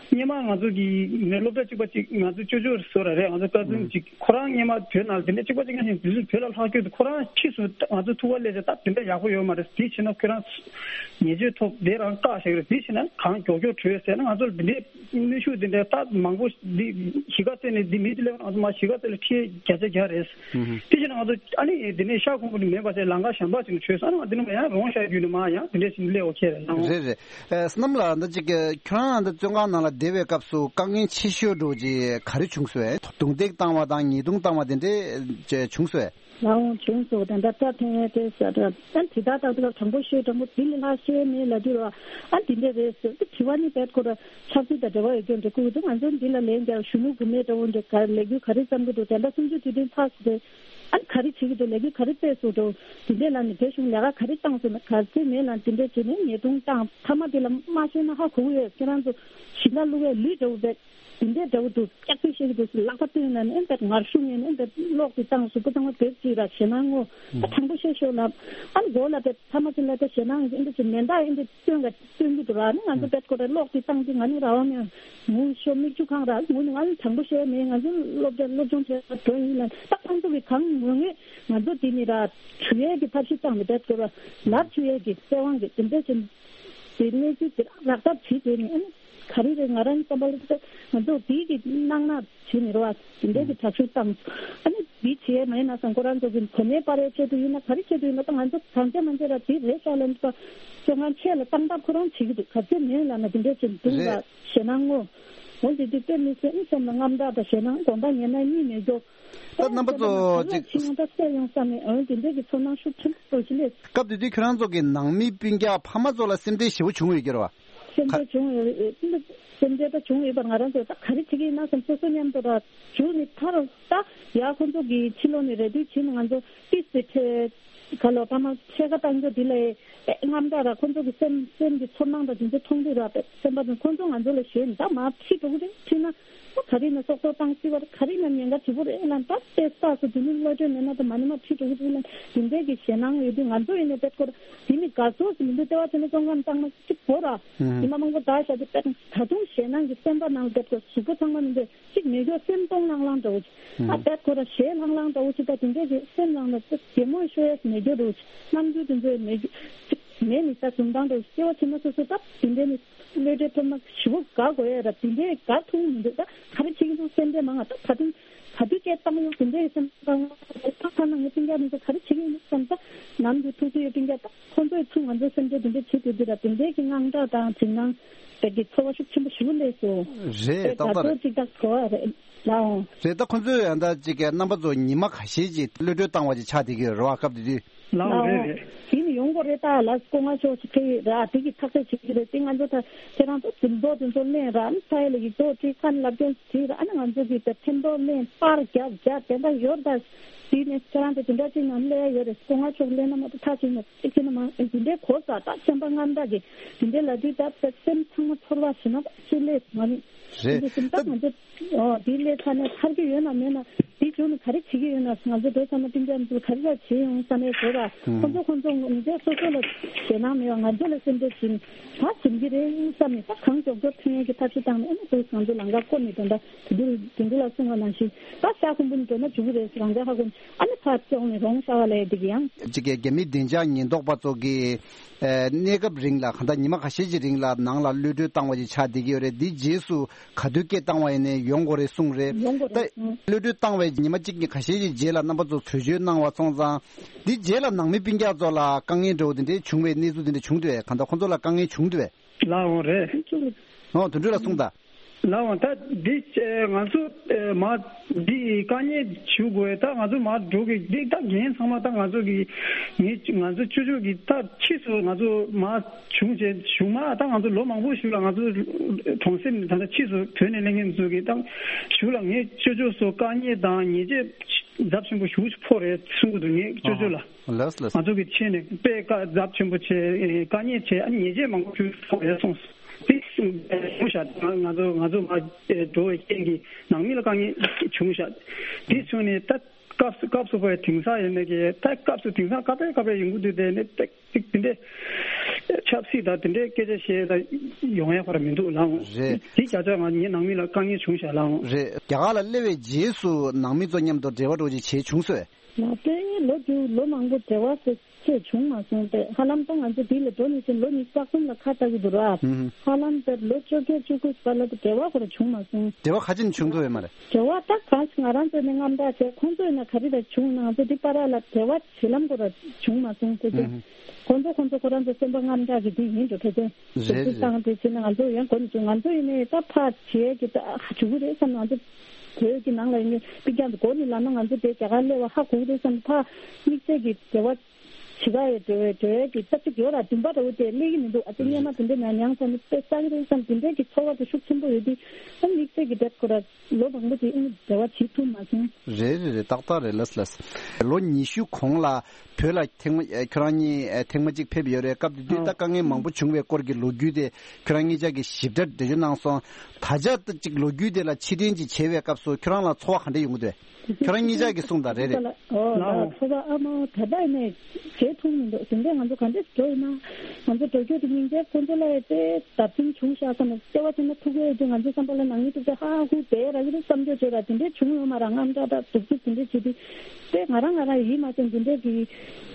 སྔོན་མ་ང་ཚོ་གི་ངའི་སློབ་གྲྭ་གཅིག་པ་གཅིག་ང་ཚོ་ཅོ་ཅོ་བཟོ་ར་རེད། ང་ཚོ་ཀ་ཛིན་གཅིག་ཁོ་རང་སྔོན་མ་བོད་ནང་དེ་འདྲ་གཅིག་པ་གཅིག་ང་ཞིག་དུས་ཚོད་བོད་ལ་ལྷག་རྒྱུ་དེ། ཁོ་རང་ཕྱིས་སུ་ང་ཚོ་ཐུག་པ་སླེབས་ཚེ་ད་དེ་འདྲ་ཡག་པོ་ཡོད་མ་རེད། དེ་བྱས་ན་ཁོ་རང་ཉེས་ཆད་ཐོབ། དེ་རང་བཀག་བཞག་རེད། དེ་བྱས་ན་གང་མགྱོགས་མགྱོགས་བྲོས་ཟེར་ན། ང་ཚོ་ལ་དེ་འདྲའི་གནོན་ཤུགས་དེ་འདྲ་ད་མང་པོ་འདི་གཞིས་ཀ་རྩེ་ནས་འདི་མི་དེ་སླེབས་ང་ཚོ་མ་གཞིས་ཀ་རྩེ་ལ་ཁྲལ་བརྒྱ་ཆ་བརྒྱ་རེད། དེ་བྱས་ན་ང་ཚོ་ཨ་ནི་དེ་ནས་ཤག་ཁོང་པོ་ནི་མེད་པ་བྱས། ལམ་ཁ་གཞན་པ་ཅིག་ནས་བྲོས་སོང་། ཨ་ནི་ང་དེ་ནས་མ་ཡང་རོང་ཤར་རྒྱུད་ནས་མ་ཡང་དེ་འདྲས་ཞིག་སླེབས། ཨོ་ཁེ་རེད། ལགས་འོང་། རེད་རེད། ཨེ་བསོད་ནམས་ལགས། ད་ཅིག་ཁྱོད་རང་ད་བཙོན་ཁང་ནང་ལ་བསྡད་པའི་སྐབས་སུ་དཀའ་ངལ་ཆེ་ཤོས་འདྲ་བོ་ཅིག་ག་རེ་བྱུང་སོང་ཨེ། རྡུང་རྡེག་བཏང་བ་དང་ཉེས་རྡུང་བཏང་བ་དེ་འདྲས་ཅིག་བྱུང་སོང་ཨེ། ལགས་འོང་། བྱུང་སོང་། ད་ལྟ་སྐྲ་འཐེན་ཡས་དེ་ཟེར་ཨ་དེ་ད་ད་ད་དྲང་པོ་ཤོད། དྲང་པོ་འདི་ལས་ལྷག་ཤེས་མེད་ལབ་དུས་ར། ཨ་འདི་འདྲ་རེད་ཟེར་དེ་དྲི་བ་ནི་བེད་ཁོ་ར་ཆབ་སྲིད་དང་འབྲེལ་བ་ཡོད་རྒྱུ་འདྲ་ཁུག་འདུག་ང་ཚོ་འདི་ལ་ལན་རྒྱག་གཞོན་ནུ་བུད་མེད་འདྲ་བོ་འདྲ་ག་ལས་འགུལ་ག་རེ་བརྩམས་ཀྱི་འདུག་དེ་འདྲ་སུམ་ཅུ་དུས་དྲན་ཚར་སོང་དེ། ཨ་ག་རེ་བྱེད་ཀྱི་འདུག་ལས་འགུལ་ག་རེ་སྤེལ་སོང་འདུག་དེ་འདྲ་ལ་ནི་རྒྱ་གཞུང་ལས་ཀ་ག་རེ་བཏང་སོང་ན་ག་ཚོད་མེད་ལ་དེ་འདྲ་བྱས་ནས་ཉེས་རྡུང་བཏང་། མཐའ་མ་དེ་ལ་མ་ཤོད་ན་ཧ་གོ་གི་ཡོད། ཁྱེད་རང་ཚོ་ཞིང་ཁ་བླུག་ཡས་ལུད་འདྲ་བོ་བེད། དེ་འདྲའི་འདྲ་བོ་འདུག་སྐྱག་པའི་བཤད་ཀྱི་འདུག་ཟེར་ལག་པ་བཏོན་ནས་ཨེ་འདྲ་ངར་ཤུགས་ངན་ཨེ་འདྲ་གློག་དེ་བཏང་། གཟུགས་པོ་ཚང་མ་བེབས་ཅིག་ར་ཞེད་སྣང་ངོ་། ཨ་དྲང་པོ་བཤད་ཤོག་ལབ། ཨ་མགོ་ལ་བེབས། ཐ་མ་ཅིག་ལ་དེ་ཞེད་སྣང་ཨེ་འདྲ་ཅིག་མེ་མདའ་ཨེ་འདྲ་བཏོན་ག་བཏོན་གྱི་འདུག་ར། ཨ་ནི་ང་ཚོ་བེད་ཁོ་ར་གློག་དེ་བཏང་དུས་ང་ནི་ར་བ་མེད། ངུ་ཤོ་མིག་ཆུ་གང་ར་ངུ་ནི། ང་ནི་དྲང་པོ་བཤད་མེད། ང་ཚོ་སློབ་གྲྭ་སློབ་སྦྱོང་བྱས་འགྲོ་ཡིན་ལ། ད་ཁོང་ཚོ་གི་གང་ངུ་ངེས་ང་ཚོ་དེ་ནི་ར་བྱུག་ཡས་ཀྱི་ཐབས་ཤེས་བཏང་ནས་བེད་ཁོ་ར་ལབ་བྱུག་ཡས་ཀྱི་སྲིད་དབང་གི་དེ་འདྲ་ཅིག་དེ་གནས་ཚུལ་དེ་རག་ཐབས་བྱེད་དེ་ནི་ཨ་ནི། ག་རེ་རེད། ང་རང་བསམ་པ་ལ་ང་ཚོ་འདི་གི་གནང་ན་བྱེད་མི་རོགས་ཨ། དེ་འདྲའི་གི་དྲག་ཤུགས་བཏང་། ཨ་ནི་འདི་བྱེད་མ་ཡིན་ན་བསམ། ཁོ་རང་ཚོ་གི་གོ་གནས་སྤར་ཡའི་ཆེད་དུ་ཡིན་ན་ག་རེ་ཆེད་དུ་ཡིན་ན། ད་ང་ཚོ་གང་བྱས་མ་བྱས་ར་འདི་རེད་ཤག་ལབ་ནས་བཙོན་ཁང་ཆེ་ལ་བཏང་ཐབས་ཁོ་རང་བྱེད་ཀྱི་འདུག་ག་ཚོད་མེད་ལབ་ན་དེ་འདྲའི་ཅིག་འདུག་ར། རེད། ཞེད་སྣང་ངོ་། འོ་དེ་དུས་དཔེ་མི་སྲིད་ཨ་སེམས་ལ་དངངས་སྐྲག་དང་ཞེད་སྣང་དགོངས་དག་ངན་སྣང་གཉིས་མེད་རྒྱུ། ད་རྣམ་པ་ཚོ་ཅིག་ཅིག་ཡང་ད་སེ་ཡོང་བསམ་ནས་འོ་དེ་འདྲའི་གི་ཚོར་སྣང་ཤུགས་ཆེན་པོ་ཞིག་སླེབས། སྐབས་དེ་དུས་ཁྱོད་རང་ཚོ་གི་ནང་མི་སྤུན་ཀྱག་ཕ་མ་ཚོ་ལ་སེམས་ཁྲལ་ཞེ་པོ་བྱུང་ཡོད་ཀྱི་རེད་བ། སེམས་ཁྲལ་བྱུང་ཡོད་རེད། སེམས་ཁྲལ་ད་བྱུང་ཡོད་པ། ང་རང་ཚོ་ད་ག་རེ་བྱེད་ཀྱི་ཡིན་ན་བསམ། སོ་སོ་མཉམ་དུ་ར་བྱུང་ནས་ཐར་ད་ཡ་ཁོ་ཚོ་གི་ཕྱི་ལོགས་ནས་རེ་ལྟོས་བྱས་ནས་ང་ཚོ་ཏིས་ཏི་ཁྲལ་ག་ལོ་ཕ་མ་ཕྱེད་ཀ་བཏང་རྒྱུ་འདི་ལས་དངངས་སྐྲག་ར་ཁོ་ཚོ་གི་སེམས་སེམས་ཀྱི་ཚོར་སྣང་དང་དེ་ཚོ་མཐོང་དུས་ར་སེམས་པ་དང་ཁོ་ཚོ་ང་ཚོ་ལ་ཞེད་ནས་ད་མར་ཁྲིད་འགྲོ་གི་རེད། ཁྲིད་ན་ད་ག་རེ་ཡིན་ན་སྲོག་ཐོག་བཏང་སྲིད་པ་རེད། ག་རེ་ཡིན་ན་ཉེན་ཁ་ཆེ་པོ་རེད་ལབ། ད་ལྟའི་རྟགས་སུ་དེ་ནི་གློད་གྲོལ་མེད་ན་ད་མ་ནི་མར་ཁྲིད་འགྲོ་གི་རེད་ལབ། དེ་འདྲའི་གི་ཞེད་སྣང་ཡོད་དུས་ང་ཚོ་ཡིན་ནའི་དཔེ་སྐོར་དེ་ནི་དགའ་ཚོར་ཟེར་མི་འདུག་ལྟེ་བ་བྱས་ན་བཙོན་ཁང་བཏང་ན་གཅིག་བོར་ར། ཨུམ། ཉི་མ་མང་པོ་ད་བཞག་དུས་དཔེ་ད་དུང་ཞེད་སྣང་གི་སེམས་པ་ནང་སླེབས་དགོས། གཟུགས་པོ་ཚང་མ་མི་འདུག་གཅིག་མེད་སྐྱོ་སེམས་སྟོང་ལྷང་ལྷང་འདྲ་བོ་ཅིག་ཨ་ཨུམ། དཔེ་ཁོ་ར་ཞེད་ལྷང་ལྷང་འདྲ་བོ་ཅིག་ད་དེ་འདྲའི་རེད། སེམས་ནང་ལ་ཅིག་གད་མོ་ཤོར་ཡས་མེད་སྐྱོ་འདྲ་བོ་ཅིག་རྣམ་འགྱུར་དེ་ཚོ་མེད་སྐྱོ་ཅིག་མེད་ནི་ད་འཛུམ་མདངས་འདྲ་བོ་ཅིག་སྐྱེ་བ་ཕྱི་མ་སོ་སོ་ད་དེ་འདྲའི་ནི་གློད་གྲོལ་ཐོབ་ན་ཞེ་པོ་དགའ་དགོས་ཡས་ར། དེ་འདྲའི་དགའ་ཐུབ་མི་འདུག་ད་ག་རེ་བྱེད་ཀྱི་འདུག་སེམས་ཁྲལ་མང་ང་ད་ད་དུང་། ག་དུས་སྐད་བཏང་ཡོང་དེ་འདྲའི་སེམས་ཁྲལ་ད་ཐ་ན་ངའི་སྤུན་ཀྱག་མི་ཚོ་ག་རེ་བྱེད་ཀྱི་ཡིན་བསམ། ད་ནམ་རྒྱུན་ཐུག་དུས་ཡོད་སྤུན་ཀྱག་ད་ཁོ་ཚོའི་ཚུར་ང་ཚོའི་སེམས་ཁྲལ་དེ་འདྲ་བྱེད་དུས་འདི་ལ་དེ་འདྲའི་གི་དངངས་སྐྲག་དང་འཇིགས་སྣང་དེ་གི་ཚོར་བ་ཤུགས་ཆེན་པོ་ཞེ་པོ་སླེབས་སོང་། རེད། ཏག་ཏག་རེད། ད་ཚོ་ཅིག་ད་གོ་བ་རེད་ལགས་འོང་། རེད། ད་ཁོ་ཚོས་ཡང་ད་ཅིག་གི་རྣམ་པ་ཚོ་ཉི་མ་ཁ་ཤས་ཅིག་གློད་གྲོལ་བཏང་བ་ཅིག་ཆགས་བསྡད་ཀྱི་ཡོད་རེད་བ། སྐབས་དེ་དུས། ལགས་འོང་། རེད་རེད། དེ་ནི་ཡོང་དགོས་རེད། ད་ལ་སྐུ་ངོ་མཆོག་ཅིག་གི་ར་དེ་གི་ཐག་གཅོད་བྱེད་ཀྱི་རེད། དེ་ང་ཚོ་ད་ཁྱེད་རང་ཚོ་འཛིན་ཐོ་དེ་ཚོ་ལེན་ར་ཨ་ནི་ས་ཡ་ལ་ཡིག་ཐོག་བྲིས་ཁ་ལབ་སྐྱོན་བྲིས་ར་ཨ་ནི་ང་ཚོ་གི་ད་འཕྲིན་ཐོ་ལེན་པར་རྒྱབ་རྒྱབ་དེ་འདྲ་ཡོད། ད་དེ་ནས་ཁྱེད་རང་ཚོ་དེ་འདྲ་ཅིག་ནང་སླེབས་ཡ་ཡོད་རེད། སྐུ་ངོ་མཆོག་སླེབས་ན་མ་གཏོགས་ཐག་ཆོད་མ་རེད། ཅིག་ཅིག་ན་མ་དེ་འདྲའི་གོ་ས་ད་སེམས་པ་དངངས་སྐྲག་གི་དེ་འདྲའི་ལ་དུས་ད་སེམས་ཚང་མ་ཚོར་བ་ཞེ་ན་ཅི་སླེབས་ང་ནི་རེད། དེ་འདྲ་སེམས་ད་ང་ཚོ། ཨོ། དེའི་སླད་ས་ནས་ཐར་གྱི་ཡོད་ན་མེད་ན་དེའི་མཇུག་ནས་ག་རེ་བྱེད་ཀྱི་ཡོད་ན། ང་ཚོ་བོད་ཚང་མ་སྤུན་ཀྱག་ཚོ་ག་རེ་ལ་བྱེད་ཡོང་ས་ནས་བཟོ་ར། ཁོ་ཚོ་ཁོ་ཚོ་ངོ་མཇལ་སོ་སོ་ལ་ཞེད་སྣང་མེད་པ་ང་ཚོ་ལ་སེམས་ཁྲལ་བྱེད་ནས་ད་འཛོམས་ཀྱི་རེད་བསམ་ནས་ད་གང་མགྱོགས་མགྱོགས་ཐོན་ཡས་ཀྱི་ཐབས་ཤེས་བཏང་ནས་ཨ་ནི་བོད་ང་ཚོ་ལམ་ཁ་བསྐོར་ནས་དོན་དག་དེ་འདྲ་དེ་འདྲ་ལ་གསུངས་པ་ནང་བཞིན་ད་ཤ་ཁུམ་བུ་ནས་འགྲོ་ན་འགྲོ་གི་རེད། རང་ཅག་ཧ་གོ་ཨ་ནི་ཕར་བཙོང་ནས་རོང་ཤ་བ་ལས་འདི་གི་ཡང་། གཅིག་གི་རྒྱ་མི་བདེ་འཇགས་ཉེན་རྟོག་པ་ཚོ་གིས། ཨེ། གནས་སྐབས་རིང་ལ་གང་ལྟར་ཉི་མ་ཁ་ཤས་ཀྱི་རིང་ལ་ནང་ལ་གློད་གྲོལ་བཏང་བ་ཞིག་ཆགས་བསྡད་ཀྱི་ཡོད་རེད། འདིའི་རྗེས་སུ་ག་དུས་སྐད་བཏང་བ་ཡིན་ནའི་ཡོང་དགོས་རེད་གསུངས་རེད། ཡོང་དགོས་རེད། ད་གློད་གྲོལ་བཏང་བའི་ཉི་མ་གཅིག་གཉིས་ཁ་ཤས་ཀྱི་རྗེས་ལ་རྣམ་པ་ཚོ་གྲོས་ཆོད་གནང་བ་སོང་ཙང་། འདིའི་རྗེས་ལ་ནང་མི་སྤུན་ཀྱག་ཚོ་ལ་དཀའ་ངལ་འདྲ་བོ་དེ་འདྲའི་བྱུང་བའི་གནས་ཚུལ་དེ་འདྲ་བྱུང་འདུག་གས། གང་ལྟར་ཁོང་ཚོ་ལ་དཀའ་ངལ་བྱུང་འདུག་གས། ལགས་འོང་རེད། ཨོ། དོན་གྲུབ་ལགས་གསུངས་དང་། ལགས་འོང་། ད་འདི་ང་ཚོ་མ་འདི་དཀའ་ངལ་བྱུང་དགོས། ད་ང་ཚོ་མ་འགྲོ་གི་འདི་ད་འགན་ཚང་མ་ད་ང་ཚོ་གི་ངས་ང་ཚོ་ཅོ་ཅོ་གི་ད་ཕྱིས་སུ་ང་ཚོ་མ་བྱུང་བྱས་བྱུང་མ་ད་ང་ཚོ་ལོ་མང་པོ་ཞིག་ལ་ང་ཚོ་གྲོང་གསེབ་ནས་ད་ལྟ་ཕྱིས་སུ་བོད་ནས་སླེབས་མཁན་ཚོ་གི་ད་ཞུ་ལ་ངས་ཅོ་ཅོ་སོ་དཀའ་ངལ་དང་ཉེས་ཆད་ཚབས་ཆེན་པོ་ཞེ་པོ་ཅིག་ཕོག་རེད་གསུང་གི་འདུག་ངས་ཅོ་ཅོ་ལ། ལགས་ལགས། ང་ཚོ་གི་ཆེད་ནས་དཔེ་དཀའ་ཚབས་ཆེན་པོ་བྱས་དཀའ་ངལ་བྱས་ཨ་ཉེས་ཆད་མང་པོ་ཞིག་ཕོག་རེད་གསུངས་སོང་། དེ་བྱུང་ཤག་ང་ཚོ་ང་ཚོ་མ་འགྲོ་བའི་རྐྱེན་གྱིས་ནང་མི་ལ་དཀའ་ངལ་བྱུང་ཤག་དེ་བྱུང་ནས་ད་ སྐབས་སུ་སྐབས་སུ་བབ་པའི་དེང་སང་ཡིན་ནའི་གི་ད་སྐབས་སུ་དེང་སང་སྐབས་པའི་སྐབས་པའི་ཡོང་གི་འདུག་དེ་ནི་ཏིག་ཏིག་དེ་འདྲའི་ཆབ་སྲིད་དང་དེ་འདྲའི་སྐད་ཆ་བཤད་ད་ཡོང་ཡ་ཁོ་ར་མི་འདུག་ལགས། རེད། དེ་བྱ་ཆ་ང་ངའི་ནང་མི་ལ་དཀའ་ངལ་བྱུང་ཤག་ལགས། རེད། རྒྱ་གར་ལ་སླེབས་པའི་རྗེས་སུ་ནང་མི་ཚོ་མཉམ་དུ་འབྲེལ་བ་འགྲོ་ཅིག་བྱས་བྱུང་སོང་། ལགས་ཏེ་ལོ་རྒྱུས་ལོ་མང་པོ་འབྲེལ་བ་ཟེར་ཆེ་བྱུང་མ་སོང་སྟེ། ཧ་ལམ་ད་ང་ཚོ་འདི་ལ་འགྲོ་ནས་ཕྱིན་ལོ་ཉི་ཤུ་རྩ་གསུམ་ལ་ཁ་བཏགས་ཀྱི་འདུག་ར། ཧུམ་ཧུམ། ཧ་ལམ་དེར་ལོ་བཅོ་བརྒྱད་བཅུ་དགུ་བར་ལ་དེ་འབྲེལ་བ་ཁོ་ར་བྱུང་མ་སོང་། འབྲེལ་བ་ཁ་ཅིག་བྱུང་ཐུབ་ཡོད་མ་རེད། འབྲེལ་བ་ད་གང་ཞིག་ང་རང་ཚོ་ནས་རྔམ་སྐྲག་བྱས། ཁོང་ཚོ་ཡིན་ན་ག་རེ་ལ་བྱུང་ན་ང་ཚོ་འདི་བར་ལ་འབྲེལ་བ་བྱེད་ལམ་ཁོ་ར་བྱུང་མ་སོང་ཟེར་ཏེ། ཧུམ་ཧུམ། ཁོང་ཚོ་ཁོང་ཚོ་ཁོ་རང་ཚོ་སེམས་པ་རྔམ་སྐྲག་གི་འདི་ཡིན་འགྲོ་ཕལ་ཆེར། རེད་རེད་རེད། བསམ་སྟེ་བྱས་ན་ང་ཚོ་ཡང་གོ་ནས་བྱུང་། ང་ཚོ་ཡིན་ནས་ད་ཕར་བྱེད་ཀྱི་ད་བྱུང་གི་རེད་བསམ། ང་ཚོ་བོད་ཀྱི་ནང་ལ་ཡིན་ནས་པི་རྒྱང་དུ་གོ་ནས་ལབ་ན་ང་ཚོ་དེ་རྒྱ་གར་སླེབས་པ་ཧ་གོ་གི་རེད་བསམ། ཕར་དམིགས་བསལ་གྱི་འབྲེལ་བ་བྱེད་ཀ་ཡི་འགྲོ་བའི་འགྲོ་ཡས་ཀྱི་ས་ཚིགས་ཡོད་ར། བདུན་པ་འདྲ་བོ་དེ་སླེབས་ཀྱི་མི་འདུག་ཨ་ཙི་སྔོན་མ་དེ་འདྲ་མེད་མྱངས་ས་ནི་དཔེ་བསགས་ཀྱི་རེད་བསམ། དེ་འདྲའི་གི་ཚོར་བ་དེ་ཤུགས་ཆེན་པོ་ཡོད་དུས་ཨ་དམིགས་བསལ་གྱི་འབྲེལ་ཁོ་ར་ལོ་མང་པོ་དེ་ཨ་ནི་འབྲེལ་བ་བྱེད་ཐུབ་མ་སོང་། རེད་རེད་རེད། ཏག་ཏག་རེད། ལགས་ལགས། ལོ་ཉི་ཤུ་གོང་ལ་བོད་ལ་ཐེངས་མ་ཨེ་ཁྱོད་རང་གཉིས་ཨེ་ཐེངས་མ་གཅིག་ཕེབས་ཡོད་རེད། སྐབས་དེ་དུས་ད་ཨ་དཀའ་ངལ་མང་པོ་བྱུང་བའི་སྐོར་གྱི་ལོ་རྒྱུས་དེ་ཁྱོད་རང་གཉིས་ཆ་གིས་ཞིབ་ཕྲ་འགྲེལ་བརྗོད་གནང་སོང་། ད་ཆ་ད་ཅིག་ལོ་རྒྱུས་དེ་ལ་ཕྱིར་དྲན་ཅིག་བྱེད་པའི་སྐབས་སུ་ཁྱོད་རང་ལ་ཚོར་བ་ག་འདྲ་ཡོང་གི་འདུག་ཁྱོད་རང་གཉིས་ཆ་གིས་གསུངས་དང་། རེད་རེད། ཨོ་ལགས། ལགས། ཚོར་བ་ཨ་མ་ད་ལྟ་ནས་བྱེད་ཐུབ་མི་འདུག་དེ་འདྲས་ང་ཚོ་ག་འདྲས་འགྲོ་ཡིན་ན། ང་ཚོ་འགྲོ་རྒྱུ་དེ་སྙིང་རྗེ། ཁོང་ཚོ་ལ་ཡང་དཔེ་བརྡབ་གསིག་བྱུང་ཤག་བསམ་ནས། ལྟེ་བ་དེ་ན་ཐུག་གི་ཡོད་དུས་ང་ཚོའི་བསམ་པ་ལ་ནང་མི་ཐུག་ཚེ་ཧ་ཧ་ཧུ་བསྡད་ར་གི་རེད་བསམ་རྒྱུ་བྱས་ར། དེ་འདྲས་བྱུང་ཡོད་མ་ར། རྔམ་སྐྲག་དང་སྡུག་རྩུབ་དེ་འདྲས་བྱེད་དུས་དཔེ་ང་རང་ང་རང་ཡིད་མ་ཚིམ། དེ་འདྲས་ཀྱི་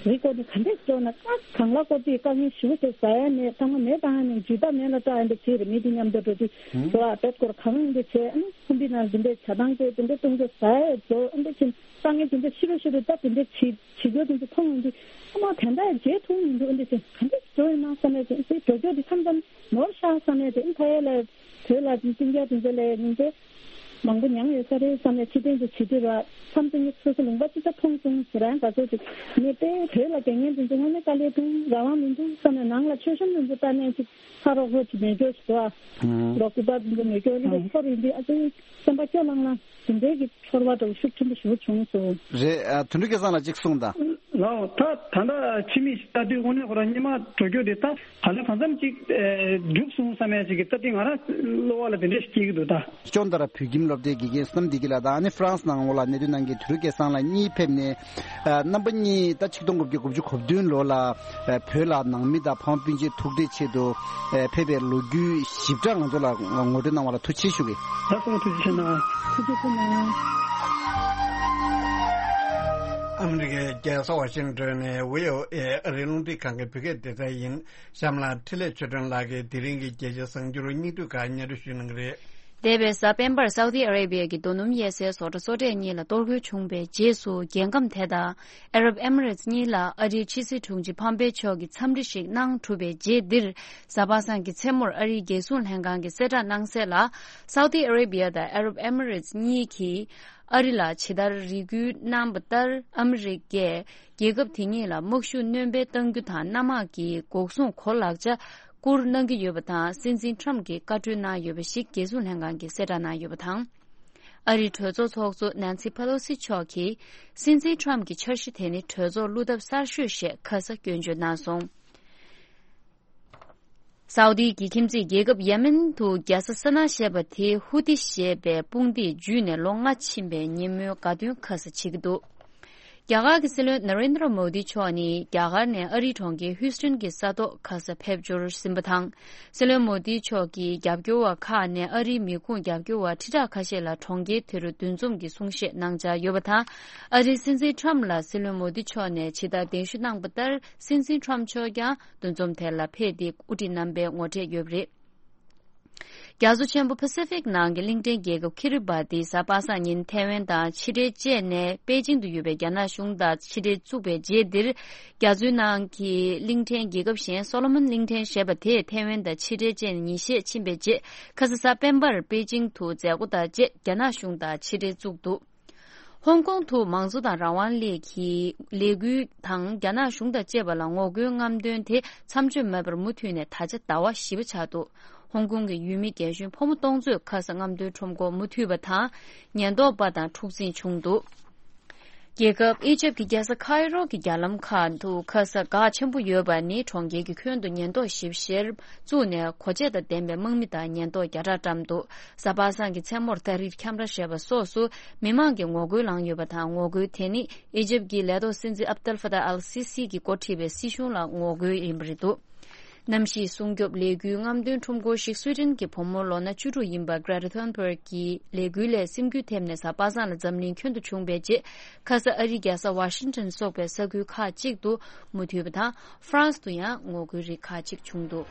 རིགས་སྐོར་ནས་ག་འདྲས་འགྲོ་ན་ཨ་གང་ལ་སྐོར་དུས་དཀའ་ངལ་ཞེ་པོ་དེ་ཟ་ཡ་མེད། ཐ་མ་མེད་བཏང་ཡ་མེད། ཇུས་ད་མེད་ལ་སྐྲག་ཡ་འདྲ་བྱས་རེད། མི་དེ་མཉམ་དུ་འགྲོ་དུས་འགྲོ་ཨ་དཔེ་སྐོར་གང་འདྲ་བྱས་ཨ་ནི་ཁོམ་པའི་ནང་དེ་འདྲས་བྱ་སྟངས་དེ་དེ་འདྲས་གཏོང་རྒྱུ་ཟ་ཡ་འགྲོ་ཨ་འདྲས་ཕྱིན། དཀའ་ངལ་དེ་འདྲ་ཤི་རུ་ཤི་རུ་སྟབས་དེ་འདྲ་བྱེད་བྱེད་རྒྱུ་དེ་འདྲ་མཐོང་ཡོང་དུས་ཨ་མ་དེ་འདྲ་བྱེད་ཐུབ་མི་འདུག་ཨ་འདྲ་བྱས་ག་འདྲ་འགྲོ་ཡོད་ན་བསམ་ཡས་དེ་ཨ་འདྲ་འགྲོ་རྒྱུ་དེ་མཚམས་མཚམས་ནོར་ཤག་བསམ་ཡས་དེ། ཨ་ཕ་ཡས་ལ་བོད་ལ་ཅིང་ཅིང་རྒྱ་དེ་ཚོ་ལ་ཉིན་དེ་མང་པོ་མྱངས་ཡོད་ས་རེད་བསམ་ཡས་ཕྱི་དོན་དུ་བྱེད་དུས་ར་མཚམས་དེ་ངས་སོ་སོ་ལུང་པ་ཅི་ཙམ་མཐོང་སོང་ཟེར་རང་ག་ཚོད་ཅིག་ངས་དཔེ་བོད་ལ་རྒྱ་ངན་དེ་ཚོ་དངོས་གནས་དཀའ་ལས་ཐུང་རང་དབང་མི་འདུག་བསམ་ཡས་ནང་ལ་མཆོད་གཤོམ་དེ་ཚོ་ལྟ་ནས་ཅིག་ཕ་རོགས་ཁོ་ཅིག་མེད་སྐྱོ་ཞིག་འདུག་ཨ། ལོ་སྐུ་པར་འདི་མེད་སྐྱོ་ལི་ལ་ཚོར་ཡིན་དུས་ཨ་ཙི་སེམས་པ་སྐྱོ་ལང་ལང་དེ་འདྲའི་གི་ཚོར་བ་འདྲ་བོ་ཤུགས་ཆེན་པོ་ཞེ་པོ་བྱུང་སོང་། རེད། ཨ་དོན་གྲུབ་སྐལ་བཟང་ལགས་གཅིག་གསུངས་དང་། ལགས་ད་ད་ལྟ་ཕྱི་མིག་ལྟ་དུས་དངོས་གནས་ཁོ་རང་སྔོན་མ་འགྲོ་རྒྱུ་དེ་ད་ག་ལེ་གང་འཚམ་ཅིག་ཨེ་འགྲུབ་སོང་བསམ་ཡ་ཅིག་གི་ད་དེ་ང་རང་བློ་བ་ལ་དེ་འདྲ་ཞིག་སྐྱེ་གི་འདུག་ད། ཅོན་ཏ་ར་བོད་ཁྱིམ་སློབ་གྲྭའི་དགེ་རྒན་བསོད་ནམས་བདེ་སྐྱིད་ལགས་དང་ཨ་ནི་ཧྥ་རན་སི་ནང་ལོགས་ལ་གནས་སྡོད་གནང་མཁན་དོན་གྲུབ་སྐལ་བཟང་ལགས་གཉིས་ཕེབས་ནས། ཨ་རྣམ་པ་གཉིས་ད་ཆིག་སྟོང་དགུ་བརྒྱ་དགུ་བཅུ་གོ་བདུན་ལོ་ལ་ཨ་བོད་ལ་ནང་མི་དང་ཕ་མ་སྤུན་མཆེད་ཐུག་འཕྲད་ཆེད་དུ་ཨ་ཕེབས་པའི་ལོ་རྒྱུས་ཞིབ་ཕྲ་ང་ཚོ་ལ་ངོ་སྤྲོད་གནང་བ་ལ་ཐུགས་རྗེ་ཆེ་ཞུ་གི། ལགས་སོ། ཐུགས་རྗེ་ཆེ་གནང་། ཐུགས་རྗེ་ཆེ་གནང་། ཨ་མི་རི་ཀའི་རྒྱལ་ས་ཝ་ཤིང་ཏོན་ནས་བྷི་ཨོ་ཨེ་ཨ་རིའི་རླུང་འཕྲིན་ཁང་གི་བོད་སྐད་སྡེ་ཚན་ཡིན། གཤམ་ལ་འཕྲིན་ལས་ཆོས་སྒྲོན་ལགས་ཀྱིས་དེ་རིང་གི་རྒྱལ་སྤྱིའི་གསར་འགྱུར་སྙིང་བསྡུས་ཁག་སྙན་སྒྲོན་ཞུ་གནང་གི་རེད། འདས་པའི་གཟའ་སྤེན་པར་སའུ་ཏི་ཨ་རེ་བྷི་ཡ་གི་རྡོ་སྣུམ་གཡས་སའི་བཟོ་གྲྭ་གཙོ་གྲས་གཉིས་ལ་གཏོར་རྒོལ་བྱུང་བའི་རྗེས་སུ། རྒྱལ་ཁམས་དེ་དང་ཨ་རབ་ཨེ་མི་རེ་ཊི་གཉིས་ལ་ཨ་རིའི་ཕྱི་སྲིད་དྲུང་ཆེ་ཕམ་པེ་ཆོ་གིས་འཚམས་འདྲི་ཞིག་གནང་གྲུབ་པའི་རྗེས་འདིར། གཟའ་པ་སངས་ཀྱི་མཚན་མོར་ཨ་རིའི་རྒྱལ་སྲུང་ལྷན་ཁང་གིས་གསལ་བསྒྲགས་གནང་གསལ་ལ། སའུ་ཏི་ཨ་རེ་བྷི་ཡ་དང་ཨ་རབ་ཨེ་མི་རེ་ཊི་གཉིས་ཀྱིས་ཨ་རི་ལ་ཇི་ལྟར་རེ་སྐུལ་གནང་བ་ལྟར། ཨ་མི་རི་ཀས་རྒྱལ་ཁབ་དེ་གཉིས་ལ་དམག་ཤུགས་སྣོན་སྤེལ་གཏང་རྒྱུ་དང་། གནམ་དམག་གི་འགོག་སྲུང་གོ་ལག་ཆ་བསྐུར་གནང་གི་ཡོད་པ་དང་། སྲིད་འཛིན་ཊམ་གྱིས་བཀའ་འཁྲོལ་གནང་ཡོད་པ་ཞིག་རྒྱལ་སྲུང་ལྷན་ཁང་གིས་གསལ་བསྒྲགས་གནང་ཡོད་པ་དང་། ཨ་རིའི་གྲོས་ཚོགས་ཚོགས་གཙོ་ནན་སི་ཕ་ལོ་སི་མཆོག་གིས། སྲིད་འཛིན་ཊམ་གྱི་འཆར་གཞི་དེ་ནི་གྲོས་ཚོགས་བླུ་ཐབས་གསར་ཤོས་ཞེས་ཁ་ས་སྐྱོན་བརྗོད་གནང་སོང་། སའུ་ཏི་གི་ཁྱིམ་མཚེས་རྒྱལ་ཁབ་ཡེ་མེན་དུ་རྒྱལ་ས་སཱ་ན་ཞེས་པ་དེ་ཧུ་ཏི་ཞེས་པའི་དཔུང་སྡེས་འཇུས་ནས་ལོ་ལྔ་ཕྱིན་པའི་ཉིན་མོའི་དགའ་སྟོན་ཁ་ས་བྱེད་ཀྱི་འདུག་རྒྱ་གར་གྱི་སྲིད་བློན་ན་རེན་དྲ་མོ་དི་མཆོག་ནི་རྒྱ་གར་ནས་ཨ་རིའི་གྲོང་ཁྱེར་ཧུས་ཏོན་གྱི་ས་ཐོག་ཁ་ས་ཕེབས་འབྱོར་ཟིན་པ་དང་། སྲིད་བློན་མོ་དི་མཆོག་གིས་རྒྱབ་སྐྱོར་བ་ཁག་ནས་ཨ་རིའི་མི་ཁུངས་རྒྱབ་སྐྱོར་བ་ཁྲི་ཕྲག་ཁ་ཤས་ལ་གྲོང་ཁྱེར་དེ་རུ་འདུ་འཛོམས་ཀྱི་གསུང་བཤད་གནང་འཆར་ཡོད་པ་དང་། ཨ་རིའི་སྲིད་འཛིན་ཁྲམ་ལ་སྲིད་བློན་མོ་དི་མཆོག་ནས་ཇི་ལྟར་གདན་ཞུ་གནང་པ་ལྟར། སྲིད་འཛིན་ཁྲམ་མཆོག་ཀྱང་འདུ་འཛོམས་དེ་ལ་ཕེབས་ཏེ་དབུ་ཁྲིད་རྣམ་པས་ངོ་འཕྲད་ཡོད་པ་རེད། རྒྱ་མཚོ་ཆེན་པོ་པ་སི་ཕིག་ནང་གི་གླིང་ཕྲན་རྒྱལ་ཁབ་ཁི་རི་བ་ཏི་གཟའ་པ་སངས་ཉིན་ཐེ་ཝན་དང་ཕྱི་འབྲེལ་བཅད་ནས་པེ་ཅིང་དུ་ཡོད་པའི་རྒྱ་ནག་གཞུང་དང་ཕྱི་འབྲེལ་བཙུགས་པའི་རྗེས་འདིར། རྒྱ་མཚོའི་ནང་གི་གླིང་ཕྲན་རྒྱལ་ཁབ་གཞན་སོ་ལོ་མོན་གླིང་ཕྲན་ཞེས་པ་དེས་ཐེ་ཝན་དང་ཕྱི་འབྲེལ་བཅད་ནས་ཉིན་ཤས་ཕྱིན་པའི་རྗེས། ཁ་ས་གཟའ་སྤེན་པར་པེ་ཅིང་དུ་མཛད་སྒོ་དང་བཅས་རྒྱ་ནག་གཞུང་དང་ཕྱི་འབྲེལ་བཙུགས་འདུག་ཧོང་ཀོང་དུ་མང་གཙོ་དང་རང་དབང་སླད་ཀྱི་ལས་འགུལ་དང་རྒྱ་ནག་གཞུང་དང་བཅས་པ་ལ་ངོ་རྒོལ་རྔམ་སྟོན་དེ་མཚམས་ཆད་མེད་པར་མུ་མཐུད་ནས་ད་ཆ་ཟླ་བ་བཞི་པ་ཆགས་འདུག་ཧོང་ཀོང་གི་ཡུལ་མི་རྒན་གཞོན་ཕོ་མོ་སྟོང་ཚོས་ཁ་ས་རྔམ་སྟོན་ཁྲོམ་སྐོར་མུ་མཐུད་པ་དང་ཉེན་རྟོག་པ་དང་འཁྲུག་འཛིང་བྱུང་འདུག་རྒྱལ་ཁབ་ཨི་ཇེབ་ཀྱི་རྒྱལ་ས་ཁའི་རོ་གི་རྒྱ་ལམ་ཁག་ཏུ་ཁ་ས་འགག་ཆེན་པོ་ཡོད་པ་ནི་གྲོང་ཁྱེར་གྱི་ཁྱོན་དུ་ཉེན་རྟོག་ཞིབ་བཤེར་བཙུགས་ནས་གོ་ཆས་དང་ལྡན་པའི་དམག་མི་དང་ཉེན་རྟོག་བརྒྱ་ཕྲག་བཀྲམ་འདུག་གཟའ་པ་སངས་ཀྱི་མཚན་མོར་ཏཱ་ཧྲིར་ཁྱམ་ར་ཞེས་པ་སོགས་སུ་མི་མང་གིས་ངོ་རྒོལ་བསླངས་ཡོད་པ་དང་། ངོ་རྒོལ་དེ་ནི་ཨི་ཇེབ་ཀྱི་ལས་ཐོག་སྲིད་འཛིན་ཨབ་ཏལ་ཧྥ་ཏཱ་ཨལ་སི་སི་གིས་འགོ་ཁྲིད་པའི་སྲིད་གཞུང་ལ་ངོ་རྒོལ་ཡིན་པ་རེད་འདུག་གནམ་གཤིས་སྲུང་སྐྱོབ་ལས་འགུལ་རྔམ་སྟོན་ཁྲོམ་སྐོར་ཞིག་སུའེ་ཏེན་གྱི་བུ་མོ་ལོ་ན་བཅུ་དྲུག་ཡིན་པ་Greta Thunberg གྱི་ལས་འགུལ་ལས་སེམས་འགུལ་ཐེབས་ནས་གཟའ་པ་སངས་ལ་འཛམ་གླིང་ཁྱོན་དུ་བྱུང་བའི་རྗེས། ཁ་ས་ཨ་རིའི་རྒྱལ་ས་ཝ་ཤིང་ཊོན་སོགས་པའི་ས་ཁུལ་ཁག་ཅིག་ཏུ་མུ་མཐུད་པ་དང་། ཧྥ་རན་སི་ཏུ་ཡང་ངོ་རྒོལ་རིགས་ཁག་ཅིག་བྱུང་འདུག་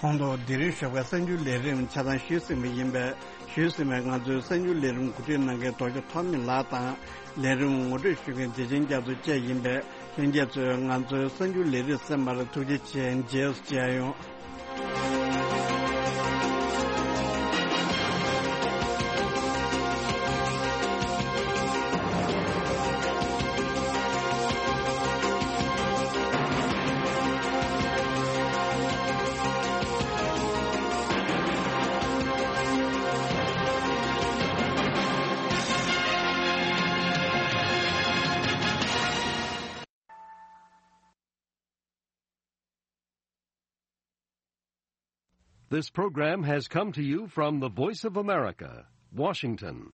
གོང་དུ་དེ་རིང་ཞོགས་པའི་གསར་འགྱུར་ལས་རིམ་ཆ་ཚང་ཞུས་ཟིན་པ་ཡིན་པས། ཞུས་ཟིན་པའི་ང་ཚོའི་གསར་འགྱུར་ལས་རིམ་གོ་སྒྲིག་གནང་མཁན་རྡོ་རྗེ་ཐོགས་མེད་ལགས་དང་། ལས་རིམ་ངོ་སྤྲོད་ཞུ་མཁན་བདེ་ཆེན་རྒྱ་མཚོ་བཅས་ཡིན་པས། ལྷན་རྒྱས་ཚོས་ང་ཚོའི་གསར་འགྱུར་ལས་རིམ་གསན་པར་ཐུགས་རྗེ་ཆེ། རྗེས་སུ་མཇལ་ཡོང་། This program has come to you from the Voice of America, Washington.